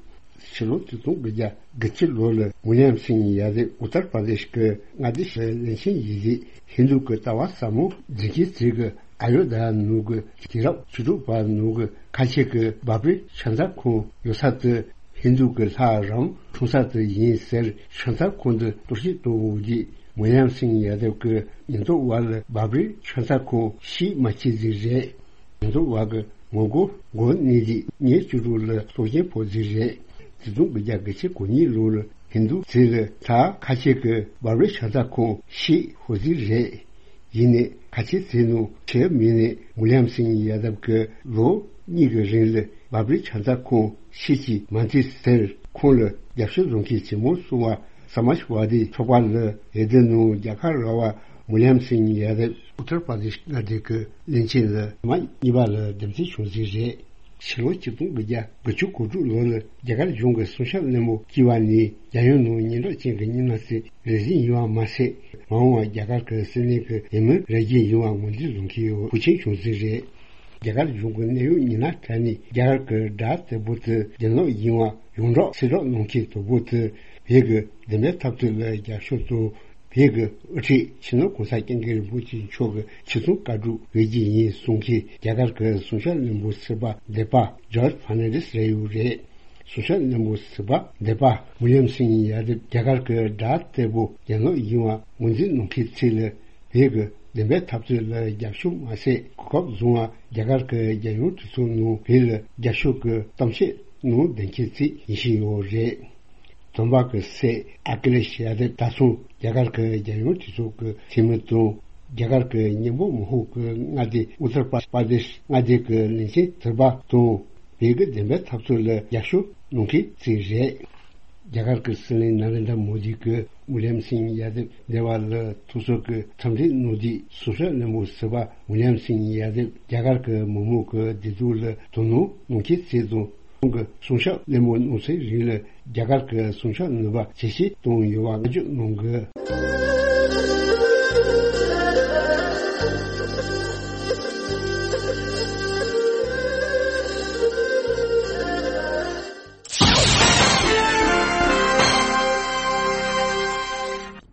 ཕྱི་ལོ་ཆིག་སྟོང་དགུ་བརྒྱ་དགུ་བཅུ་ལོ་ལ་མུ་ལམ་སིང་ཡ་དབ་ཨུ་ཏར་པར་དེ་ཤི་གི་མངའ་སྡེ་ཞིག་བློན་ཆེན་ཡིན་རྗེས་ཧིན་དུ་གི་ལྟ་བ་ཟབ་མོ་འཛིན་མཁན་ཚོ་གི་ཨ་ཡོ་དྷ་ཡ་ནང་གི་དུས་རབས་བཅུ་དྲུག་པ་ནང་གི་ཁ་ཆེ་གི་བྷ་བྷ་རི་ཤ་ཏ་ཁོང་ཡོད་ས་དེ་ཧིན་དུ་གི་ལྷ་རམ་འཁྲུངས་ས་དེ་ཡིན་ཟེར། ཤ་ཏ་ཁོང་དེ་གཏོར་བཤིག་གཏོང་འོག་གི་མུ་ལམ་སིང་ཡ་དབ་གི་ཉེན་རྟོག་པ་ལ་བྷ་བྷ་རི་ཤ་ཏ་ཁོང་ཤི་མ་ཤི་ཟིག་རེད། ཉེན་རྟོག་པ་གི་ངོ་རྒོལ་འགོ་གནས་དེ་ཉིན་བཅུ་དྲུག་ལ་སྲོག་སྐྱོན་ཕོག་ཟིག་རེད། ཆིག་སྟོང་དགུ་བརྒྱ་དགུ་བཅུ་གོ་གཉིས་ལོ་ལ་ཧིན་དུ་ཚོ་ལ་ད་ཁ་ཆེ་གི་བྷ་བྷ་རི་ཤ་ཏ་ཁོང་ཤི་ཧོ་ཟིག་རེད། ཡིན་ནའི་ཁ་ཆེ་ཚོ་ནང་ཆེ་མིན་ནས་མུ་ལམ་སིང་ཡ་དབ་གི་ལོ་གཉིས་ཀྱི་རིང་ལ་བྷ་བྷ་རི་ཤ་ཏ་ཁོང་ཤི་གི་མ་འདུག་ཟེར། ཁོང་ལ་རྒྱབ་སྐྱོར་བཟོ་མཁན་ཇེ་མང་སོང་བ་ས་མཱཇ་ཝ་དི་ཚོགས་པ་ལ་འོས་བསྡུ་ནང་རྒྱལ་ཁ་རག་པ་མུ་ལམ་སིང་ཡ་དབ་ཨུ་ཏར་པར་དེ་ཤི་མངའ་སྡེ་གི་བློན་ཆེན་ལ་མ་གཉིས་པ་ལ་འདེམས་ཐོན་བྱུང་ཟིག་རེད། ཕྱི་ལོ་ཆིག་སྟོང་དགུ་བརྒྱ་དགུ་བཅུ་གོ་དྲུག་ལོ་ལ་རྒྱ་གར་གཞུང་གི་སྲུང་སྐྱོབ་ལྷན་མོ་བསྐྱིས་པ་ནས་རྒྱལ་ཡོངས་ནང་སྙན་གྲགས་ཅན་གྱི་མི་སྣ་ཚོ་རེ་ཟུང་ཡིན་པ་མ་ཟད། མ་འོངས་པར་རྒྱ་གར་གྱི་སྲིད་བློན་གྱི་འོས་མི་རེ་རྒྱུ་ཡིན་པ་ངོས་འཛིན་བཟོ་མཁན་ཡོད་ཕུལ་ཆེན་བྱུང་ཟིག་རེད། རྒྱ་གར་གཞུང་གི་གནད་ཡོད་མི་སྣ་གྲས་ནས་རྒྱ་གར་གྱི་དགྲ་ལྟ་བུ་དེ་རྒྱུ་ནོར་ཡིན་པ་ཡོངས་གྲགས་ཚེ་སྲོག་གནང་མཁན་དོ་པོ་དེ་བོད་ཀྱི་བདེན་པའི་འཐབ་རྩོད་ལ་རྒྱབ་སྐྱོར་དང་། བོད་ཀྱི་དབུ་ཁྲིད་སྤྱི་ནོར་གོང་ས་སྐྱབས་མགོན་རིན་པོ་ཆེ་མཆོག་གི་ཆེད་དུ་བཀའ་སྒྲུབ་འོས་ཀྱི་ཡིན་གསུང་མཁན་རྒྱ་གར་གྱི་སྲུང་སྐྱོབ་བློན་པོ་ཟུར་པ་སྡེ་པ་ཇོརྗ་ཕར་ནན་ཌེས་རེད་ཡོད་རེད། སྲུང་སྐྱོབ་བློན་པོ་ཟུར་པ་སྡེ་པ་མུ་ལམ་སིང་ཡ་དབ་རྒྱ་གར་གྱི་དགྲ་ལྟ་བུ་རྒྱུ་ནོར་ཡིན་པ་ངོས་འཛིན་གནང་མཁན་ཚོ་ལ་བོད་ཀྱི་བདེན་པའི་འཐབ་རྩོད་ལ་རྒྱབ་སྐྱོར་མ་ཟད། གོ་སྐབས་བཟུང་བ་རྒྱ་གར་གྱི་རྒྱལ་ཡོངས་གྲོས་ཚོགས་ནང་བོད་ལ་རྒྱབ་སྐྱོར་གྱི་གཏམ་བཤད་གནང་བསྡད་མཁན་ཚོ་ཡིན་བཞིན་ཡོད་རེད། སྟོན་པ་གི་སྲས་ཨ་ཁི་ལེ་ཤི་ཡ་དབ་ད་ཐེངས་རྒྱ་གར་གྱི་རྒྱལ་ཡོངས་གྲོས་ཚོགས་ཀྱི་འཐུས་མི་དང་། རྒྱ་གར་གྱི་མཉམ་འབྲེལ་མངའ་ཁོངས་ཀྱི་མངའ་སྡེ་ཨུ་ཏར་པར་དེ་ཤི་མངའ་སྡེ་གྱི་བློན་ཆེན་ཟུར་པ་དང་། བོད་ཀྱི་བདེན་པའི་འཐབ་རྩོད་ལ་རྒྱབ་སྐྱོར་གནང་མཁན་ཚོ་རེད། རྒྱ་གར་གྱི་སྲིད་བློན་ནཱ་རེན་དྲ་མོ་དི་གིས་མུ་ལམ་སིང་ཡ་དབ་སྡེ་པ་ལ་ཐུགས་གསོ་གི་འཚམས་འདྲི་གནང་དུས། སྲུང་སྐྱོབ་བློན་པོ་ཟུར་པ་མུ་ལམ་སིང་ཡ་དབ་རྒྱ་གར་གྱི་མི་མང་གི་བདེ་སྡུག་ལ་དོ་སྣང་གནང་མཁན་ཚོ་དང་། ཁོང་གི་སྲུང་སྐྱོབ་བློན་པོ་གནང་ཚེ་རིང་ལ་རྒྱ་གར་གྱི་སྲུང་སྐྱོབ་ནུས་པ་ཇེ་ཆེ་གཏོང་ཡོང་བ་བཀའ་བཀྱོན་གནང་གི།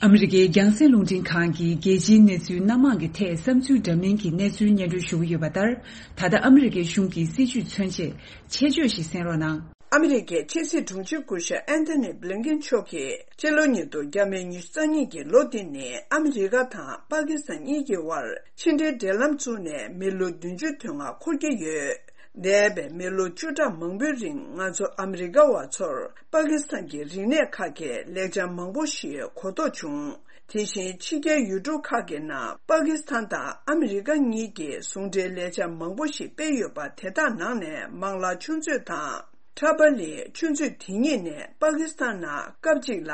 ཨ་མི་རི་ཀའི་རྒྱང་སྲིང་རླུང་འཕྲིན་ཁང་གིས་རྒྱལ་སྤྱིའི་གནས་ཚུལ་སྣ་མང་གི་ཐད་བསམ་ཚུལ་འདྲ་མིན་གྱི་གནས་ཚུལ་སྙན་སྒྲོན་ཞུ་གི་ཡོད་པ་ལྟར། ད་ལྟ་ཨ་མི་རི་ཀའི་གཞུང་གི་སྲིད་བྱུས་མཚོན་ཆེད་ཆེད་བརྗོད་ཞིག་གསན་རོགས་གནང་། ཨ་མི་རི་ཀའི་ཕྱི་སྲིད་དྲུང་ཆེ་སྐུ་ཞབས་ཨན་ཐོ་ནི་བྷི་ལིན་ཀེན་མཆོག་གིས་སྤྱི་ལོ་ཉིས་སྟོང་ཉི་ཤུ་རྩ་གཉིས་ཀྱི་ལོ་འདི་ནི་ཨ་མི་རི་ཀ་དང་པ་ཀི་སི་ཐན་གཉིས་ཀྱི་དབར་ཕྱི་འབྲེལ་འབྲེལ་ལམ་བཙུགས་ནས་མི་ལོ་བདུན་ཅུ་དོན་ལྔ་འཁོར་གྱི་ཡོད། འདས་པའི་མི་ལོ་བཅུ་ཕྲག་མང་པོའི་རིང་ང་ཚོ་ཨ་མི་རི་ཀ་བ་ཚོར་པ་ཀི་སི་ཐན་གྱི་རིག་གནས་ཁག་གི་ལེགས་ཆ་མང་པོ་ཞིག་གོ་རྟོགས་བྱུང་། དེ་བཞིན་ཕྱི་རྒྱལ་ཡུལ་གྲུ་ཁག་གི་ནང་པ་ཀི་སི་ཐན་དང་ཨ་མི་རི་ཀ་གཉིས་ཀྱིས་ཟུང་འབྲེལ་ལེགས་ཆ་མང་པོ་ཞིག་སྤེལ་ཡོད་པ། དེ་དག་ནང་ནས་མང་ལ་ཆུ་མཛོད་དང་། ཁྲ་པ་ལི་ཆུ་མཛོད་དེ་གཉིས་ནས་པ་ཀི་སི་ཐན་ནང་སྐབས་གཅིག་ལ་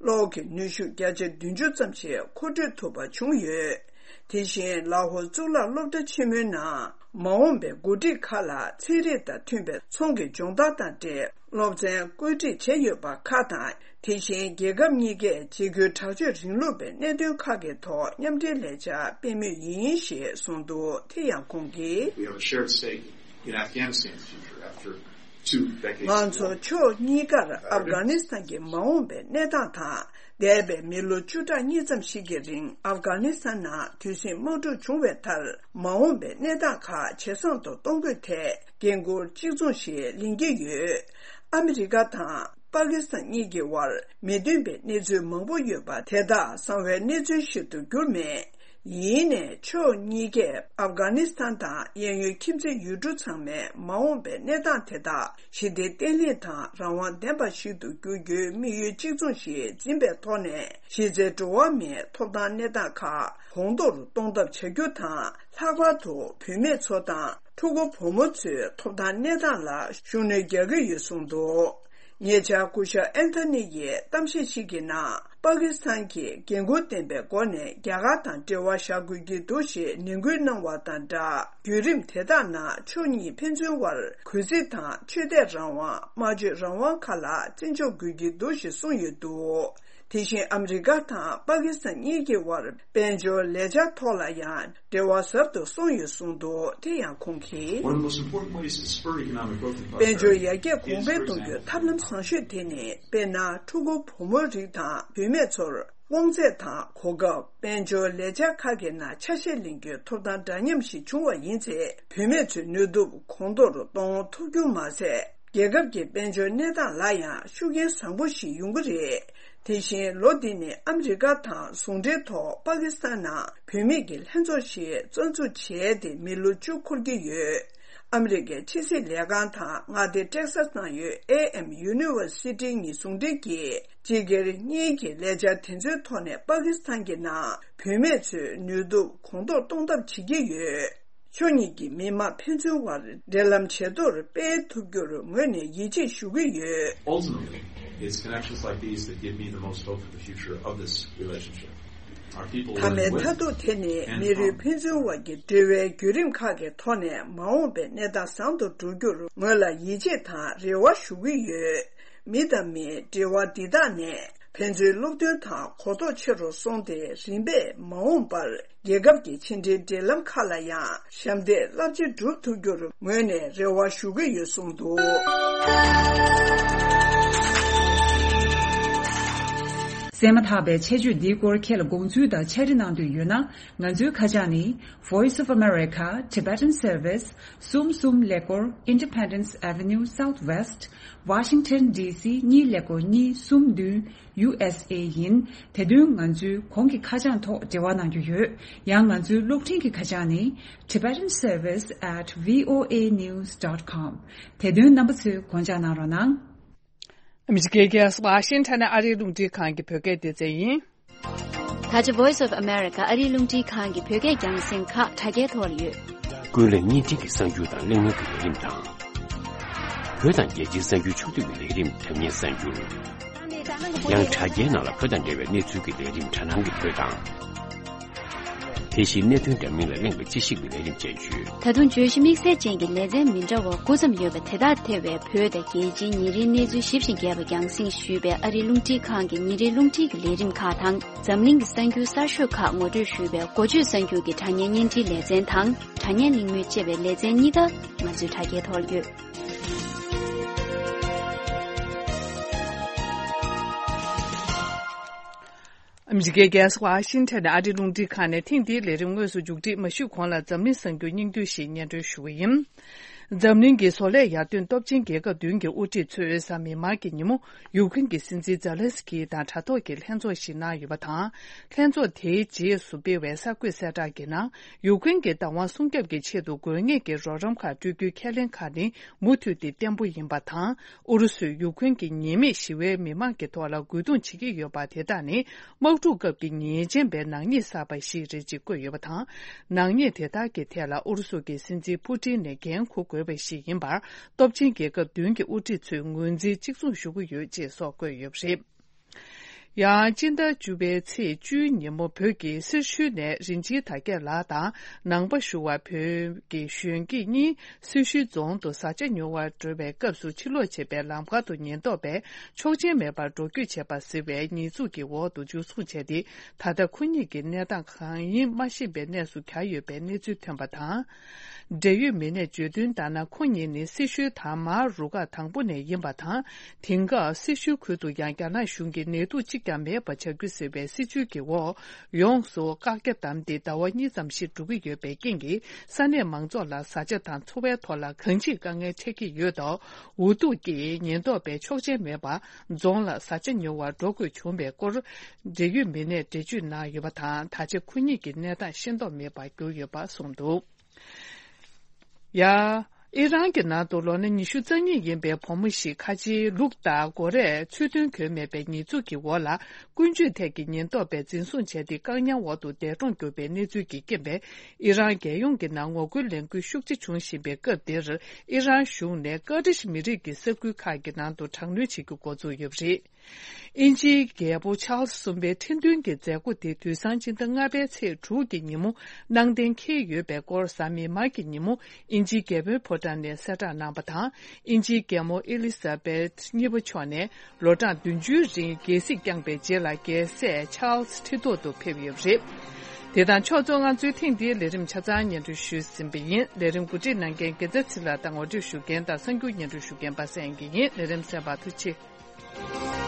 གློག་གི་ནུས་ཤུགས་བརྒྱ་ཆ་བདུན་ཅུ་ཙམ་ཞིག་མཁོ་སྤྲོད་ཐུབ་པ་བྱུང་ཡོད། དེ་བཞིན་ལ་ཧོ་གཙུག་ལག་སློབ་གྲྭ་ཆེན་མོའི་ནང་མ་འོངས་པའི་འགོ་ཁྲིད་ཁག་ལ་ཚན་རིག་དང་མཐུན་པའི་ཚོང་གི་སྦྱོང་བརྡར་དང་འབྲེལ་སློབ་ཚན་བཀོད་སྒྲིག་བྱས་ཡོད་པ་ཁག་དང་། དེ་བཞིན་རྒྱལ་ཁབ་གཉིས་ཀས་འཇིགས་སྐུལ་དྲག་སྤྱོད་རིང་ལུགས་པའི་གནད་དོན་ཁག་གི་ཐོག་མཉམ་འབྲེལ་ལས་འཆར་སྤེལ་མུས་ཡིན་ཞེས་གསུངས་འདུག་དེ་ཡང་ཁོང་གིས། We have a shared stake in Afghanistan's future after two decades of war. ང་ཚོ་ཕྱོགས་གཉིས་ཀར་ཨབ་གྷ་ནི་སི་ཐན་གྱི་མ་འོངས་པའི་གནས་སྟངས་དང་། འདས་པའི་མི་ལོ་བཅུ་ཕྲག་གཉིས་ཙམ་ཞིག་གི་རིང་ཨབ་གྷ་ནི་སི་ཐན་ནང་དུས་ཟིང་དམག་འཁྲུག་བྱུང་བའི་མཐར། མ་འོངས་པའི་གནས་སྟངས་ཁག་ཇེ་བཟང་དུ་གཏོང་དགོས་ཐད་འགན་ཁུར་གཅིག་མཚུངས་ཤིག་ལེན་གྱི་ཡོད། ཨ་མི་རི་ཀ་དང་པ་ཀི་སི་ཐན་གཉིས་ཀྱི་དབར་མི་མཐུན་པའི་གནས་ཚུལ་མང་པོ་ཡོད་པ་དེ་དག་གསང་བའི་གནས་ཚུལ་ཞིག་ཏུ་གྱུར་མེད། ཡིན་ནའི་ཕྱོགས་གཉིས་ཀས་ཨབ་གྷ་ནི་སི་ཐན་དང་གཡས་གཡོན་ཁྱིམ་མཚེས་ཡུལ་གྲུ་ཚང་མའི་མ་འོངས་པའི་གནས་སྟངས་དེ་དག་ཞི་བདེ་བརྟན་ལྷིང་དང་རང་དབང་ལྡན་པ་ཞིག་ཏུ་འགྱུར་རྒྱུའི་དམིགས་ཡུལ་གཅིག་མཚུངས་ཤིག་འཛིན་པའི་ཐོག་ནས། གཞི་རྩའི་འགྲོ་བ་མིའི་ཐོབ་ཐང་གནས་སྟངས་ཁག་གོང་མཐོར་གཏོང་ཐབས་བྱ་རྒྱུ་དང་། ལྷག་པར་དུ་བུད་མེད་ཚོ་དང་ ཕྲུ་གུ་བུ་མོ་ཚོའི་ཐོབ་ཐང་གནས་སྟངས་ལ་ཤུགས་སྣོན་རྒྱག་གི་ཡོད་གསུངས་འདུག་ཉེ་ཆར་སྐུ་ཞབས་ཨན་ཐོ་ནི་ཡིས་གཏམ་བཤད་ཞིག་གི་ནང་། པ་ཀི་སི་ཐན་གྱིས་འགན་འཁུར་ལྡན་པའི་སྒོ་ནས་རྒྱ་གར་དང་འབྲེལ་བ་བཞག་དགོས་ཀྱི་འདུག་ཞེས་ནན་སྐུལ་གནང་བ་དང་སྦྲགས། བརྒྱུད་རིམ་དེ་དག་ནང་ཕྱོགས་གཉིས་ཕན་ཚུན་དབར་གུས་བརྩི་དང་ཆོས་དད་རང་དབང་། སྨྲ་བརྗོད་རང་དབང་ཁག་ལ་བརྩི་འཇོག་དགོས་ཀྱི་འདུག་ཞེས་གསུངས་ཡོད་འདུག་དེ་བཞིན་ཨ་མི་རི་ཀ་དང་པ་ཀི་སི་ཐན་གཉིས་ཀྱི་དབར་དཔལ་འབྱོར་ལས་འཆར་ཐོག་ལ་ཡང་འབྲེལ་བ་ཟབ་ཏུ་སོང་ཡོད་གསུངས་འདུག་དེ་ཡང་ཁོང་གིས། One of the most important ways to spur economic growth in དཔལ་འབྱོར་ཡར་རྒྱས་གོང་འཕེལ་གཏོང་རྒྱུའི་ཐབས་ལམ་བཟང་ཤོས་དེ་ནི། དཔེར་ན། ཕྲུ་གུ་བུ་མོ་རིགས་དང་བུད་མེད་ཚོར་དབང་ཚད་དང་གོ་སྐབས། དཔལ་འབྱོར་ལས་འཆར་ཁག་གི་ནང་ཆ་ཤས་ལེན་རྒྱུའི་ཐོབ་ཐང་འདྲ་མཉམ་ཞིག་བྱུང་བ་ཡིན་ཚེ། བུད་མེད་ཚོའི་ནུས་སྟོབས་གོང་མཐོར་གཏོང་ཐུབ་རྒྱུ་མ་ཟད། རྒྱལ་ཁབ་ཀྱི་དཔལ་འབྱོར་གནས་སྟངས་ལ་ཡང་ཤུགས་རྐྱེན་བཟང་པོ་ཞིག་ཡོང་གི་རེད། དེ་བཞིན་ལོ་འདི་ནི་ཨ་མི་རི་ཀ་དང་ཟུང་འབྲེལ་ཐོག་པ་ཀི་སི་ཐན་ནང་བུད་མེད་ཀྱི་ལྷན་ཚོགས་ཤིག་རྩ་འཛུགས་བྱས་ཏེ་མི་ལོ་བཅུ་འཁོར་གྱི་ཡོད། ཨ་མི་རི་ཀའི་ཕྱི་སྲིད་ལས་ཁང་དང་མངའ་སྡེ་ཊེག་ས་སི་ནང་ཡོད་ཨེ་ཨེམ་ཡུ་ནི་ཝར་སི་ཊི་གཉིས་ཟུང་འབྲེལ་གྱིས། སྤྱི་སྒེར་གཉིས་ཀྱི་ལས་འཆར་དེ་ཚོའི་ཐོག་ནས་པ་ཀི་སི་ཐན་གྱི་ནང་བུད་མེད་ཚོའི་ནུས་སྟོབས་གོང་མཐོར་གཏོང་ཐབས་བྱེད་ཀྱི་ཡོད། ཕྱོགས་གཉིས་ཀྱི་མི་དམངས་ཕན་ཚུན་དབར་འབྲེལ་ལམ་ཇེ་མཐོར་སྤེལ་ཐུབ་རྒྱུར་ངོས་ནས་ཡིད་ཆེས་ཞུ་གི་ཡོད། Ultimately, it's connections like these that give me the most hope for the future of this relationship. Our people མཐའ་མའི་མཐའ་ཐུག་དེ་ནི་མི་རིགས་ཕན་ཚུན་དབར་གྱི་འབྲེལ་བའི་བརྒྱུད་རིམ་ཁག་གི་ཐོག་ནས་མ་འོངས་པའི་གནས་སྟངས་བཟང་དུ་འགྲོ་རྒྱུར་ངོས་ལ་ཡིད་ཆེས་དང་རེ་བ་ཞུ་གི་ཡོད། མི་དང་མིའི་འབྲེལ་བ་འདི་དག་ནས་ཕན་ཚུན་སློབ་སྟོན་དང་གོ་རྟོགས་ཆེ་རུ་སོང་སྟེ། རིམ་པས་མ་འོངས་པར་རྒྱལ་ཁབ་ཀྱི་ཕྱི་འབྲེལ་འབྲེལ་ལམ་ཁག་ལ་ཡང་ཞབས་འདེགས་རླབས་ཆེ་བསྒྲུབ་ཐུབ་རྒྱུར་ངོས་ནས་རེ་བ་ཞུ་གི་ཡོད་གསུངས་འདུག་གསན་མ་ཐག་པའི་ཆེད་བརྗོད་འདིའི་སྐོར་ཁྱེད་ལ་དགོངས་ཚུལ་དང་ཕྱག་བྲིས་གནང་འདོད་ཡོད་ན། ང་ཚོའི་ཁ་བྱང་ནི། Voice of America, Tibetan Service, གསུམ་གསུམ་ཀླད་ཀོར། Independence Avenue Southwest, Washington D C གཉིས་ཀླད་ཀོར་གཉིས་གསུམ་བདུན། U S A ཡིན། དེ་དོན་ང་ཚོའི་གོང་གི་ཁ་བྱང་ཐོག་འབྲེལ་བ་གནང་རྒྱུ་ཡོད། ཡང་ང་ཚོའི་གློག་འཕྲིན་གྱི་ཁ་བྱང་ནི། Tibetan Service at V O A news dot com། དེ་དོན་རྣམ་པ་ཚོས་དགོངས་འཇགས་གནང་རོགས་གནང་། ཨ་མི་རི་ཀའི་རྒྱལ་ས་ཝ་ཤིང་ཊོན་ནས་ཨ་རིའི་རླུང་འཕྲིན་ཁང་གི་བོད་སྐད་སྡེ་ཚན་ཡིན། ད་ཆ་Voice of America ཨ་རིའི་རླུང་འཕྲིན་ཁང་གི་བོད་སྐད་རྒྱང་སྲིང་ཁག་དྲ་རྒྱའི་ཐོག་ལ་ཡོད། ཀུན་གླེང་བརྙན་འཕྲིན་གྱི་གསར་འགྱུར་དང་གླེང་མོལ་གྱི་ལས་རིམ་དང་། བོད་དང་རྒྱལ་སྤྱིའི་གསར་འགྱུར་ཕྱོགས་བསྡུས་ཀྱི་ལས་རིམ་འཁྲབ་མཁན་གསར་འགྱུར། ཡང་དྲ་རྒྱའི་ནང་ལ་བོད་དང་འབྲེལ་བའི་གནས་ཚུལ་གྱི་ལས་རིམ་དྲ་སྣང་གི་བོད་དང་། དེ་བཞིན་གནད་དོན་འདྲ་མིན་ལ་གླེང་བའི་དཔྱད་ཞིབ་ཀྱི་ལས་རིམ་བཅས་ཡོད། ད་དུང་བརྗོད་གཞི་དམིགས་བསལ་ཅན་གྱི་ལེ་ཚན་མི་འདྲ་བ་དགུ་ཙམ་ཡོད་པ་དེ་དག་ཐེ་བའི་བོད་དང་རྒྱལ་སྤྱིའི་ཉིན་རེའི་གནས་ཚུལ་ཞིབ་ཅིང་རྒྱས་པ་རྒྱང་སྲིང་ཞུས་པའི་ཨ་རིའི་རླུང་འཕྲིན་ཁང་གི་ཉིན་རེའི་རླུང་འཕྲིན་གྱི་ལས་རིམ་ཁག་དང་། འཛམ་གླིང་གི་གསར་འགྱུར་གསར་ཤོས་ཁག་ངོ་སྤྲོད་ཞུས་པའི་འགོ་བརྗོད་གསར་འགྱུར་གྱི་དྲ་བརྙན་བརྙན་འཕྲིན་ལེ་ཚན་དང་། དྲ་བརྙན་གླེང་མོལ་ཅེས་པའི་ལེ་ཚན་གཉིས་ཀ་ང་ཚོའི་དྲ་རྒྱའི་ཐོག་ཡོད། ཨ་མི་རི་ཀའི་རྒྱལ་ས་ཝ་ཤིང་ཊོན་ནས་ཨ་རིའི་རླུང་འཕྲིན་ཁང་ནས་ཐེངས་འདིའི་ལས་རིམ་དངོས་སུ་མཇུག་སྒྲིལ་མ་ཞུས་གོང་ལ་འཛམ་གླིང་གསར་འགྱུར་སྙིང་བསྡུས་ཤིག་སྙན་སྒྲོན་ཞུ་གི་ཡིན། འཛམ་གླིང་གི་བཟོ་ལས་ཡར་ཐོན་སྟོབས་ཆེན་རྒྱལ་ཁབ་བདུན་གྱི་དབུ་ཁྲིད་ཚོས་གཟའ་མིག་དམར་གྱི་ཉིན་མོ་ཡུཀ་རེན་གྱི་སྲིད་འཛིན་ཛེ་ལན་སི་ཀི་དང་དྲ་ཐོག་གི་ལྷན་ཚོགས་ཤིག་གནང་ཡོད་པ་དང་། ལྷན་ཚོགས་དེའི་རྗེས་སུ་སྤེལ་བའི་གསར་འགོད་གསལ་བསྒྲགས་ཀྱི་ནང་། ཡུཀ་རེན་གྱི་བདག་དབང་སྲུང་སྐྱོབ་ཀྱི་ཆེད་དུ་དགོས་ངེས་ཀྱི་རོགས་རམ་ཁག་སྤྲོད་རྒྱུའི་ཁས་ལེན་ཁག་ནི་མུ་མཐུད་དེ་བརྟན་པོ་ཡིན་པ་དང་། ཨུ་རུ་སུས་ཡུཀ་རེན་གྱི་ཉེས་མེད་ཞི་བའི་མི་མང་གི་ཐོག་ལ་རྒོལ་རྡུང་བྱེད་ཀྱི་ཡོད་པ་དེ་དག་ནི་དམག་འཁྲུག་སྐབས་ཀྱི་ཉེས་ཅན་པའི་ནག་ཉེས་བསགས་པ་ཞིག་རེད་ཅེས་བཀོད་ཡོད་པ་དང་། ནག་ཉེས་དེ་དག་གི་ཐད་ལ་ཨུ་རུ་སུ་གྱི་སྲིད་འཛིན་པུ་ཏིན་ནས་འགན་འཁུར་དགོས་པ་ཞིག་ཡིན་པར་སྟོབས་ཆེན་རྒྱལ་ཁབ་བདུན་གྱི་དབུ་ཁྲིད་ཚོས་ངོས་འཛིན་གཅིག་མཚུངས་ཞུ་གི་ཡོད་ཅེས་སོགས་བཀོད་ཡོད་པ་རེད། ཡང་སྤྱི་ཟླ་བཅུ་པའི་ཚེས་བཅུའི་ཉིན་མོ་བོད་ཀྱི་སེར་ཤུལ་ནས་རིན་ཆེན་དར་རྒྱས་ལགས་དང་ནང་པ་ཞུ་བ་བོད་ཀྱི་གཞོན་སྐྱེས་གཉིས་སེར་ཤུལ་རྫོང་དུ་བཟའ་བཅའ་ཉོ་བར་འགྲོ་བའི་སྐབས་སུ་ཕྱིར་ལོག་བྱེད་པའི་ལམ་ཁ་དུ་ཉེན་རྟོག་པས་ཆོག་མཆན་མེད་པར་འགྲོ་སྐྱོད་བྱས་པ་ཟེར་བའི་ཉེས་འཛུགས་ཀྱི་འོག་ཏུ་འཇུ་བཟུང་བྱས་ཏེ། ད་ལྟ་ཁོ་གཉིས་ཀྱི་གནས་སྟངས་གང་ཡིན་མ་ཤེས་པའི་གནས་སུ་གྱར་ཡོད་པའི་གནས་ཚུལ་ཐོན་པ་དང་། འབྲེལ་ཡོད་མི་སྣས་བརྗོད་དོན་ལྟར་ན། ཁོ་གཉིས་ནི་སེར་ཤུལ་དང་མར་རུ་ཁག་དང་པོ་ནས་ཡིན་པ་དང་། དེང་སྐབས་སེར་ཤུལ་ཁུལ་དུ་ཡང་རྒྱ་ནག་གཞུང་གིས་ནད་དུག་གཅིག་ཀྱང་མེད་པ་བྱ་རྒྱུ་ཟེར་བའི་སྲིད་བྱུས་ཀྱི་འོག་ཡོངས་སུ་བཀག་རྒྱ་བསྡམས་ཏེ་ཟླ་བ་གཉིས་ཙམ་ཞིག་འགྲོ་གི་ཡོད་པའི་རྐྱེན་གྱིས། ས་གནས་མང་ཚོགས་ལ་བཟའ་བཅའ་དང་འཚོ་བའི་ཐོག་ལ་གང་ཅིའི་དཀའ་ངལ་འཕྲད་ཀྱི་ཡོད་སྟབས། འུ་ཐུག་གིས་ཉེན་རྟོག་པས་ཆོག་མཆན་མེད་པར་རྫོང་ལ་བཟའ་བཅའ་ཉོ་བར་འགྲོ་དགོས་བྱུང་བའི་སྐོར། འབྲེལ་ཡོད་མི་སྣས་འགྲེལ་བརྗོད་གནང་ཡོད་པ་དང་། ད་ཆ་ཁོ་གཉིས་ཀྱི་གནས་སྟངས་ཤེས་རྟོགས་མེད་པར་གྱུར་ཡོད་པ་གསུངས་འདུག་ཡ། ཨི་རན་གྱི་ནང་དུ་ལོ་ན་ཉི་ཤུ་རྩ་གཉིས་ཡིན་པའི་བུ་མོ་ཞིག་ཁ་ཆེའི་ལུགས་ལྟར་མགོ་རས་ཚུལ་མཐུན་གྱོན་མེད་པའི་ཉེས་འཛུགས་ཀྱི་འོག་ལ། ཀུན་སྤྱོད་ཐད་ཀྱི་ཉེན་རྟོག་པས་འཛིན་བཟུང་བྱས་ཏེ། བཀག་ཉར་འོག་ཏུ་འདས་གྲོངས་གྱུར་པའི་གནས་ཚུལ་གྱིས་རྐྱེན་པས། ཨི་རན་རྒྱལ་ཡོངས་ཀྱི་ནང་ངོ་རྒོལ་ལས་འགུལ་ཤུགས་ཆེ་བྱུང་བཞིན་པའི་སྐབས་འདིར། ཨི་རན་གཞུང་ནས་ཀར་ཏིཤ་མི་རིགས་ཀྱི་ས་ཁུལ་ཁག་གི་ནང་དུ་དྲག་གནོན་བྱེད་རྒྱུ་འགོ་འཛུགས་ཡོད་པ་རེད། དབྱིན་ཇིའི་རྒྱལ་པོ་ཆཱལ་སི་གསུམ་པའི་ཁྲི་འདོན་གྱི་མཛད་སྒོ་དེ་དུས་སང་སྤྱི་ཟླ་ལྔ་པའི་ཚེས་དྲུག་གི་ཉིན་མོ་གནང་གཏན་འཁེལ་ཡོད་པའི་སྐོར། གཟའ་མིག་དམར་གྱི་ཉིན་མོ་དབྱིན་ཇིའི་རྒྱལ་པོའི་ཕོ་བྲང་ནས་གསལ་བསྒྲགས་གནང་པ་དང་། དབྱིན་ཇིའི་རྒྱལ་མོ་ཨེ་ལི་ས་བེད་གཉིས་པ་མཆོག་ནས་ལོ་གྲངས་བདུན་ཅུའི་རིང་རྒྱལ་སྲིད་བསྐྱངས་པའི་རྗེས་ལ། རྒྱལ་སྲས་ཆཱལ་སི་ཁྲི་ཐོག་ཏུ་ཕེབས་ཡོད་པ་རེད། དེ་དང་ཕྱོགས་མཚུངས། ང་ཚོའི་ཐེངས་འདིའི་ལས་རིམ་ཆ་ཚང་སྙན་སྒྲོན་ཞུས་ཟིན་པ་ཡིན། ལས་རིམ་གོ་སྒྲིག་གནང་མཁན་རྒྱལ་མཚན་ཚེ་ལགས་དང་ངོ་སྤྲོད་ཞུ་མཁན་དང་གསར་འགྱུར་སྙན་སྒྲོན་ཞུ་མཁན་པ་སངས་དགེ་ཡིན། ལས་རིམ་གསན་པར་ཐུགས་རྗེ་ཆེ།